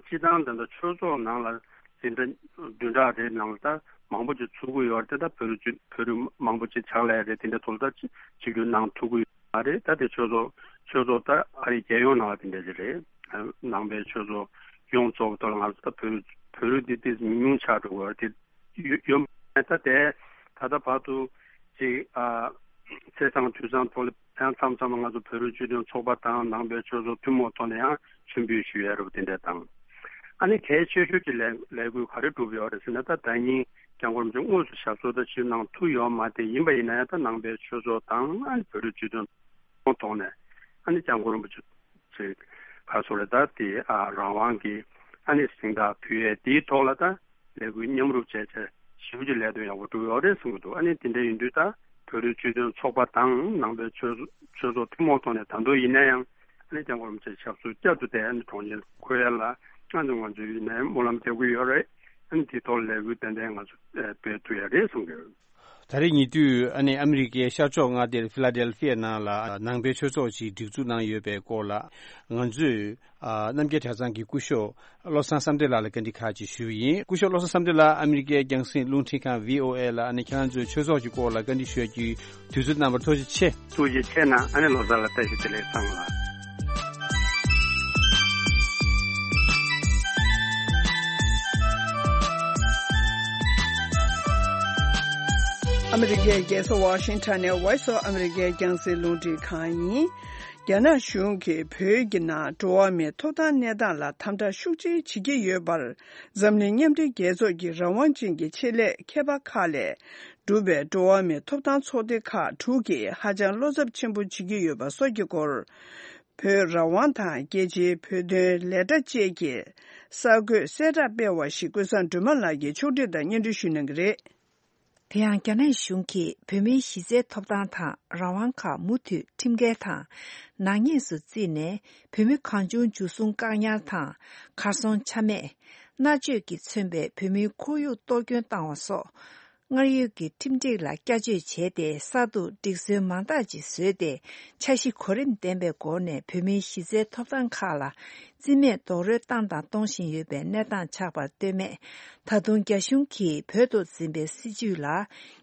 སྤྱིར་བཏང་དེ་འདྲ་ཆོས་ཚོགས་ནང་ལ་འཛིན་གྲྭ་བདུན་ཕྲག་རེའི་ནང་ལ་ད་མང་པོ་ཅིག་ཚུགས་ཀྱི་ཡོད་རེད། ད་བོད་རིགས་བོད་རིགས་མང་པོ་ཅིག་ཕྱག་ལས་རེད་དེ་འདྲ་ཐོག་ལ་ད་ཅིག་གཅིག་གྱུར་གནང་ཐུབ་ཀྱི་ཡོད་མ་རེད། ད་དེ་ཆོས་ཚོགས་ཆོས་ཚོགས་ད་ཨ་རི་རྒྱལ་ཡོངས་ནང་ལ་དེ་འདྲ་ཅིག་རེད། ནང་པའི་ཆོས་ཚོགས་ཡོངས་རྫོགས་ཐོག་ལ་ང་ཚོ་ད་བོད་རིགས་བོད་རིགས་འདི་ཏིས་མི་ཉུང་ཆགས་འགྲོ་གི་ཡོད་རེད། དེ་ཡོད་ཡོད་མ་རེད། ད་དེ་ད་ལྟ་བར་དུ་ཅིག་ཨ་ཚེས་བཟང་དུས་བཟང་ཐོག་ལ། ཡང་མཚམས་མཚམས་ལ་ང་ཚོ་བོད་རིགས་སྤྱི་མཐུན་ཚོགས་པ་དང་ནང་པའི་ཆོས་ཚོགས་ཐུན་མོང་ཐོག་ནས་ཡང་མཆོད་འབུལ་ཞུ་ཡ་རབས་དེ་འདྲ་དང་། ཨ་ནི་གལ་ཆེ་ཤོས་ཀྱི་ལས་ལས་འགུལ་ག་རེ་བསྒྲུབས་ཡོད་རེད་ཟེར་ན། ད་ཟླ་ཉིན་སྐྱབས་མགོན་རིན་པོ་ཆེ་དངོས་སུ་ཞབས་སོར་ད་ཞུ་གནང་ཐུབ་ཡོད་མ་རེད། ཡིན་པ་ཡིན་ན་ཡང་ད་ནང་པའི་ཆོས་ཚོགས་དང་ཨ་ནི་བོད་རིགས་སྤྱི་མཐུན་ཐོག་ནས་ཨ་ནི་སྐྱབས་མགོན་རིན་པོ་ཆེ་ཚོས་ག་རེ་ཟེར་རེད། ད་དེ་ཨ་རང་དབང་གི་ཨ་ནི་གཟེངས་རྟགས་ཕུལ་ཡས་དེའི་ཐོག་ལ་ད་ལས་འགུལ་མཉམ་རུབ་བྱས་བྱས། ཞེ་པོ་ཅིག་ལས་དོན་ཡག་པོ་སྒྲུབ་ཡོད་རེད་གསུང་གི་འདུག་ཨ་ནི་དེ་འདྲ་ཡིན་དུས་ད་བོད་རིགས་སྤྱི་མཐུན་ཚོགས་པ་དང་ནང་པའི་ཆོས་ཆོས་ཚོགས་ཐུན་མོང་ཐོག་ནས་ད་དུང་ཡིན་ན་ཡང་ཨ་ནི་སྐྱབས་མགོན་རིན་པོ་ཆེ་ཞབས་སོར་བསྐྱར་དུ་བསྡད་ཨ་ནི་གྲོང་ཁྱེར་འཁོད་ཡ་ལ་ང་ཚོ་ང་ཚོའི་ཡིན་ན་ཡང་སྨོན་ལམ་རྒྱག་གི་ཡོད་རེད། ཨ་ནི་དེ་ཐོག་ལས་འགུལ་ཏན་ཏན་ང་ཚོ་སྤེལ་ཐུབ་ཡ་རེད་གསུང་གི་ཡོད། ད་རེས་ཉེ་དུས་ཨ་ནི་ཨ་མི་རི་ཀའི་ཤར་ཕྱོགས་མངའ་སྡེ་ཕི་ལ་ཌེལ་ཕི་ཡ་ནང་ལ་ནང་པའི་ཆོས་ཚོགས་ཤིག་སྒྲིག་འཛུགས་གནང་ཡོད་པའི་སྐོར་ལ་ང་ཚོས་ཨ་རྣམ་རྒྱལ་གྲྭ་ཚང་གི་སྐུ་ཞབས་བློ་བཟང་བསམ་གྲུབ་ལགས་ལ་བཀའ་འདྲི་ཁག་ཅིག་ཞུས་པ་ཡིན། སྐུ་ཞབས་བློ་བཟང་བསམ་གྲུབ་ལགས་ཨ་མི་རི་ཀའི་རྒྱང་སྲིང་རླུང་འཕྲིན་ཁང་བྷི་ཨོ་ཨེ་ལ་ཨ་ནི་ཁྱེད་རང་ཚོའི་ཆོས་ཚོགས་ཀྱི་སྐོར་ལ་བཀའ་འདྲི་ཞུ་ཡ་གི་དུས་ཚོད་གནང་བར་ཐུགས་རྗེ་ཆེ། ཐུགས་རྗེ་ཆེ་གནང་། ཨ་ནི་ལོ་གསར་ལ་བཀྲ་ཤིས་བདེ་ལེགས་ཚང་མ་ལ། ཨ་མི་རི་ཀའི་རྒྱལ་ས་ཝ་ཤིང་ཊོན་ནས་Voice of America རྒྱང་སྲིང་རླུང་འཕྲིན་ཁང་ཡིན། རྒྱ་ནག་གཞུང་གིས་བོད་ཀྱི་ནང་འགྲོ་བ་མིའི་ཐོབ་ཐང་གནས་སྟངས་ལ་དམ་དྲག་ཤུགས་ཆེ་བྱེད་ཀྱི་ཡོད་པར། འཛམ་གླིང་མཉམ་འབྲེལ་རྒྱལ་ཚོགས་ཀྱི་རང་དབང་ཅན་གྱི་ཆེད་ལས་མཁས་པ་ཁག་ལས་གྲུབ་པའི་འགྲོ་བ་མིའི་ཐོབ་ཐང་ཚོགས་སྡེ་ཁག་དྲུག་གིས་ཧ་ཅང་བློ་འཚབ་ཆེན་པོ་བྱེད་ཀྱི་ཡོད་པ་སོགས་ཀྱི་སྐོར། བོད་རང་དབང་དང་རྒྱལ་སྤྱིའི་བོད་དོན་ལས་གྲྭ་བཅས་ཀྱིས་གསར་འགོད་གསལ་བསྒྲགས་སྤེལ་བ་ཞིག་ཀུན་བཟང་སྒྲོལ་མ་ལགས་ཀྱིས་ཕྱོགས་སྒྲིག་དང་སྙན་སྒྲོན་ཞུ་གནང་གི་རེད། དེ་ཡང་རྒྱ་ནག་གཞུང་གིས་བོད་མིའི་གཞི་རྩའི་ཐོབ་ཐང་དང་རང་དབང་ཁག་མུ་མཐུད་ཁྲིམས་འགལ་དང་ནག་ཉེས་སུ་བརྩིས་ནས། བོད་མི་གང་བྱུང་འཇུ་བཟུང་བཀག་ཉར་དང་། གར་སོང་ཆ་མེད། མནར་གཅོད་ཀྱིས་མཚོན་པའི་བོད་མིའི་ཁོར་ཡུག་གཏོར་སྐྱོན་བཏང་བ་སོགས། སྔར་ཡོད་ཀྱི་ཁྲིམས་སྒྲིག་ལ་བསྐྱར་བཅོས་བྱས་ཏེ། གསར་དུ་སྒྲིག་སྲོལ་མང་དག་ཅིག་བཟོས་ཏེ། འཆར་གཞི་གོ་རིམ་ལྡན་པའི་སྒོ་ནས་བོད་མིའི་གཞི་རྩའི་ཐོབ་ཐང་ཁག་ལ་རྩིས་མེད་རྡོག་རོལ་བཏང་དང་གཏོང་བཞིན་ཡོད་པའི་གནས་སྟངས་ཆགས་པར་ལྟོས་མེད། ད་དུང་རྒྱ་གཞུང་གིས་བོད་དུ་འཛིན་པའི་སྲིད་བྱུས་ལ་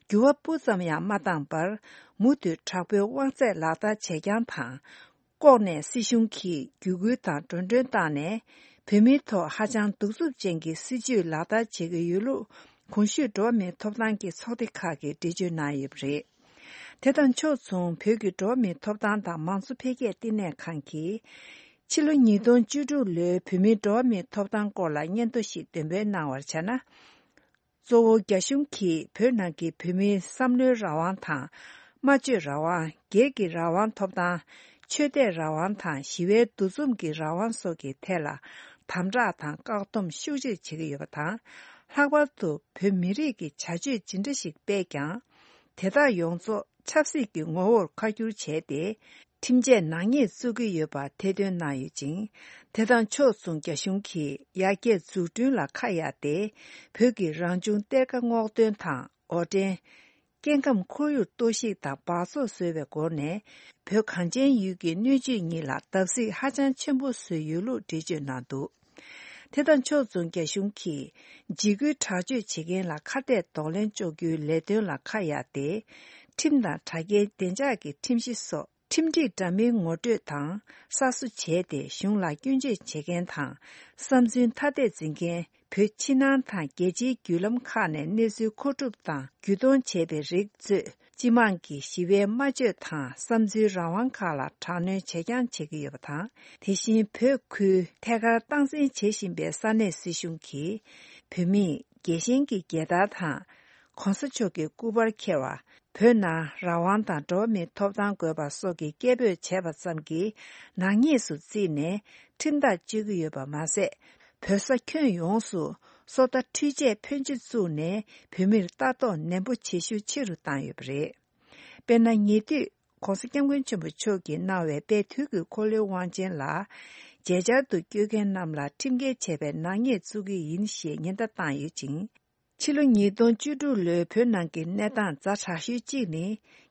འགྱུར་བ་སྤུ་ཙམ་ཡང་མ་བཏང་བར། མུ་མཐུད་དྲག་པོའི་དབང་ཚད་ལག་བསྟར་བྱེད་རྐྱང་དང་། ལྐོག་ནས་སྲིད་གཞུང་གིས་བརྒྱུད་སྐུལ་དང་འགྲོ་གྲོན་བཏང་ནས། བོད་མིའི་ཐོག་ཧ་ཅང་གདུག་རྩུབ་ཅན་གྱི་སྲིད་བྱུས་ལག་བསྟར་བྱེད་ཀྱི་ཡོད་ལུགས། གོང་ཞུས་འགྲོ་བ་མིའི་ཐོབ་ཐང་གི་ཚོགས་སྡེ་ཁག་གིས་འགྲེལ་བརྗོད་གནང་ཡོད་པ་རེད། དེ་དང་ཕྱོགས་མཚུངས། བོད་ཀྱི་འགྲོ་བ་མིའི་ཐོབ་ཐང་དང་མང་གཙོ་འཕེལ་རྒྱས་བསྟི་གནས་ཁང་གིས། ཕྱི་ལོ་ཉིས་སྟོང་བཅུ་དྲུག་ལོའི་བོད་མིའི་འགྲོ་བ་མིའི་ཐོབ་ཐང་སྐོར་ལ་སྙན་ཐོ་ཞིག་འདོན་སྤེལ་གནང་བར་བྱས་ན། གཙོ་བོ་རྒྱ་གཞུང་གིས་བོད་ནང་གི་བོད་མིའི་བསམ་བློའི་རང་དབང་དང་། སྨྲ་བརྗོད་རང་དབང་། སྒེར་གྱི་རང་དབང་ཐོབ་ཐང་། ཆོས་དད་རང་དབང་དང་། ཞི་བའི་འདུ་འཛོམས་ཀྱི་རང་དབང་སོགས་ཀྱི་ཐད་ལ་དམ་དྲག་དང་བཀག་སྡོམ་ཤུགས་ཆེར་བྱེད་ཀྱི་ཡོད་པ་དང་། ལྷག་པར་དུ་བོད་མི་རིགས་ཀྱི་བྱ་སྤྱོད་ཇི་འདྲ་ཞིག་སྤེལ་ཀྱང་། དེ་དག་ཡོངས་རྫོགས་ཆབ་སྲིད་ཀྱི་ངོ་བོར་ཁ་བསྒྱུར་བྱས་ཏེ། ཁྲིམས་ཆད་ནག་ཉེས་བཙུགས་ཀྱི་ཡོད་པ་ཐེར་འདོན་གནང་ཡོད་ཅིང་། དེ་དང་ཕྱོགས་མཚུངས། རྒྱ་གཞུང་གིས་ཡར་རྒྱས་འཛུགས་སྐྲུན་ལ་ཁ་གཡར་ཏེ། བོད་ཀྱི་རང་བྱུང་གཏེར་ཁ་སྔོག་འདོན་དང་འོར་འདྲེན། སྐྱེ་ཁམས་ཁོར་ཡུག་གཏོར་བཤིག་དང་འབག་བཙོག་བཟོས་པའི་སྒོ་ནས། བོད་གངས་ཅན་ཡུལ་གྱི་སྣོད་བཅུད་གཉིས་ལ་བརྡབ་གསིག་ཧ་ཅང་ཆེན་པོ་བཟོས་ཡོད་ལུགས་འགྲེལ་བརྗོད་གནང་འདུག་དེ་དང་ཕྱོགས་མཚུངས། རྒྱ་གཞུང་གིས་འཇིགས་སྐུལ་དྲག་སྤྱོད་བྱེད་མཁན་ལ་ཁ་གཏད་གདོང་ལེན་གཅོག་རྒྱུའི་ལས་དོན་ལ་ཁ་གཡར་ཏེ། ཁྲིམས་དང་དྲ་རྒྱའི་བདེ་འཇགས་ཀྱི་ཁྲིམས་གཞི་སོགས། ཁྲིམས་སྒྲིག་འདྲ་མིན་ངོ་སྤྲོད་དང་གསར་བཟོ་བྱས་ཏེ། གཞུང་ལ་སྐྱོན་བརྗོད་བྱེད་མཁན་དང་། བསམ་ཚུལ་ཐ་དད་འཛིན་མཁན། བོད་ཕྱི་ནང་དང་རྒྱལ་སྤྱིའི་བརྒྱུད་ལམ་ཁག་ནས་གནས་ཚུལ་མཁོ་སྒྲུབ་དང་བརྒྱུད་གཏོང་བྱས་པའི་རིགས་གཙོས། སྤྱི་དམངས་ཀྱི་ཞི་བའི་སྨྲ་བརྗོད་དང་བསམ་ཚུལ་རང་དབང་ཁག་ལ་དྲག་གནོན་བྱེད་རྐྱང་བྱེད་ཀྱི་ཡོད་པ་དང་། དེ་བཞིན་བོད་ཁུལ་ཐད་ཀར་སྟངས་འཛིན་བྱེད་བཞིན་པའི་ས་གནས་སྲིད་གཞུང་གིས། བོད་མིས་རྒྱལ་ཞེན་གྱི་རྒྱལ་དར་དང་། ༸གོང་ས་མཆོག་གི་སྐུ་པར་འཁྱེར་བ། བོད་ནང་རང་དབང་དང་འགྲོ་བ་མིའི་ཐོབ་ཐང་དགོས་པ་སོགས་ཀྱི་སྐད་འབོད་བྱས་པ་ཙམ་གྱིས་ནག་ཉེས་སུ་བརྩིས་ནས་ཁྲིམས་ཐག་གཅོད་ཀྱི་ཡོད་པ་མ་ཟད། བོད་ས་ཁྱོན་ཡོངས་སུ་སོ་ལྟ་འཕྲུལ་ཆས་ཕོན་ཆེ་བཙུགས་ནས་བོད་མིར་ལྟ་རྟོག་ནན་པོ་བྱེད་ཤུགས་ཆེ་རུ་བཏང་ཡོད་པ་རེད། དཔེར་ན། ཉེ་དུས་༸གོང་ས་༸སྐྱབས་མགོན་ཆེན་པོ་མཆོག་གིས་གནང་བའི་དཔལ་དུས་ཀྱི་འཁོར་ལོའི་དབང་ཆེན་ལ་མཇལ་བཅར་དུ་བསྐྱོད་མཁན་རྣམས་ལ་ཁྲིམས་འགལ་བྱས་པའི་ནག་ཉེས་བཙུགས་ཀྱི་ཡིན་ཞེས་ཉེན་བརྡ་བཏང་ཡོད་ཅིང་། ཕྱི་ལོ་ཉིས་སྟོང་བཅུ་དྲུག་ལོའི་བོད་ནང་གི་གནས་སྟངས་ཛ་དྲག་ཤོས་གཅིག་ནི།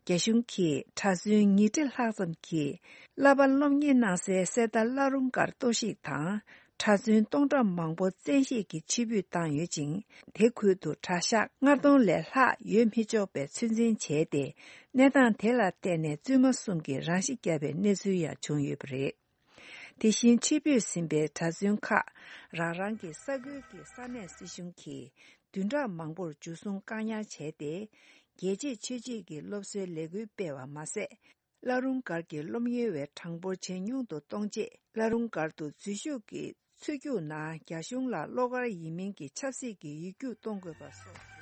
རྒྱ་གཞུང་གིས་གྲྭ་བཙུན་ཉིས་ཁྲི་ལྷག་ཙམ་གྱིས་བསླབ་པ་སློབ་གཉེར་གནང་སའི་གསེར་རྟ་བླ་རུང་སྒར་གཏོར་བཤིག་དང་། གྲྭ་བཙུན་སྟོང་ཕྲག་མང་པོ་བཙན་ཤེད་ཀྱིས་ཕྱིར་འབུད་བཏང་ཡོད་ཅིང་། དེ་ཁུལ་དུ་གྲྭ་ཤག་ལྔ་སྟོང་ལས་ལྷག་ཡོད་མི་ཆོག་པའི་ཚོད་འཛིན་བྱས་ཏེ། གནས་སྟངས་དེ་ལ་བརྟེན་ནས་བཙུན་མ་གསུམ་གྱིས་རང་ཤི་བརྒྱབ་པའི་གནས་ཚུལ་ཡང་བྱུང་ཡོད་པ་རེད། དེ་བཞིན་ཕྱིར་འབུད་ཟིན་པའི་གྲྭ་བཙུན་ཁག་རང་རང་གི་ས་ཁུལ་གྱི་ས་གནས་སྲིད་གཞུང་གིས་བདུན་ཕྲག་མང་པོར་འཇུ་བཟུང་བཀག་ཉར་བྱས་ཏེ། རྒྱལ་གཅེས་ཆོས་གཅེས་ཀྱི་སློབ་གསོའི་ལས་འགུལ་སྤེལ་བ་མ་ཟད། བླ་རུང་སྒར་གྱི་སློབ་གཉེར་བའི་གྲངས་འབོར་ཇེ་ཉུང་དུ་གཏོང་ཆེད། བླ་རུང་སྒར་དུ་འཛུལ་ཞུགས་ཀྱིས་ཚུར་རྒྱུགས་ན། རྒྱ་གཞུང་ལ་བློ་དཀར་ཡིན་མིན་གྱི་ཆབ་སྲིད་ཀྱི་ཡིག་རྒྱུགས་གཏོང་དགོས་པ་སོགས།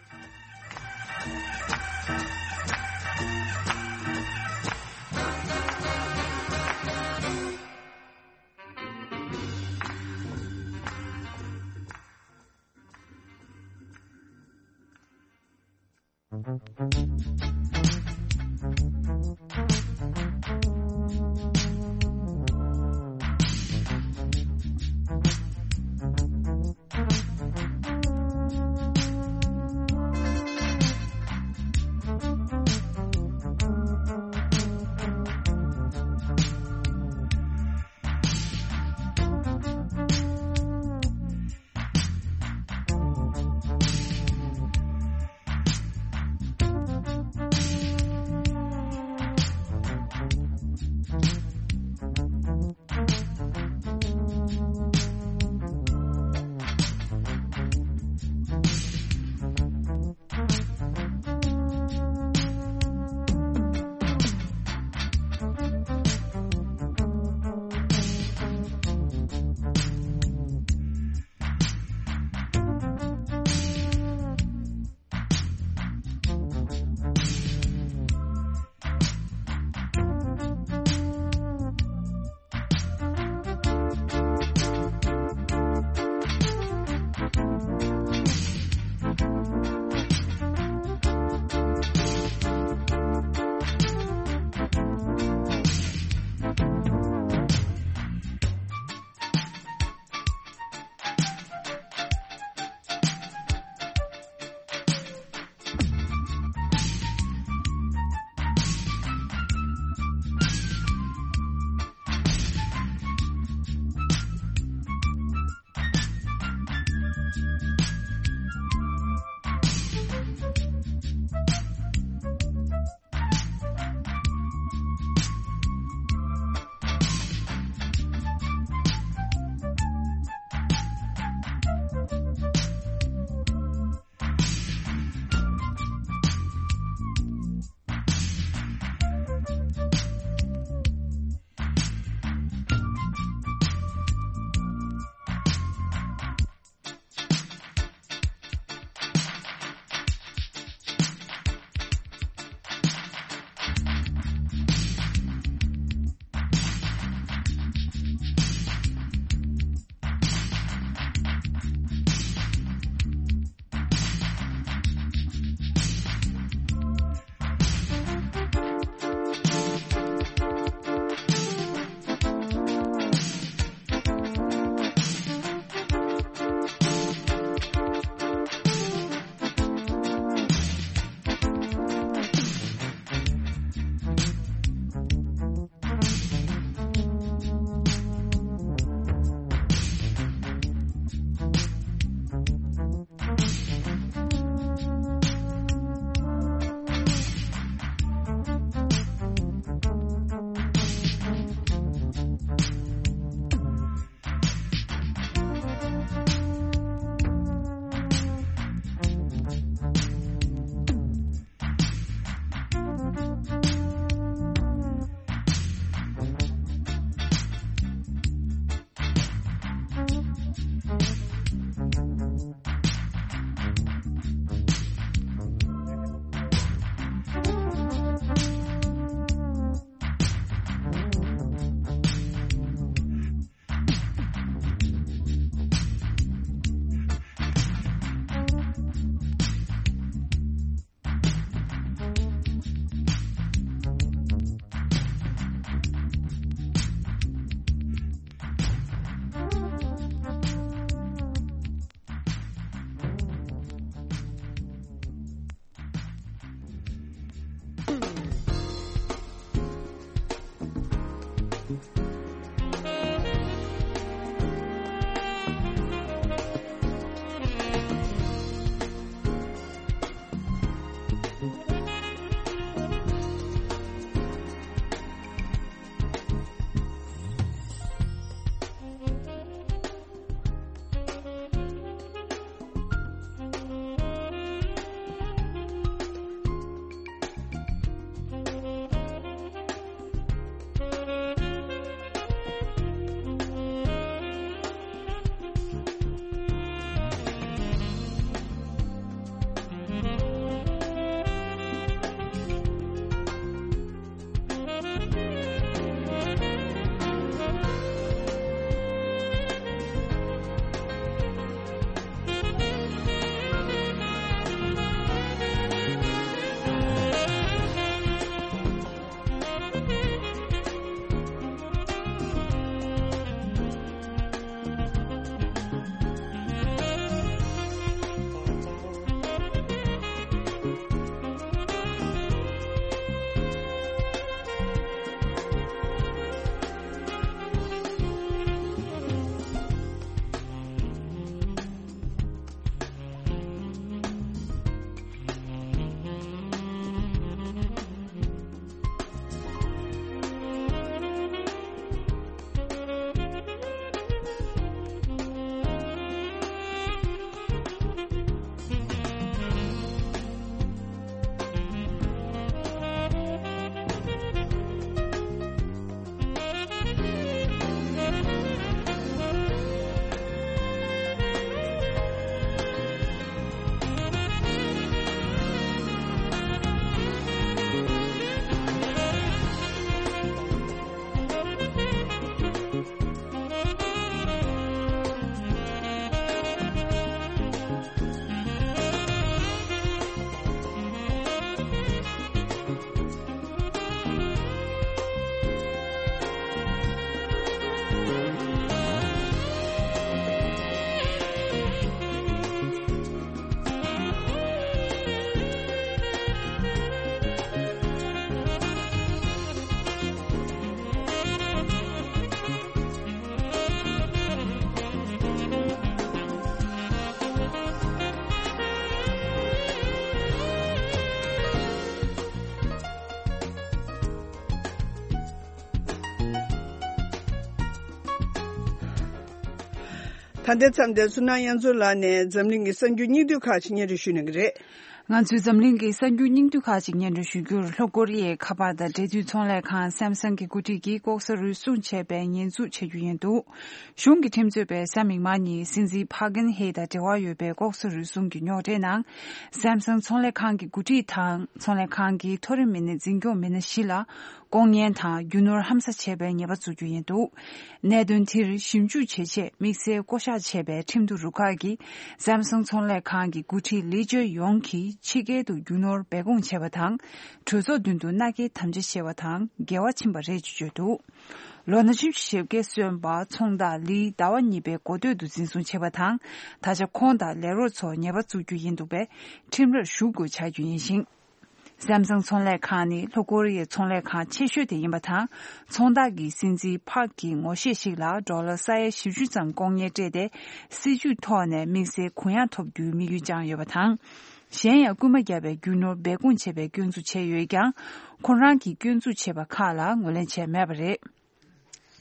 ད་ལྟའི་མཚམས་འདིར་ཚུར་སྣང་གཡང་འཛོམས་ལགས་ནས་འཛམ་གླིང་གི་གསར་འགྱུར་སྙིང་བསྡུས་ཁག་ཅིག་སྙན་སྒྲོན་ཞུ་གནང་གི་རེད། ང་ཚོས་འཛམ་གླིང་གི་གསར་འགྱུར་སྙིང་བསྡུས་ཁག་ཅིག་སྙན་སྒྲོན་ཞུ་རྒྱུར། ལྷོ་ཀོ་རི་ཡའི་ཁ་པར་དང་འབྲེལ་མཐུད་ཚོང་ལས་ཁང་སེམ་སང་གི་འགོ་ཁྲིད་ཀྱིས་ལྐོག་ཟ་རུལ་སུངས་བྱས་པའི་ཉེས་འཛུགས་བྱ་རྒྱུ་ཡིན་འདུག་གཞུང་གི་ཁྲིམས་རྩོད་པས་གཟའ་མིག་དམར་ཉིན་སྲིད་འཛིན་ཕཱ་ཀིན་ཧེ་དང་འབྲེལ་བ་ཡོད་པའི་ལྐོག་ཟ་རུལ་སུངས་ཀྱི་རྙོག་དྲའི་ནང་། སེམ་སང་ཚོང་ལས་ཁང་གི་འགོ་ཁྲིད་དང་ཚོང་ལས་ཁང་གི་མཐོ་རིམ་མི་སྣ་འཛིན་སྐྱོང་མི་སྣ་བཞི་ལ། ལྐོག་ངན་དང་རྒྱུ་ནོར་ཧམ་ཟ་བྱས་པའི་ཉེས་པ་བཙུགས་རྒྱུ་ཡིན་འདུག་གནད་དོན་དེར་ཞིབ་འཇུག་བྱེད་ཆེད་དམིགས་བསལ་བསྐོ་གཞག་བྱས་པའི་ཁྲིམས་བསྟུན་རུ་ཁག་གིས་སེམ་སང་ཚོང་ལས་ཁང་གི་འགོ་ཁྲིད་ལི་ཅོ་ཡོང་གིས་ཕྱི་རྒྱལ་དུ་རྒྱུ་ནོར་སྦས་སྐུང་བྱས་པ་དང་། གྲོས་ཚོགས་མདུན་དུ་མནའ་སྐྱེལ་དམ་བཅའ་བྱས་པ་དང་འགལ་བ་ཕྱིན་པ་རེད་ཅེས་བརྗོད་འདུག་ལོ་ན་ཆུང་བཞི་བརྒྱ་སོན་པ་ཚོང་བདག་ལིའི་ཟླ་བ་གཉིས་པའི་འགོ་སྟོད་དུ་འཛིན་བཟུང་བྱས་པ་དང་། ད་ཆ་ཁོང་དང་ལས་རོགས་ཚོར་ཉེས་པ་བཙུགས་རྒྱུ་ཡིན་འདུག་པས། ཁྲིམས་རར་ཞུགས་དགོས་བྱ་རྒྱུ་ཡིན་ཞིང་། སེམ་སང་ཚོང་ལས་ཁང་ནི་ལྷོ་ཀོ་རི་ཡའི་ཚོང་ལས་ཁང་ཆེ་ཤོས་དེ་ཡིན་པ་དང་། ཚོང་བདག་གིས་སྲིད་འཛིན་ཕག་གི་ངོ་ཤེས་ཤིག་ལ་ཌོ་ལར་ས་ཡ་བཞི་བཅུ་ཙམ་ལྐོག་ཉར་སྤྲད་དེ། སྲིད་ཇུས་ཐོག་ནས་དམིགས་བསལ་གུ་ཡངས་ཐོབ་རྒྱུའི་དམིགས་ཡུལ་བཅངས་ཡོད་པ་དང་། གཞན་ཡང་རྐུན་མ་བརྒྱབ་པའི་རྒྱུ་ནོར་སྦས་སྐུང་བྱས་པའི་སྐྱོན་འཛུགས་བྱས་ཡོད་ཀྱང་། ཁོ་རང་གིས་སྐྱོན་འཛུགས་བྱས་པ་ཁག་ལ་ངོས་ལེན་བྱས་མེད་པ་རེད།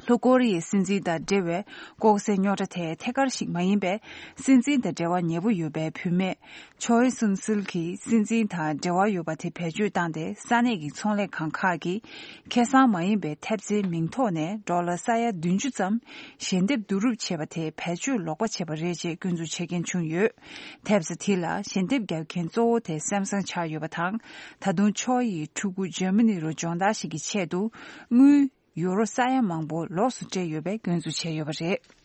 ལྷོ་ཀོ་རི་ཡའི་སྲིད་འཛིན་དང་འབྲེལ་བའི་ལྐོག་ཟའི་རྙོག་དྲ་དེ་ཐད་ཀར་ཞིག་མ་ཡིན་པས། སྲིད་འཛིན་དང་འབྲེལ་བ་ཉེ་པོ་ཡོད་པའི་བུད་མེད་ཆོའེ་སུན་སིལ་གྱིས་སྲིད་འཛིན་དང་འབྲེལ་བ་ཡོད་པ་དེ་བེད་སྤྱོད་བཏང་སྟེ། ས་གནས་ཀྱི་ཚོང་ལས་ཁང་ཁག་གིས་ཁེ་བཟང་མ་ཡིན་པའི་ཐེབས་རྩའི་མིང་ཐོག་ནས་ཌོ་ལར་ས་ཡ་བདུན་ཅུ་ཙམ་ཞལ་འདེབས་བསྡུ་རུབ་བྱས་པ་དེ་བེད་སྤྱོད་ལོག་པ་བྱས་པ་རེད་ཅེས་སྐྱོན་འཛུགས་བྱེད་མཁན་བྱུང་ཡོད། ཐེབས་རྩ་དེ་ལ་ཞལ་འདེབས་རྒྱག་མཁན་གཙོ་བོ་དེ་སེམ་སང་ཆགས་ཡོད་པ་དང་། ད་དུང་ཆོའེ་ཡི་ཕྲུ་གུ་འཇར་མ་ནི་རུ་སྦྱོང་བརྡར་ཞིག་གི་ཆེད་དུ་དངུལ་ཡུ་རོ་ས་ཡ་མང་པོ་ལོགས་སུ་སྤྲད་ཡོད་པའི་སྐྱོན་འཛུགས་བྱས་ཡོད་པ་རེད།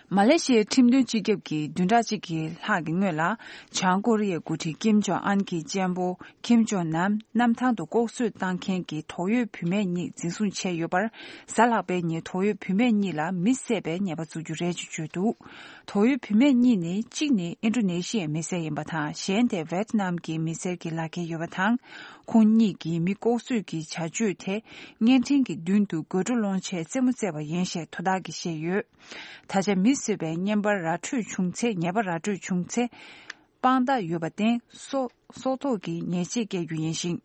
མ་ལེ་ཤི་ཡའི་ཁྲིམས་དོན་སྤྱི་ཁྱབ་ཀྱིས་བདུན་ཕྲག་གཅིག་གི་ལྷག་གི་སྔོན་ལ། བྱང་ཀོ་རི་ཡའི་འགོ་ཁྲིད་ཀིམ་ཇོང་ཨན་གྱི་གཅེན་པོ་ཀིམ་ཇོང་ནམ་གནམ་ཐང་དུ་ལྐོག་གསོད་བཏང་མཁན་གྱི་དོགས་ཡོད་བུད་མེད་གཉིས་འཛིན་བཟུང་བྱས་ཡོད་པར། གཟའ་ལྷག་པའི་ཉིན་དོགས་ཡོད་བུད་མེད་གཉིས་ལ་མི་བསད་པའི་ཉེས་པ་བཙུགས་རྒྱུ་རེད་ཅེས་བརྗོད་འདུག་དོགས་ཡོད་བུད་མེད་གཉིས་ནི། གཅིག་ནི་ཨིན་ཌོ་ནེ་ཤི་ཡའི་མི་སེར་ཡིན་པ་དང་། གཞན་དེ་ཝེ་ཏི་ནམ་གྱི་མི་སེར་གྱི་ལག་འཁྱེར་ཡོད་པ་དང་། ཁོང་གཉིས་ཀྱིས་མི་ལྐོག་གསོད་ཀྱི་བྱ་སྤྱོད་དེ་བརྙན་འཕྲིན་གྱི་མདུན་དུ་དགོད་བྲོ་སློང་ཆེད་རྩེད་མོ་རྩེ་བ་ཡིན་ཞེས་དོ་བདག་གིས་བཤད་ཡོད། ད་ཆ་མི་གསོད་པའི་བརྙན་པར་ར་འཕྲོད་བྱུང་ཚེ། ཉེས་པ་ར་འཕྲོད་བྱུང་ཚེ། དཔང་རྟགས་ཡོད་པར་བརྟེན། སྲོག་སྲོག་ཐོག་གི་ཉེས་ཆད་བཀལ་རྒྱུ་ཡིན་ཞིང་།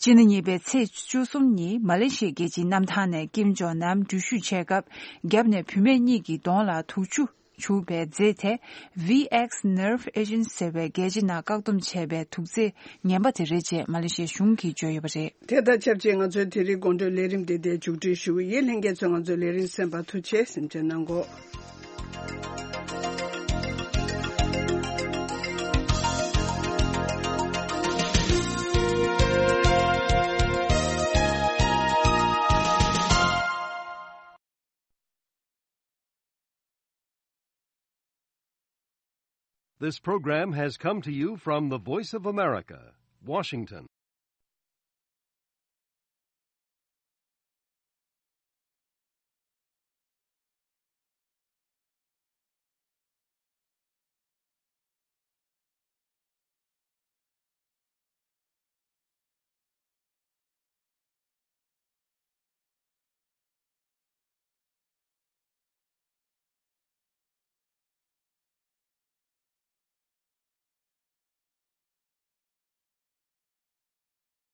སྤྱི་ཟླ་གཉིས་པའི་ཚེས་བཅུ་གསུམ་ཉིན་མ་ལེ་ཤི་ཡའི་རྒྱལ་སྤྱིའི་གནམ་ཐང་ནས་ཀིམ་ཇོང་ནམ་འགྲུལ་བཞུད་བྱས་སྐབས། རྒྱབ་ནས་བུད་མེད་གཉིས་ཀྱི་གདོང་ལ་དུག་ཆུ་བྱུགས་པའི་རྫས་དེ། V X nerve agent ཟེར་བའི་རྒྱལ་སྤྱི་ནང་བཀག་སྡོམ་བྱས་པའི་དུག་རྫས་ངན་པ་དེ་རེད་ཅེས་མ་ལེ་ཤི་ཡའི་གཞུང་གིས་བརྗོད་ཡོད་པ་རེད། དེ་དང་ཆབས་ཅིག་ང་ཚོའི་དེ་རིང་དགོང་དྲོའི་ལས་རིམ་འདི་འདིར་མཇུག་སྒྲིལ་ཞུ་གི་ཡིན། ལྷན་རྒྱས་ཚོས་ང་ཚོའི་ལས་རིམ་གསན་པར་ཐུགས་རྗེ་ཆེ། གཟིམ་འཇགས་གནང་གོ། This program has come to you from the Voice of America, Washington.